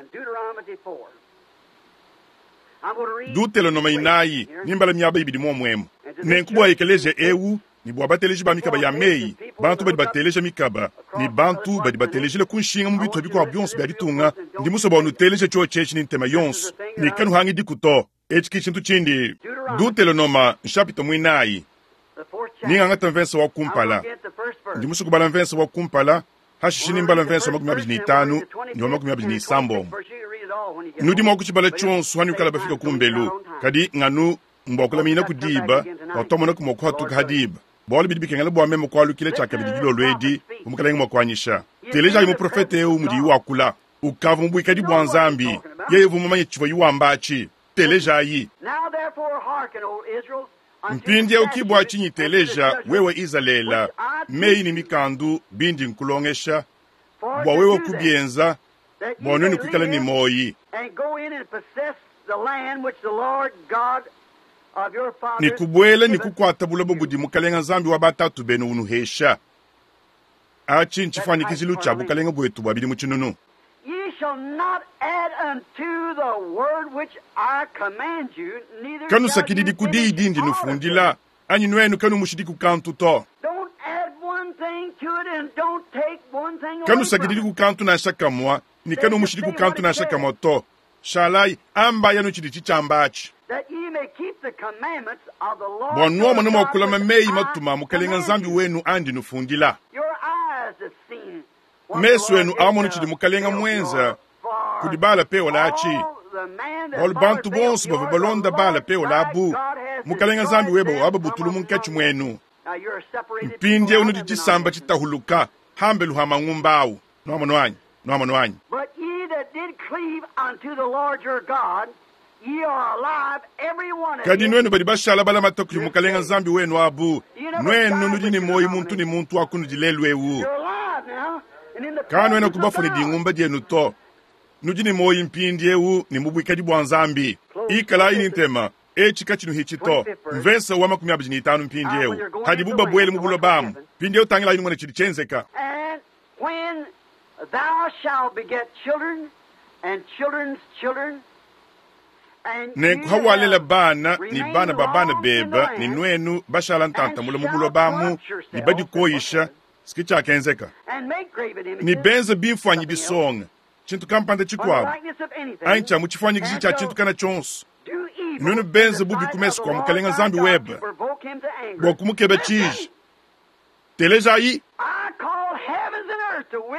Speaker 1: Dutelonome inayi, nimbala miaba ibidi muomuemu. Nenku bua ekeleziya eu ne bua bateleji ba mikaba ya meyi, bantu badi bateleja mikaba ne bantu badi batelejile ku nshinga mu bitupa bikuabu bionso bia ditunga, ndi musue bua nuteleje tshiotshi etshi ne ntema yonso ne kanuhangidiku to. Etshi ki tshintu tshindi. Dutelonoma nshapita muinayi, ningangata mvese wa kumpala. Ndi musue kubala mvese wa kumpala, hashishe nimbala mvese wa 25 ne wa 26. Nudi mua kutshibala tshionso hanuikala bafika kumbelu, kadi nganu mbua kulaminyina ku diba bua tuamonaku mua kuhatuka ha diba. Bualu bidi bikengela bua meme kualukila tshiakabidi dilolo edi, bu Mukalenge mua kuanyisha. Telejayi muprofete eu mudiyi wakula. Ukavua mu buikadi bua Nzambi. Yeye uvua mumanye tshivuaye wamba atshi. Telejayi. Mpindieu ki bua tshinyi teleja, wewe Izalele, meyi ne mikandu bindi nkulongesha, bua wewe kubienza, bua nuenu kuikala ne muoyi. Ne kubuela ne kukuata buloba budi Mukalenga Nzambi wa batatu benu unuhesha. Atshi ntshifuanyikijilu tshia bukalenge buetu bua bidimu tshinunu. Kanusakididi ku diyi dindi nufundila, anyi nuenu kanumushidiku kantu to. Kanusakididi ku kantu nansha kamua, ne kanumushidiku kantu nansha kamua to. Shalayi, ambayi anu tshidi tshitshiamba atshi. Bua nuamona mua kulama meyi matuma a Mukalenga Nzambi wenu andi nufundila. Mesu enu amonu tshidi Mukalenga muenza kudi Baala Peola atshi, bualu bantu bonso bavua balonda Baala Peola abu, Mukalenga Nzambi weba wababutulu munkatshi muenu. Mpindieu nudi tshisamba tshitahuluka hambelu ha mangumba au. Nuamonu anyi? Nuamonu anyi? Kadi nuenu badi bashala balamata kudi Mukalenga Nzambi wenu abu, nuenu nudi ne muoyo muntu ne muntu wa kunudi lelu eu. Kanuena kubafua ne dingumba dienu to. Nudi ne muoyo mpindieu ne mu buikadi bua Nzambi. Ikalayi ne ntema, etshi katshinuhitshi to. Mvese wa 25 mpindieu, hadibu babuele mu buloba amu. Mpindieu tangilayi numone tshidi tshienzeka.
Speaker 2: When thou shalt beget children and children's children,
Speaker 1: Nenku hawalela bana ne bana ba bana beba ne nuenu bashala ntanta mule mu buloba amu ne badikoyisha, ske tshiakenzeka. Ne benza bimfuanyi bisonga, tshintu kampanda tshikuabu, anyi tshia mu tshifuanyikiji tshia tshintu kana tshionso, nuenu benze bubi ku mesu kua Mukalenga Nzambi webe, bua kumukeba tshiji. Telejayi,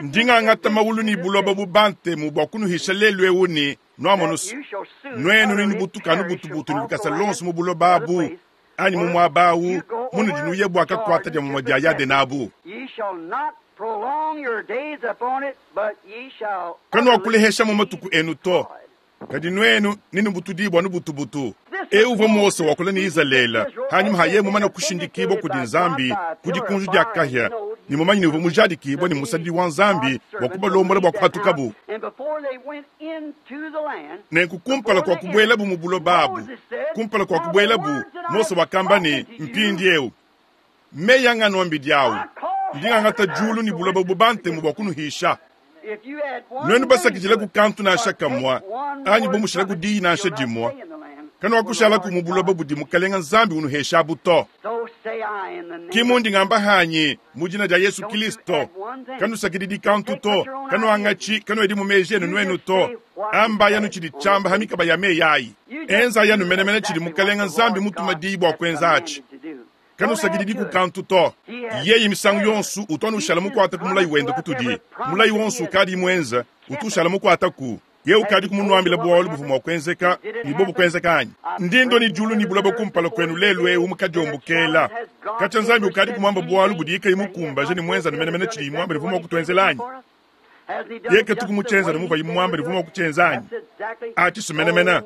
Speaker 1: ndi ngangata mawulu ne buloba bu bantemu bua kunuhisha lelu eu ne, nuamonusu, nuenu nenubutuka anu butubutu ne lukasa luonso mu buloba abu anyi mu muaba au munudi nuya bua kakuata dia mumue dia Yadena abu. Kanuakuleheshamu matuku enu to, kadi nuenu nenubutudibua anu butubutu. Eu uvua Mose wakula ne Izalele hanyima ha yeye mumane kushindikibua kudi Nzambi ku dikunji dia kahia ne mumanye ne uvua mujadikibua ne musadidi wa Nzambi bua kubalombola bua kuhatukabu. Nenku kumpala kua kubuelabu mu buloba abu, kumpala kua kubuelabu, Mose wakamba ne, Mpindieu meyi anganuambidi au, ndi ngangata diulu ne buloba bu bantemu bua kunuhisha. Nuenu basakidilaku kantu nansha kamua, anyi bumushilaku diyi nansha dimua, kanuakushalaku mu buloba budi Mukalenga Nzambi unuheshabu to. Ki mundi ngamba hanyi mu dina dia Yesu Kilisto, kanusakididi kantu to, kanuangatshi, kanuedi mu meji enu nuenu to. Ambayi anu tshidi tshiamba ha mikaba ya meyi ayi. Enzayi anu menemene tshidi Mukalenga Nzambi mutuma diyi bua kuenza atshi. Kanusakididiku kantu to. Yeye misangu yonso utu anu ushala mukuate ku mulayi wende kutudi. Mulayi wonso ukadi muenza utu ushala mukuataku. Yeye ukadiku munuambile bualu buvua mua kuenzeka ne bobu kuenzeka anyi? Ndi ndua ne diulu ne buloba kumpala kuenu lelu eu mu kadiombokela. Katshia Nzambi ukadiku muambe bualu budiye kayi mukumbaje ne muenza anu menemene tshidiye muambe ne uvua mua kutuenzela anyi? Yeye katuku mutshienza anu muvuaye muambe ne uvua mua kutshienza anyi? Atshi menemene.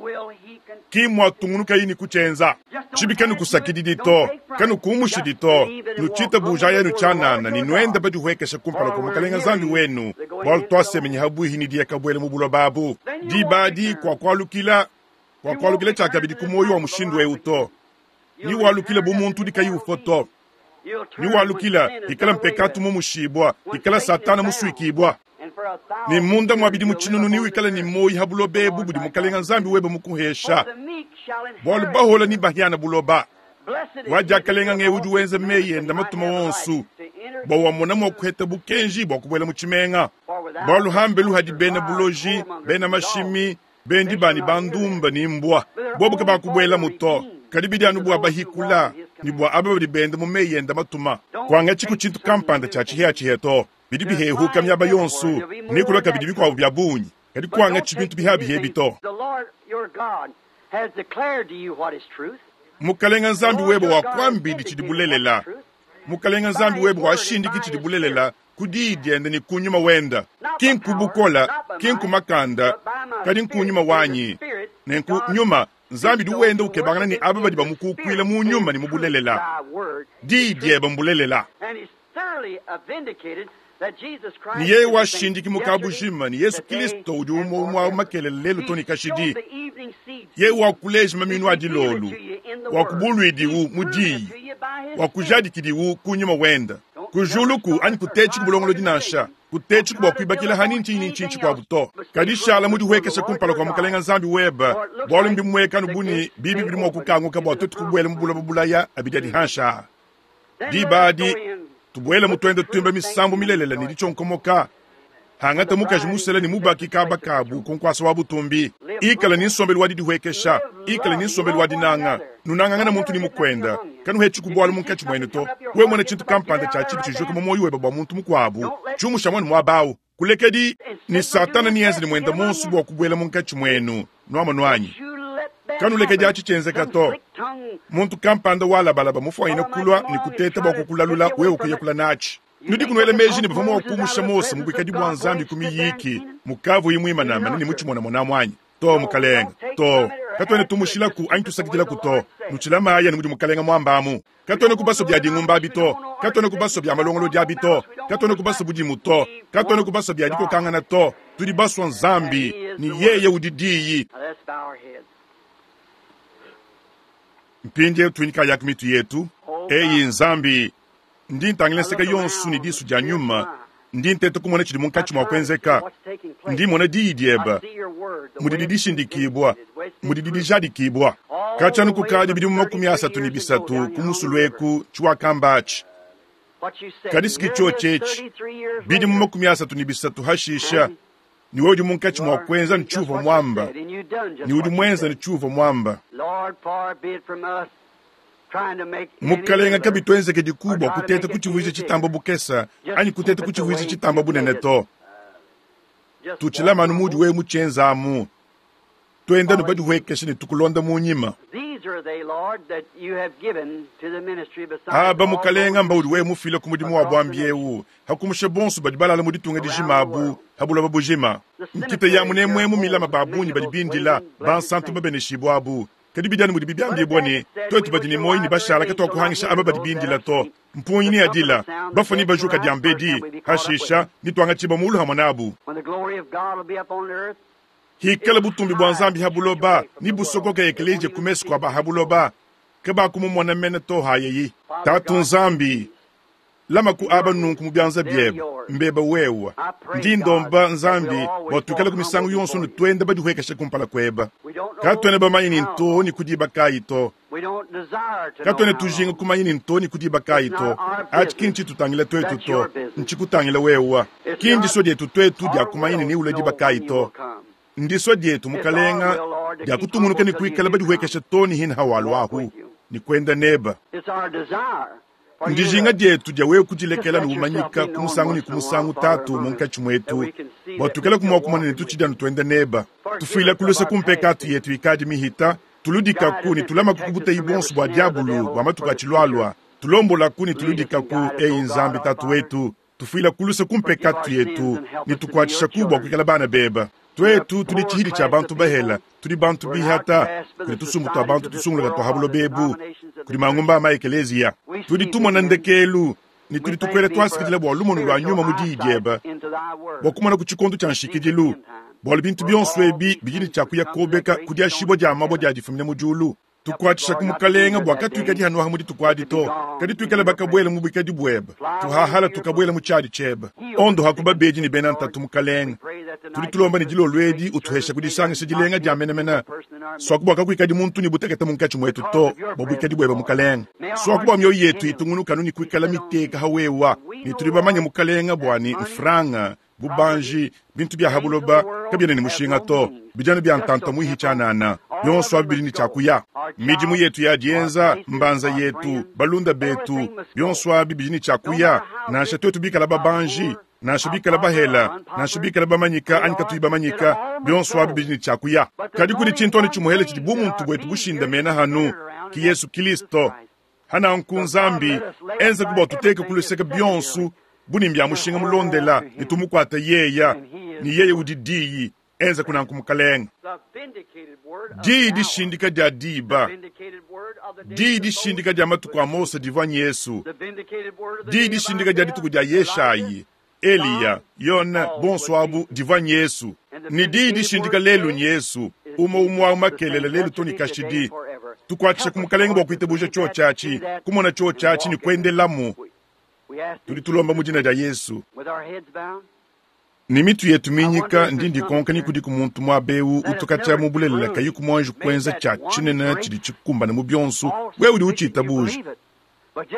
Speaker 1: Ki muatungunukayi ne kutshienza. Tshibi kanukusakididi to, kanukumushidi to, nutshitabujayi anu tshianana ne nuenda badihuekesha kumpala kua Mukalenga Nzambi wenu, bualu tuasemenyi habuihi ne diya kabuela mu buloba abu. Diba adi kuakualukila, kuakualukila tshiakabidi ku muoyo wa mushindu eu to. Niwalukila bu muntu udi kayi ufua to. Niwalukila ikala mpekatu mumushibua, ikala Satana musuikibua. Ne munda mua bidimu tshinunu newikale ne muoyo ha buloba ebu budi Mukalenga Nzambi webe mukuhesha, bualu bahola ne bahiana buloba. Wa diakalenga ng'eu udi wenza meyi enda matuma wonso, bua wamona mua kuheta bukenji bua kubuela mu tshimenga. Bualu hambelu hadi bena buloji, bena mashimi, bendi ba ne bandumba ne mbua, bobu kabakubuelamu to, kadi bidi anu bua bahikula ne bua aba badi benda mu meyi enda matuma. Kuangatshiku tshintu kampanda tshia tshihiatshihia to, bidi bihehuka miaba yonso, ne kulua kabidi bikuabu bia bungi, kadi kuangatshi bintu bihabiha ebi to. Mukalenga Nzambi webe wakuambidi tshidi bulelela. Mukalenga Nzambi webe washindiki tshidi bulelela ku diyi diende ne ku nyuma wenda, ki nku bukola, ki nku makanda, kadi nku nyuma wanyi. Nenku nyuma, Nzambi udi wenda ukebangana ne aba badi bamukukuila mu nyuma ne mu bulelela. Diyi diebe mbulelela. Ne yeye washindiki mu kabujima ne Yesu Kilisto udi umue umue awu makelela lelu to ne kashidi. Yeye wakuleja maminu a dilolu, wakubuluidiwu mu diyi, wakujadikidiwu ku nyuma wenda. Kujuluku anyi kutetshi ku bulongolodi nansha, kutetshi ku bua kuibakila ha ni ntshinyi ni ntshinyi tshikuabu to. Kadi shala mudihuekeshe kumpala kua Mukalenga Nzambi webe, bualu mbimueka anu bu ne bibi bidi mua kukanguka bua tuetu kubuela mu buloba bulaya abidi adi hanshi aa. Diba adi, tubuele mu tuenda tuimba misambu milelela ne ditshionkomoka, hangata mukaji musela ne mubaki kaba kabu ku nkuasa wa butumbi. Ikala ne nsombelu wa didihuekesha, ikala ne nsombelu wa dinanga, nunangangana muntu ne mukuenda, kanuhetshi ku bualu munkatshi muenu to. Wewe muena tshintu kampanda tshia tshibi tshijuka mu muoyo webe bua muntu mukuabu, tshiumusha muanu muaba au. Kulekedi ne Satana nienze ne muenda monso bua kubuela munkatshi muenu, nuamonu anyi? Kanulekedi atshi tshienzeka to. Muntu kampanda walabalaba mufuanyine kulua ne kuteta bua kukulalula wewe kuyakula natshi. Nudiku nuela meji ne bavua mua kumusha Mose mu buikadi bua Nzambi ku miyiki mukavuyi muimanamana ne mutshimonamonamu anyi? To, mukalenge, to. Katuena tumushilaku anyi tusakidilaku to. Nutshilamayi anu mudi mukalenge muambamu. Katuena ku basue bia dingumba abi to. Katuena ku basue bia malongolodi abi to. Katuena ku basue budimu to. Katuena ku basue bia dikokangana to. Tudi basue Nzambi, ne yeye udi Diyi. Mpindieu tuinyikayaku mitu yetu. Eyi Nzambi, ndi ntangila nseke yonso ne disu dia nyuma, ndi nteta kumona tshidi munkatshi mua kuenzeka. Ndi mmona diyi diebe, mudidi dishindikibua, mudidi dijadikibua. Katshia anu kukadi bidimu 33 ku musulu eku tshiwakamba atshi. Kadi si tshiotshi etshi, bidimu 33 hashisha, ne wewe udi munkatshi mua kuenza ne tshiuvua muamba, ne udi muenza ne tshiuvua muamba. Mukalenga, kabituenzekediku bua kuteta kutshivuija tshitamba bukesa anyi kuteta kutshivuija tshitamba bunene to. Tutshilama anu mudi wewe mutshienzamu. Tuenda anu badihuekeshe ne tukulonda mu nyima. Aba, Mukalenga, mbaudi wewe mufile ku mudimu wa buambi eu, hakumusha bonso badi balala mu ditunga dijima abu ha buloba bujima. Nkita ya munemuemu milama ba bungi badi bindila, bansantu babeneshibua abu. Kadi bidi anu mudibi biambibua ne, tuetu badi ne muoyo ne bashala katuakuhangisha aba badi bindila to. Mpungi neadila, bafue nebajuka diambedi, hashisha netuangatshibua mulu hamue nabu. Hikala butumbi bua Nzambi ha buloba, nebusokoke ekeleziya ku mesu kua ba ha buloba, kabakumumona mene to hayeyi. Tatu Nzambi, lama ku aba nunku mu bianza biebe, mbeba wewe. Ndi ndomba Nzambi bua tuikale ku misangu yonso ne tuenda badihuekeshe kumpala kueba. Katuena bamanye ni nto ni ku diba kayi to. Katuena tujinga kumanya ni nto ni ku diba kayi to. Atshi ki ntshitutangila tuetu to, ntshikutangila wewe. Ki ndisua dietu tuetu dia kumanya ni neulue diba kayi to. Ndisua dietu, Mukalenga, dia kutungunuka ne kuikala badihuekeshe to ne hina hawaluahu ne kuenda neba. Ndijinga dietu dia wewe kudilekela ne umanyika ku musangu ne ku musangu, Tatu, munkatshi muetu, bua tuikale mua kumona ne tutshidi anu tuenda neba. Tufuila ku luse ku mpekatu yetu ikadi mihita, tuludikaku ne tulamaku ku buteyi buonso bua diabulu bua matuku atshilualua, tulombolaku ne tuludikaku, eyi Nzambi Tatu wetu, tufuila ku luse ku mpekatu yetu ne tukuatshishaku bua kuikala bana beba. Tuetu tudi tshihidi tshia bantu bahela, tudi bantu bihata, kudi tusumbu tua bantu tusunguluka tua ha buloba ebu, kudi mangumba a ma-ekeleziya. Tudi tumona ndekelu ne tudi tukuela tuasakidila bua lumonu lua nyuma mu diyi diebe, bua kumona ku tshikondo tshia nshikidilu, bualu bintu bionso ebi bidi ne tshia kuya kobeka ku diashibua dia mabue dia difumina mu diulu. Tukuatshisha ku Mukalenga bua katuikadi hanuaha mu dituku adi to, kadi tuikale bakabuela mu buikadi buebe, tuhahala tukabuela mu tshiadi tshiebe. Ondoha ku babedi ne bena ntatu, Mukalenga. Tudi tulomba ne dilolo edi utuhesha ku disangisha dilenga dia menemene, suaku bua kakuikadi muntu ne butekete munkatshi muetu to, bua buikadi buebe, Mukalenga. Suaku bua mioyo yetu itungunuka anu ne kuikala miteka ha wewa, ne tudi bamanye, Mukalenga, bua ne mfranga, bubanji, bintu bia ha buloba kabiena ne mushinga to, bidi anu bia ntanta muihi tshianana, bionso abi bidi ne tshia kuya. Midimu yetu ya dienza, mbanza yetu, balunda betu, bionso abi bidi ne tshia kuya, nansha tuetu bikala babanji, nansha bikala bahela, nansha bikala bamanyika anyi katuyi bamanyika, bionso abi bidi ne tshia kuya. Kadi kudi tshintu anu tshimuhele tshidi bumuntu buetu bushindamena hanu, ki Yesu Kilisto. Hananku Nzambi, enza bua tuteke ku luseke bionso bu ne mbia mushinga mulondela ne tumukuate yeya, ne yeye udi diyi. Enza kunanku Mukalenge. Diyi dishindika dia diba, diyi dishindika dia matuku a Mose divua Yesu, diyi dishindika dia dituku dia Yeshayi, Eliya, Yone, bonso abu divua Yesu, ne diyi dishindika lelu Yesu, umue umue au makelela lelu to ne kashidi. Tukuatshisha ku Mukalenge bua kuitabuja tshiotshi kumona tshiotshi ne kuendelamu. Tudi tulomba mu dina dia Yesu. Ne mitu yetu minyika ndi ndikonka ni kudiku muntu muaba eu utukatia mu bulelela kayi ku muanji kuenza tshia tshinene tshidi tshikumbana mu bionso. Wewe udi utshitabuja,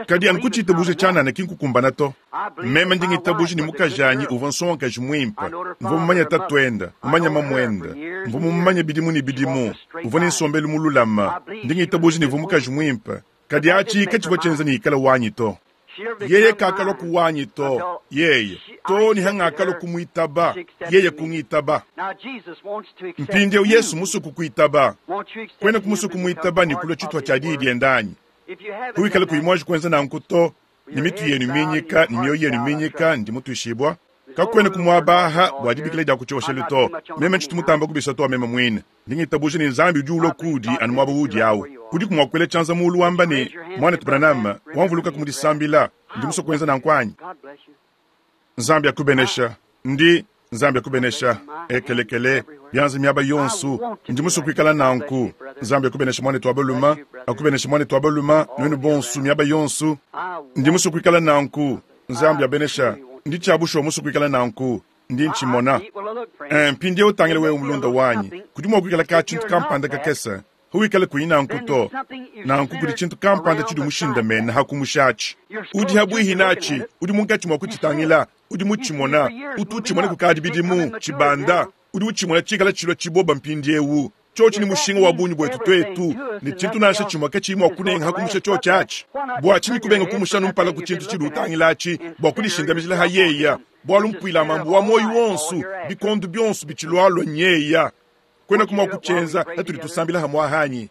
Speaker 1: kadi anu kutshitabuja tshianana ki nkukumbana to. Meme ndi ngitabuja ne mukajanyi uvua nsongakaji muimpe, mvua mumanye tatuende, mumanye mamuende, mvua mumanye bidimu ne bidimu, uvua ne nsombelu mululama. Ndi ngitabuja ne uvua mukaji muimpe, kadi atshi katshivua tshienza ne ikala wanyi to. Yeye kakalua kuwanyi to, yeye to ni hangakalua kumuitaba, yeye kungitaba. Mpindieu Yesu musue kukuitaba, kwena kumusue kumuitaba ne kulua tshituha tshia diyi diende anyi? Kuikala kuyi muanji kuenza nanku to, ne mitu yenu minyika ne mioyo yenu minyika, ndi mutuishibua kakwena kumuabaha bua dibikila dia ku tshioshelu to. Meme ntshitu mutamba kubisa to meme muine. Ndi ngitabuja ne Nzambi udi ulua kudi anu muaba udi awu. Udi kumwakuela tshianza mulu wamba ne, Mwanetu Branham, wamvuluka ku mudisambila, ndi musue kuenza nanku anyi? Nzambi akubenesha. Ndi Nzambi akubenesha. Ekelekele bianza miaba yonso, ndi musue kuikala nanku. Nzambi akubenesha mwanetu wa baluma, akubenesha mwanetu wa baluma, nuenu bonso miaba yonso. Ndi musue kuikala nanku. Nzambi abenesha. Ndi tshiabushuwa musue kuikala nanku. Ndi ntshimona. Mpindieu tangila wewe mulunda wanyi, kudi mua kuikala ka tshintu kampanda kakese. Huikale kuyi nanku to. Nanku kudi tshintu kampanda tshidi mushindamene hakumushatshi. Udi habuihi natshi, udi munkatshi mua kutshitangila, udi mutshimona, utu utshimona kukadi bidimu, tshibanda, udi utshimona tshikala tshilua tshiboba mpindieu. Tshiotshi ni mushinga wa bungi bwetu twetu, ne tshintu nansha tshimue katshiyi mua kunenga hakumusha tshiotshi atshi. Bua tshinyi kubenga kumusha numpala ku tshintu tshidi utangilatshi bua kudishindamijila ha yeya, bualu mpuila mambu wa moyo wonso, bikondo bionso bitshilualua nyeya. Kwena kumua kutshienza hatudi tusambila hamua hanyi.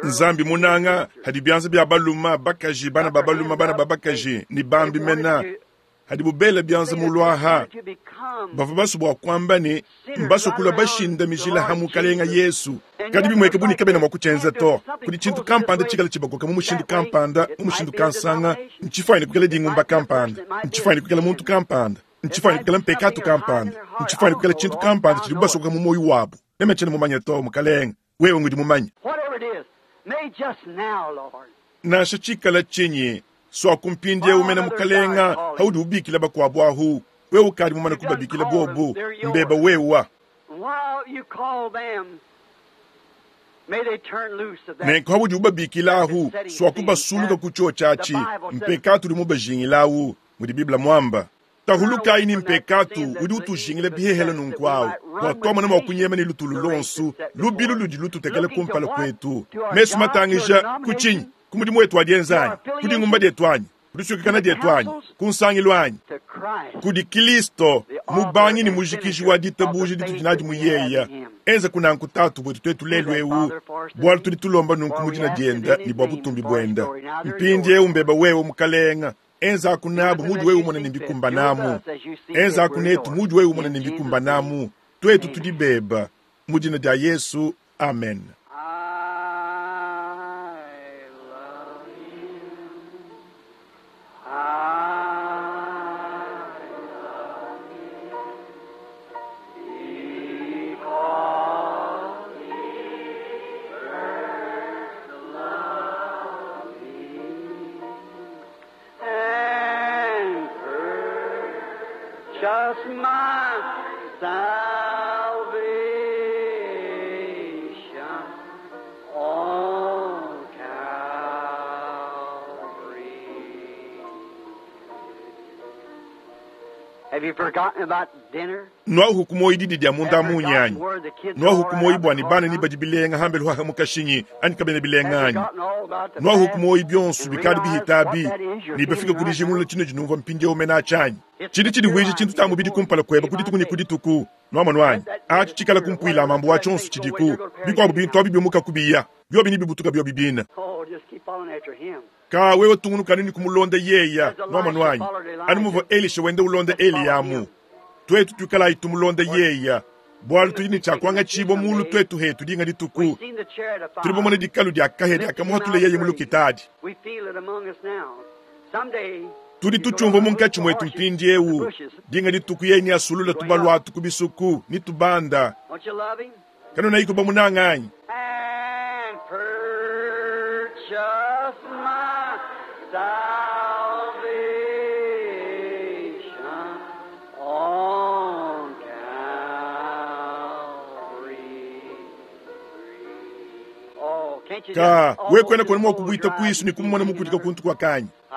Speaker 1: Nzambi munanga hadi bianza bia baluma bakaji, bana ba baluma, bana ba bakaji ne bambi mena hadi bubela bianza muluaha bavua basue bua kuamba ne mbasue kulua bashindamijila ha Mukalenga Yesu, kadi bimweke buni kabena mua kutshienza to. Kudi tshintu kampanda tshikala tshibakoka mu mushindu kampanda, mu mushindu kansanga, ntshifuanyine kuikala dingumba kampanda, ntshifuanyine kuikala muntu kampanda, ntshifuanyine kuikala mpekatu kampanda, ntshifuanyine kuikala tshintu kampanda tshidi basokoka mu moyo wabu. Meme tshiena mumanye to, Mukalenga, wewe ngudi mumanye. Nansha tshikala tshinyi, swaku mpindieu mena Mukalenga haudi ubikila bakuabu ahu, wewe ukadi mumane kubabikila bobu, mbeba wewa. Nenku haudi ubabikila ahu, swaku basuluka ku tshiotshi atshi, mpekatu udi mubajingilawu, mudi Biblia muamba. Tahulukayi ni mpekatu udi utujingila bihehela nunku awu, bua tuamona mua kunyema ne lutulu lonso, lubilu ludi lututekela kumpala kwetu. Mesu matangija ku tshinyi? Ku mudimu wetu wa dienza anyi? Ku dingumba dietu anyi? Ku disuikakana dietu anyi? Ku nsangilu anyi? Kudi Kristo, mubangi ne mujikiji wa ditabuja ditudi nadi mu yeya. Enza kunanku tatu bwetu twetu lelu eu, bualu tudi tulomba nunku mu dina dienda ne bua butumbi buenda. Mpindieu mbeba wewe Mukalenga, enza kunabu mudi wewe umona ne mbikumbanamu. Enza kunetu mudi wewe umona ne mbikumbanamu. Twetu tudi beba mu dina dia Yesu, amen.
Speaker 2: I love you. I love you because he first loved me and purchased my salvation on Calvary.
Speaker 1: Nuahuku muoyi didi dia munda munyi anyi? Nuahuku muoyi bua ne bana ni badi bilenga hambelu haha mukashinyi anyi kabena bilenga anyi? Nuahuku muoyi bionso bikadi bihitabi ne bafika ku dijingulula tshino dinumvua mpindieu mena tshianyi. Tshidi tshidivuija tshintu tshia mubidi kumpala kuebe ku dituku ne ku dituku. Nuamonu anyi? Atshi tshikala kumpuila mambu wa tshionso tshidiku. Bikuabu bintu abi biumuka kubiya, biobi ne bibutuka biobi bina. Ka wewe tungunukanu ne kumulonda yeya. Nuamonu anyi? Anu muvua Elisha wenda ulonda Eliya amu. Twetu tuikalayi tumulonda yeya. Bualu tudi ne tshia kuangatshibua mulu twetu hetu dinga dituku. Tudi bamona dikalu dia kahia dia kamuhatula yeye mu lukitadi. Tudi tutshiumvua munkatshi mwetu mpindiewu. Dinga dituku yeye ni asulula tubalu atu ku bisuku ni tubanda. Kanuna iko bamunanga anyi?
Speaker 2: And purchase my salvation on Calvary. Oh, can't you
Speaker 1: Ka
Speaker 2: just
Speaker 1: we kwena
Speaker 2: almost
Speaker 1: kona mwa
Speaker 2: close
Speaker 1: kubuita
Speaker 2: your eyes
Speaker 1: kwisu ni
Speaker 2: and
Speaker 1: kumumona
Speaker 2: see
Speaker 1: mukudika
Speaker 2: him?
Speaker 1: kuntu kwa kanyi.
Speaker 2: I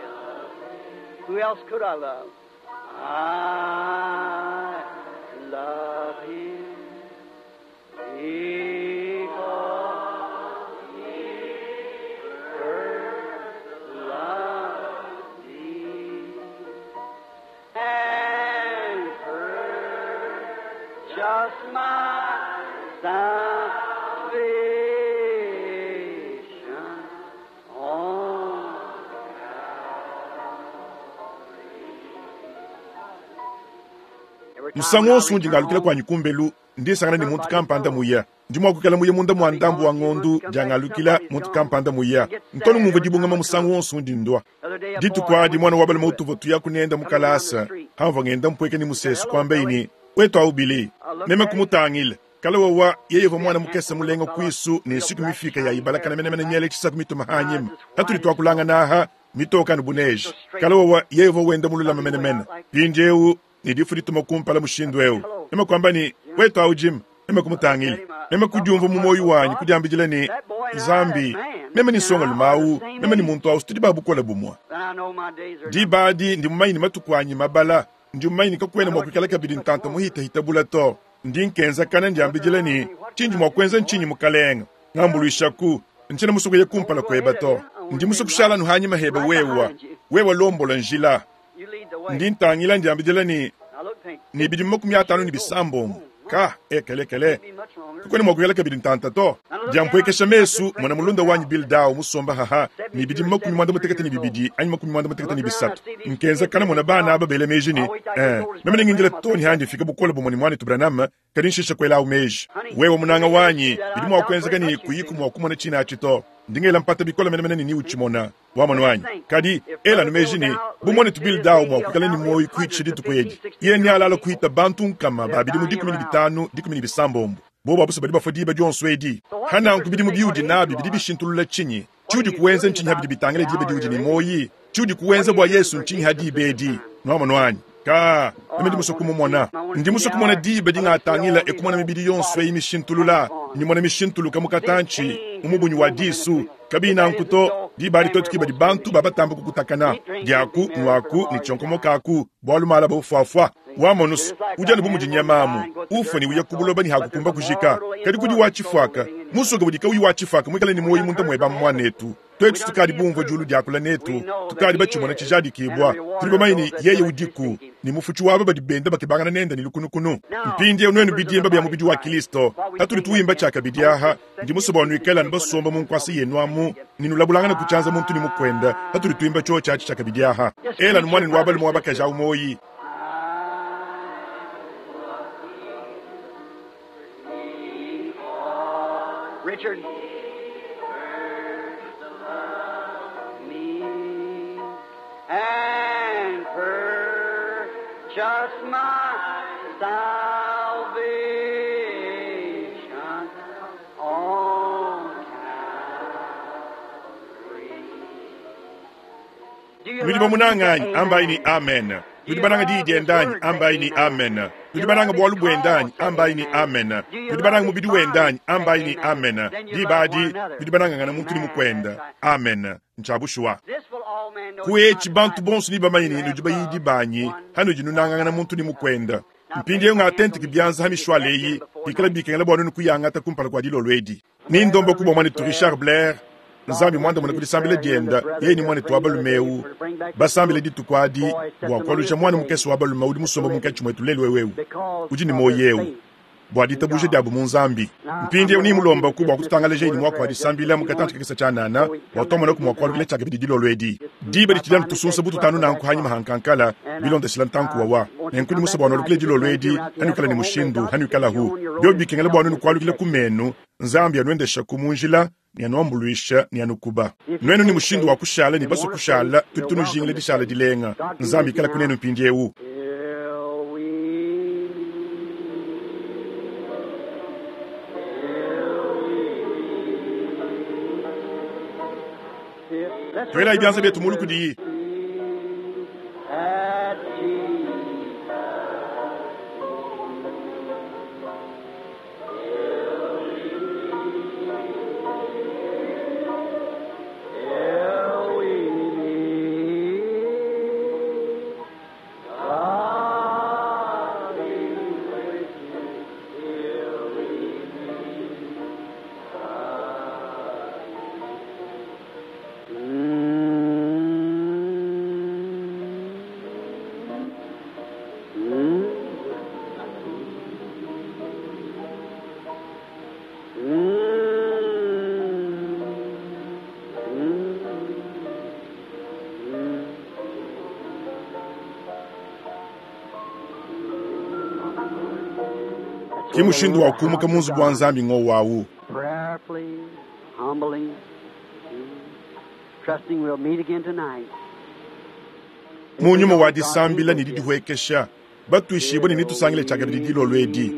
Speaker 2: love. Who else could I love? I love him because he first loved me and purchased my salvation on
Speaker 1: Musangu wonso undi ngalukila kwanyi kumbelu ndisangana ni muntu kampanda muya. Ndi mwa kukala muya munda mwa ndambu wa ngondu jangalukila muntu kampanda muya. Ntonu mumva dibungama musangu wonso undi ndwa. Dituku adi mwana wa balema utuva tuya kunenda mukalasa. Hamva ngenda mpweke ni musesu kwamba ini wetu aubili. Meme kumutangila. Kala wawa yeye va mwana mukesa mulenga kwisu ne siku mifika ya ibalakana mene mene nyele chisaku mituma hanyima. Hatuli twakulanga naha mitoka nubuneji. Kala wawa yeye va wenda mululama mene mene. Pindiewu ni difu dituma kumpala mushindu eu. Meme kwamba ni wetu au Jim. Meme kumutangila. Meme kudiumva mu moyo wanyi kudiambijila ni Zambi. Meme ni songa lumau. Meme ni muntu au studi babukola bumwa.
Speaker 2: Then I know my days are
Speaker 1: Dibadi ndi mumanyi ni matuku anyi mabala. Ndi mumanyi ni kakwena mwa kuikala kabidi ntanta muhita hitabula to. Ndi nkenza kana ndiambijila ni chinji mwa kwenza nchinyi mukalenga. Ngambuluishaku nchina musuku ye kumpala kweba to. Ndi musuku shala nuhanyima heba wewa. Wewa lombola njila.
Speaker 2: You lead the way.
Speaker 1: Ndi ntangila ndiambijila ni
Speaker 2: Now look, think.
Speaker 1: ni bidi 50 ni bisambombo. Ka ekelekele.
Speaker 2: Be much longer.
Speaker 1: Kukwena mwa kuyala kabidi ntanta to. Diampwekesha mesu mwana mulunda wanyi Bill Dow musomba haha ni bidi 92 anyi 93. Nkenza kana mwana bana aba bele meji ni meme ningindila toni handi fika bukola bumwe ni mwana Branham kadi nshisha kwela au meji. Wewe munanga wanyi bidi mwa kwenza kani kuyiku mwa kumona china achito. Ndingela mpata bikola mene mene ni uchimona wa mwana wanyi. Kadi ela numeji ni bumone tu Bill Dow mwa kukala ni moyo kuichi ditu kwedi. Ye ni alala kuita bantu nkama ba bidi mu 15 17. Bobo abuso badi bafua diba dionso edi. Hana nkubidi mu biudi nabi bidi bishintulula chinyi. Chiudi kuwenza nchinyi habidi bitangile diba diudi ni moyi. Chiudi kuwenza bwa Yesu nchinyi hadi bedi. Nwama nwanyi. Ka meme ndi muso kumumona. Ndi muso kumona diba dingatangila ekumona mibidi yonso eyi mishintulula. Nimona mishintuluka mukatanchi umubunyi wa disu. Kabina nkuto diba litotu kiba di bantu babatamba kukutakana. Diaku nwaku ni chonkomokaku bwalu mala bofwafwa. Wamonusu ujani bumuji nyamamu. Ufa ni uya kubuloba ni hakukumba kujika. Kadi kudi wachifwaka. Musoga budika uyu wachifwaka mwikale ni moyi munta mweba mwanetu. Twetu tukadi bumva julu diakula netu. Tukadi bachimona chijadi kibwa. Tuli bamaini yeye udiku. Ni mufuchi wabo badi benda bakibangana nenda ni lukunukunu. Mpindi onwenu bidimba bya mubidi wa Kristo. Hatuli tuimba chakabidi aha. Ndi musoba onwikela nibasomba mu nkwasi yenu amu. Ninulabulangana kuchanza muntu ni mukwenda. Hatuli tuimba cho chachi chakabidi aha. Ela numwani nwabali mwabakaja umoyi.
Speaker 2: Richard. Me and purchase my salvation on Calvary. Do you
Speaker 1: Nudi
Speaker 2: love
Speaker 1: bamunanganyi
Speaker 2: Jesus?
Speaker 1: ambayi ni amen. Nudi bananga diidi endanyi ambayi ni amen. Nudi bananga bwalu bwendanyi ambayi ni amen. Nudi bananga mubidi wendanyi ambayi ni amen. Dibadi nudi bananga ngana muntu ni mukwenda. Amen. Nchabushuwa.
Speaker 2: This will
Speaker 1: Ku etshi bantu bonso nebamanye ne nudi bayidi banyi, hanudi nunangangana muntu ne mukuende. Mpindieu ngatenteke bianza ha mishwala eyi, bikala bikengela bua nuenu kuyangata kumpala kua dilolo edi. Nindombaku bua muanetu Richard Blair, Nzambi muandamune ku disambila diende, yeye ne muanetu wa balume eu basambile dituku adi bua kualuja muana mukese wa balume udi musombe munkatshi muetu lelu eu, udi ne muoyo eu, bua ditabuja diabu mu Nzambi. Mpindieu nimulombaku bua kututangalajayi ne muaku wa disambila mu katantshi kakese tshianana, bua tuamonaku mua kualukila tshiakabidi dilolo edi. Diba ditshidi anu tusunsa bu tutanu nanku hanyima ha nkankala, bilondeshila ntanku wawa. Nenku ndi musue bua nualukile dilolo edi, hanuikala ne mushindu, hanuikalahu. Biobi bikengela bua nuenu kualukila ku menu, Nzambi anuendeshaku mu njila ne anuambuluisha ne anukuba. Nuenu ne mushindu wa kushala ne basue kushala, tudi tunujingila dishala dilenga. Nzambi ikalaku nenu mpindieu. Tuelayi bianza bietu mulu kudiyi. Ke mushindu wa kumuka mu nzubu wa Nzambi ngowu awu.
Speaker 2: Prayerfully, humbly, trusting we'll meet again tonight.
Speaker 1: Mu nyuma wa disambila ne didihuekesha, batuishibue ne netusangile tshiakabidi dilolo edi.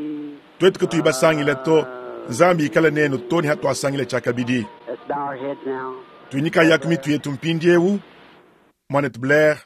Speaker 1: Tuetu katuyi basangile to, Nzambi ikale nenu to ne hatuasangile tshiakabidi.
Speaker 2: Let's bow our heads now.
Speaker 1: Tuinyikayaku mitu yetu mpindieu. Muanetu Blair.